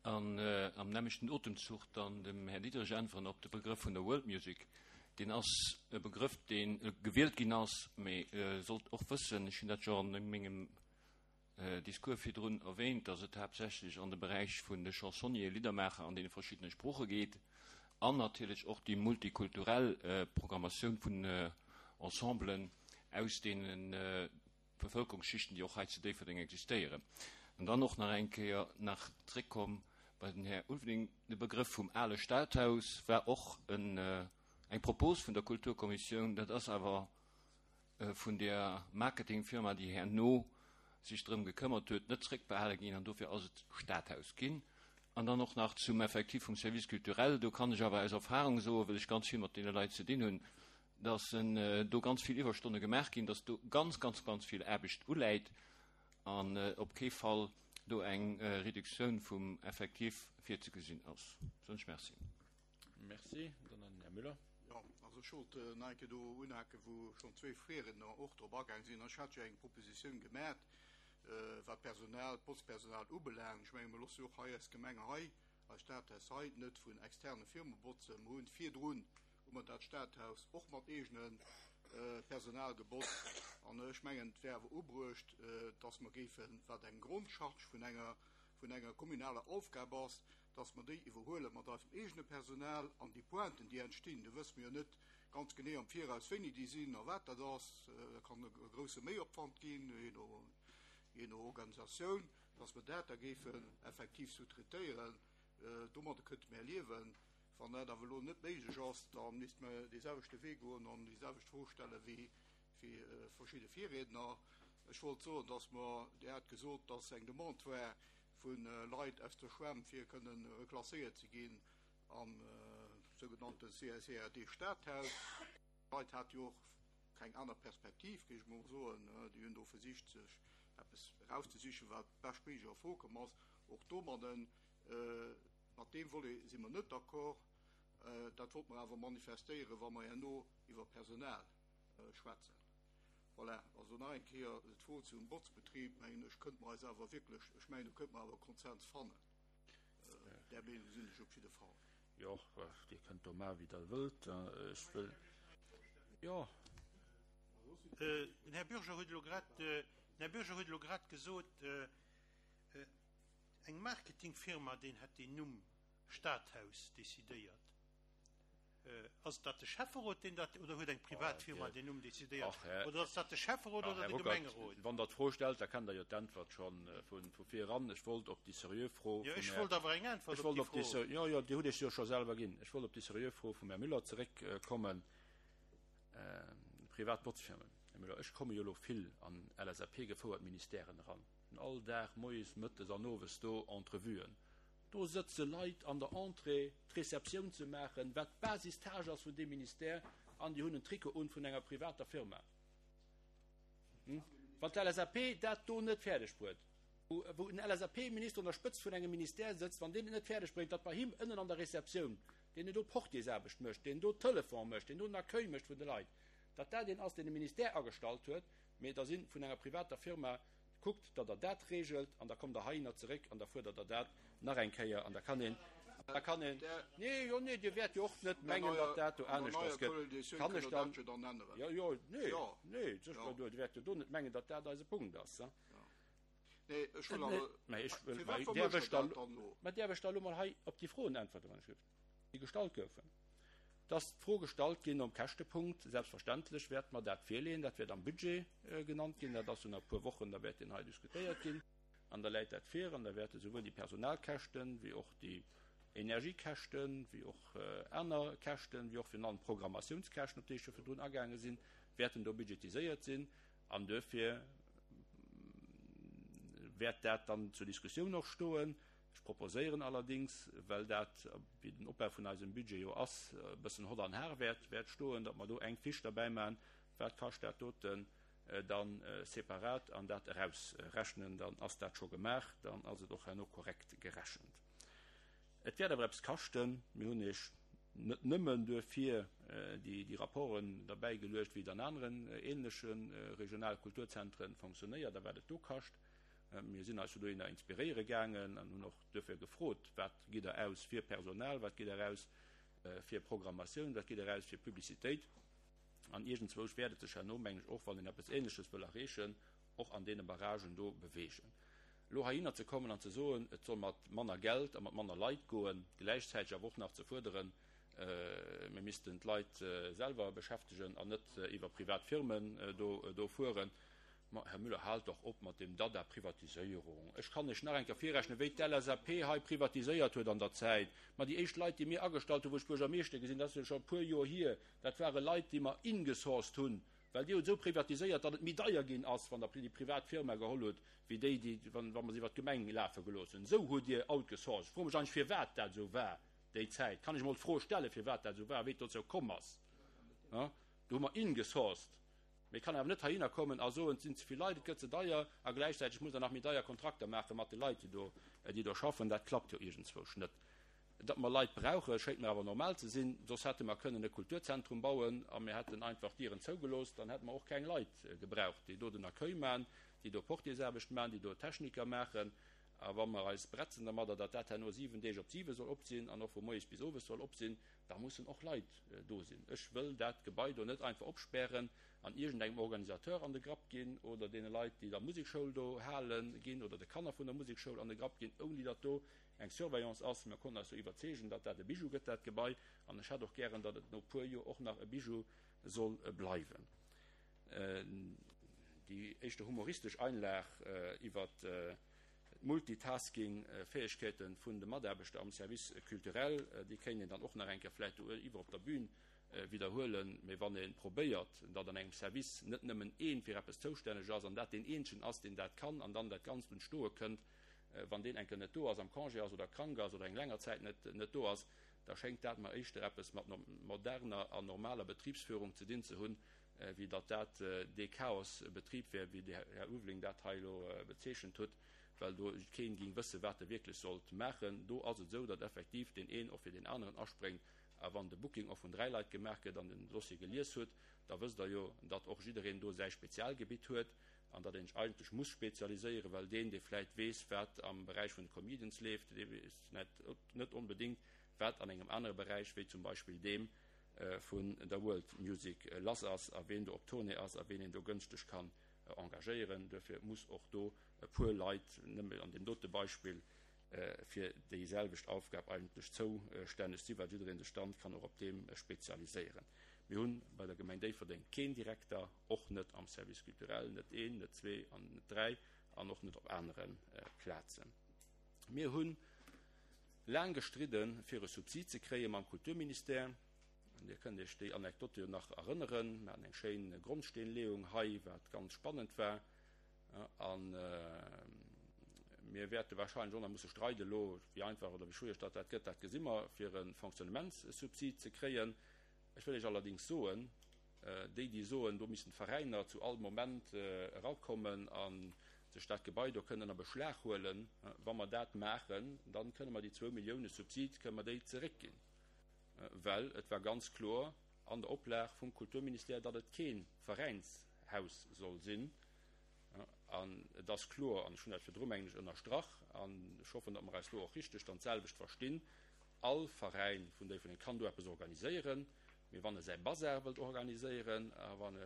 An am nämmlechten Otemzuch dann dem Här Diderich äntweren op de Begrëff vun der World Music. Deen ass e Begrëff, dee gewielt ginn ass, mee sollt och wëssen, ech hunn dat jo an mengem Discours virdrun erwähnt, dass et haaptsächlech an de Beräich vun de Chansonnier, Liddermaacher an deene verschiddene Sprooche geet an natierlech och déi multikulturell Programmatioun vun Ensemblen aus deene Bevëlkerungsschichten, déi och hei zu Déifferdeng existéieren. An dann och nach eng Kéier nach zréckkomm. Bei den Här Ulveling, de Begrëff vum ale Stadhaus war och en, eng Propos vun der Kulturkommissioun. Dat ass awer vun der Marketingfirma, déi herno sech drëm gekëmmert huet, net zréckbehale ginn an dofir ass et Stadhaus ginn. An dann och nach zum Effectif vum Service culturel, do kann ech awer aus Erfahrung soen, well ech ganz vill mat deene Leit ze dinn hunn, dass do ganz vill Iwwerstonne gemaach ginn, dass do ganz, ganz, ganz vill Aarbecht uläit an op kee Fall do eng Reduktioun vum Effectif virzegesinn ass. Soen ech Merci. Merci. Dann an den Här Müller. Jo, also ech wollt nach eng Kéier do unhaken, wou schonn zwee Virriedner och drop agaang sinn. Ech hat jo eng Propositioun gemat, wat d'Personal, d'Botzpersonal ubelaangt. Ech menge mer loosse jo och hei eis Gemeng hei, eist Stadhaus hei net vun externe Firme botzen. Mer hunn virdrun hu mer dat Stadhaus och mat eegene Personal gebotzt. An ech mengen, et wär awer ubruecht, dass mer géifen, wat eng Grondcharge vun enger, vun enger kommunaler Aufgab ass, dass mer déi iwwerhuele mat eisem eegene Personal an déi Pointen, déi entstinn, do wësse mer jo net ganz genee am Viraus, wéini déi sinn a wat dat ass, dat kann e grouse Méiopwand ginn, jee no, jee no Organisatioun, dass mer dat da géifen effektiv sous-traitéieren. Domadder kënnte mer liewen. Wann dat awer elo net méiglech ass, da misste mer dee selwechte Wee goen an déi selwecht Fro stelle wéi verschidde Virriedner. Ech wollt soen, dass mer, Dir hat gesot, dass eng Demande war vu Leit aus der Schwämm, fir kënnen reklasséiert ze ginn am sougenannte CSERD Stadhaus. D'Leit hate jo och keng aner Perspektiv, géif ech mol soen. Déi hunn do versicht, sech eppes erauszesichen, wat beschtméiglech a Fro komm ass. Och domadden, mat deem Volet si mer net d'accord. Dat wollte mer awer manifestéieren, wa mer herno iwwer Personal schwätzen. Voilà, also nach eng Kéier d'Fro zum Botzbetrib, mengen ech, kënnte mer eis awer wierklech, ech mengen, do kënnte mer awer Konsens fannen. Där Meenung sinn ech op jidde Fall. Jo, Dir kënnt do maachen, wéi Der wëllt. Ech wëll, jo. Den Här Bürger huet elo grad, den Här Bürger huet elo grad gesot, eng Marketingfirma, deen hätt deen Numm Stadhaus decidéiert. Ass dat de Schäfferot, deen dat, oder huet eng privat Firma deen Numm decidéiert? Oder ass dat de Schäfferot oder de Gemengerot? Wann Der d'Fro stellt, da kennt Der jo d'Äntwert scho vu vir eran. Ech wollt op déi seriö Fro vum Här. Jo, ech wollt awer eng Äntwert op déi Fro. Jo, jo, Dir hutt Iech se jo scho selwer ginn. Ech wollt op déi seriö Fro vum Här Müller zeréckkommen. Privat Botzfirmen. Här Müller, ech komme jo elo vill an LSAP-gefouert Ministèren eran. Hunn all Dag moies, mëttes an owes do Entrevuen. Do sëtze Leit an der Entrée, d'Receptioun ze maachen, wat d'Basistâche ass vun deem Ministère, an déi hunn en Trikot un vun enger privater Firma. Wann d'LSAP dat do net fäerdeg bruet, wou en LSAP-Minister un der Spëtzt vun engem Ministère sëtzt, wann deen et net fäerdeg bréngt, datt bei him ënnen an der Receptioun, deen do Portiersaarbecht mécht, deen do Telefon mécht, deen do den Accueil mécht vun de Leit, datt dat een ass, deen e Ministère agestallt huet, mee da si vun enger privater Firma, Kuckt, datt Der dat regelt, an da kommt Der heihinner zeréck an da fuerdert Der dat nach eng Kéier. An da kann een, da kann een, nee, jo, nee, Dir wäert jo och net mengen, datt dat do aneschters gëtt. Kann ech dann, jo, jo, nee, nee, sécher, Dir wäert jo do net mengen, datt dat eise Punkt ass. Mä ech wëll, mä däerf ech da, mä däerf ech da elo mol hei op déi Froen äntwerten, wann ech gelift, déi gestallt goufen? Et ass d'Fro gestallt ginn nom Käschtepunkt. Selbstverständlech wäerte mer dat virleeën. Dat wäert am Budget genannt ginn. Dat ass jo nach e puer Wochen, da wäert deen hei diskutéiert ginn. An da läit dat vir an da wäerte souwuel déi Personalkäschten, wéi och déi Energiekäschten, wéi och aner Käschten, wéi och virun allem d'Programmatiounskäschten, op déi ech jo virdrun agaange sinn, wäerten do budgetiséiert sinn. An duerfir wäert dat dann zur Diskussioun och stoen. Ech proposéieren allerdings, well dat, wéi den Opbau vun eisem Budget jo ass, e bëssen hott an har wäert, wäert stoen, datt mer do eng Fiche derbäi maachen, wat kascht dat doten dann separat, an dat erausrechnen. Dann ass dat scho gemaach, dann ass et och herno korrekt gerechent. Et wäert awer eppes kaschten. Mir hunn Iech net nëmmen duerfir déi Rapporten derbäigeluecht, wéi et an aneren ähnleche regionale Kulturzentren fonctionnéiert a wat et do kascht. Mir sinn eis jo dohinner inspiréiere gaangen an hunn och duerfir gefrot, Wat gitt Der aus fir Personal, wat gitt Der aus fir Programmatioun, wat gitt Der aus fir Publicitéit? An iergendzwousch wäert et sech herno, mengen ech, och wann een eppes Ähnleches wëll erreechen, och an deene Barragen do beweegen. Elo heihinner ze kommen an ze soen, et soll mat manner Geld a mat manner Leit goen, gläichzäiteg awer och nach ze fuerderen, mir missten d'Leit selwer beschäftegen an net iwwer privat Firmen do fueren. Ma, Här Müller, haalt dach op mat deem Dada Privatiséierung. Ech kann lech nach eng Kéier virrechnen, wéi d'LSAP hei privatiséiert huet an der Zäit. Ma déi éischt Leit, déi mir agestallt hunn, wou ech Buergermeeschter gi sinn, dat ass jo scho e puer Joer hier, dat ware Leit, déi mer ingesourced hunn, well Dir hutt esou privatiséiert, datt et méi deier ginn ass, wann Der déi privat Firma geholl hutt, wéi déi, déi, wa mer se iwwert d'Gemeng lafe gelooss hunn. Esou hutt Dir outgesourced. Ech froe mech eigentlech, firwat dat esou war déi Zäit. Kann ech emol d'Fro stellen, firwat dat esou war, wéi et dozou komm ass? Do hu mer ingesourced. Mee et kann awer net heihinner kommen a soen, et sinn ze vill Leit, et gëtt ze deier a gläichzäiteg muss Der nach méi deier Kontrakter maache mat de Leit, déi do, déi do schaffen. Dat klappt jo iergendzwousch net. Datt mer Leit brauche schéngt mir awer normal ze sinn. Soss hätte mer kënnen e Kulturzentrum bauen a mir hätten einfach d'Dieren zougelooss. Dann hätte mer och keng Leit gebraucht, déi do den Accueil maachen, déi do Portiersaarbecht maachen, déi do Techniker maachen. A wa mer eis bretzen dermadder, datt dat herno 7 Deeg op 7 soll op sinn an och vu moies bis owes soll op sinn, Da mussen och Leit do sinn. Ech wëll dat Gebai do net einfach opspären an iergendengem Organisateur an de Grapp ginn oder deene Leit, déi da Musekschoul do halen, ginn oder de Kanner vun der Musekschoul an de Grapp ginn, ouni datt do eng Surveillance ass. Mir konnten eis do iwwerzeegen, datt dat e Bijou gëtt, dat Gebai, an ech hätt och gären, datt et no e puer Joer och nach e Bijou soll bleiwen. Déi éischter humoristesch Einlag iwwert D'Multitasking-Fäegkeete vun de Mataarbechter am Service culturel, déi kéint een dann och nach eng Kéier vläicht do iwwer op der Bühn widderhuelen. Mee wann ee probéiert, datt an engem Service net nëmmen ee fir eppes zoustänneg ass an dat deen eenzegen ass, deen dat kann an dann dat Ganzt un d'Stoe kënnt, wann deen eng Kéier net do ass, am Congé ass oder krank ass oder eng länger Zäit net do ass, da schéngt dat mer éischter eppes mat moderner an normaler Betribsführung ze dinn ze hunn, wéi datt dat dee Chaosbetrib wär, wéi de Här Ulveling dat hei elo bezeechent hutt, well do keen géing wëssen, wat e wierklech sollt maachen. Do ass et esou, datt effektiv deen een och fir deen aneren aspréngt. A wann de Booking och vun 3 Leit gemaach gëtt an den Dossier gelies hutt, da wësst Der jo, datt och jiddereen do säi Spezialgebitt huet an datt een sech eigentlech muss spezialiséieren, well deen, dee vläicht weess, wat am Beräich vun de Comedians leeft, dee weess net onbedéngt, wat an engem anere Beräich, wéi zum Beispill deem, vun der World Music lass ass a ween do op Tournée ass a ween een do gënschteg kann engagéieren. Duerfir muss och do e puer Leit, nëmme an deem dote Beispill, fir déi selwecht Aufgab eigentlech zoustänneg sinn, well jiddereen sech dann kann och op deem spezialiséieren. Mir hunn bei der Gemeng Déifferdeng keen Direkter, och net am Service culturel, net een, net zwee an net dräi an och net op anere Plazen. Mir hunn Laang gestridden, fir e Subsid ze kréie mam Kulturministère. Dir kënnt Iech déi Anekdote jo nach erënneren. Mir haten eng schéin Grondsteenleeung hei, wat ganz spannend war. A mir wäerte wahrscheinlech och nach musse streiden elo, wéi einfach oder wéi schwiereg datt dat gëtt, dat gesi mer, fir e Fonctionnementssubsid ze kréien. Ech wëll Iech allerdéngs soen, Déi, déi soen, do missten d'Veräiner zu all Moment erakommen a sech dat Gebai do kënnen a Beschlag huelen, wa mer dat maachen, da kënne mer déi zwou Millioune Subsid, kënne mer déi zeréckginn. Well et war ganz kloer an der Oplag vum Kulturministère, datt et kee Veräinshaus soll sinn. An et ass kloer, an ech hunn dat virdru, mengen ech, ënnerstrach, an ech hoffen, datt mer eis do och richteg dann d'selwecht verstinn, All Veräin vun Déifferdeng kann do eppes organiséieren, mee wann e säi Bazar wëllt organiséieren a wann e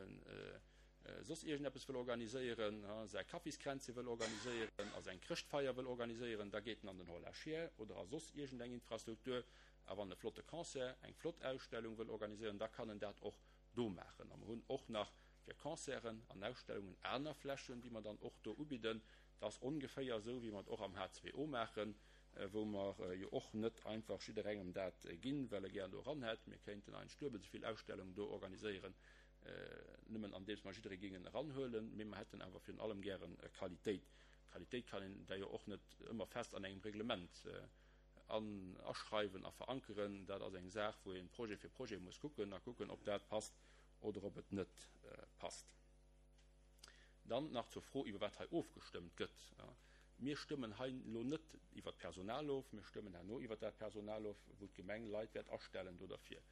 soss iergendeppes wëll organiséieren, säi Kaffiskränzche wëll organiséieren a seng Chrëschtfeier wëll organiséieren, da geet en an den Hall à Chiens oder a soss iergendeng Infrastruktur. A wann e flotte Concert, eng flott Ausstellung wëll organiséieren, da kann en dat och do maachen. A mer hunn och nach fir Concerten an Ausstellungen aner Flächen, déi mer dann och do ubidden. Dat ass ongeféier esou, wéi mer et och am H2O maachen. wou mer jo och net einfach jidderengem dat ginn, well e gär do eran hätt. Mir kéinten eigentlech duebel esou vill Ausstellungen do organiséieren, nëmmen andeems mer jidderee géingen eranhuelen, mee mer hätten awer virun allem gäre Qualitéit. Qualitéit kann een da jo och net ëmmer fest an engem Reglement aschreiwen a verankeren. Dat ass eng Saach, wou ee Projet fir Projet muss kucken a kucken, ob dat passt oder ob et net passt. Dann nach zur Fro, iwwer wat hei ofgestëmmt gëtt. Mir stëmmen hei elo net iwwer d'Personal of, mir stëmmen herno iwwer dat Personal of, wou d'Gemeng Leit wäert astellen do derfir.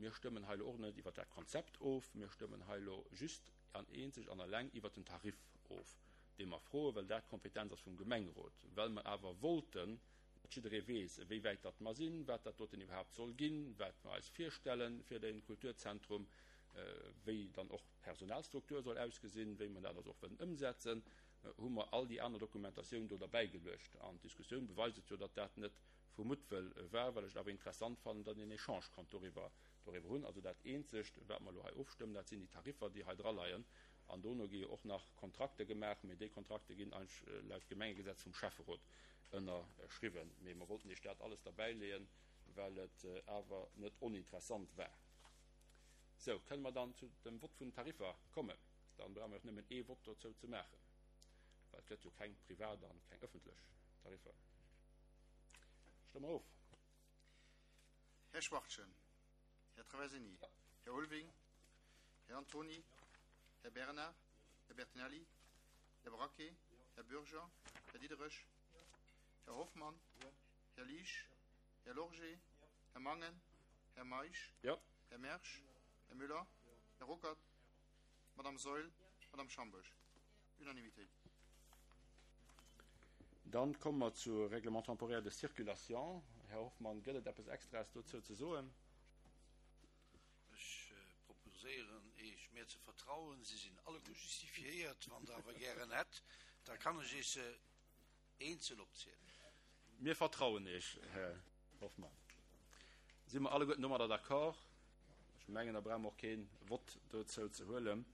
Mir stëmmen hei elo och net iwwer dat Konzept of, mir stëmmen hei elo just an eenzeg an eleng iwwer den Tarif of, dee mer froen, well dat d'Kompetenz ass vum Gemengerot, well mer awer wollten, datt jidderee weess, wéi wäit datt mer sinn, wat dat doten iwwerhaapt soll ginn, wat mer eis virstelle fir de Kulturzentrum, wéi dann och d'Personalstruktur soll ausgesinn, wéi mer dat also och wëllen ëmsetzen, hu mer all déi aner Dokumentatioun do derbäigeluecht. An d'Diskussioun beweist et jo, datt dat net vu Muttwëll war, well ech et awer interessant fannen, datt een Echange konnt doriwwer doriwwer hunn. Also dat Eenzegt, wat mer elo hei ofstëmmen, dat sinn déi Tariffer, déi hei draleien. An dono gi jo och nach Kontrakte gemaach, mee déi Kontrakte ginn eigentlech laut Gemengegesetz vum Schäfferot ënnerschriwwen. Mee mer wollten Iech dat alles derbäileeën, well et awer net oninteressant war. Sou, kënne mer dann zu dem Vott vun den Tariffer kommen? Dann brauche mer och nëmmen ee Vott dozou ze maachen, well et gëtt jo keng privat an keng ëffentlech Tariffer. Stëmme mer of. Här Schwachtgen, Här Traversini, Här Ulving, Här Antony, Här Bernard, Här Bertinelli, Här Braquet, Här Bürger, Här Diderich, Här Hoffmann, Här Liesch, Här Lorgé, Här Mangen, Här Meisch, Här Mersch, Här Müller, Här Ruckert, Madame Saeul, Madame Schambourg. Unanimitéit. Dann komme mer zu Règlement temporaire de circulation. Här Hoffmann, gëtt et eppes Extraes dozou ze soen? Ech proposéieren Iech, mir ze vertrauen. Se sinn alleguer justifiéiert. Wann Der awer gären hätt, da kann ech Iech se eenzel opzielen. Mir vertrauen Iech, Här Hoffmann. Si mer alleguerten domadder d'accord? Ech mengen, da brauche mer och kee Vott dozou ze huelen.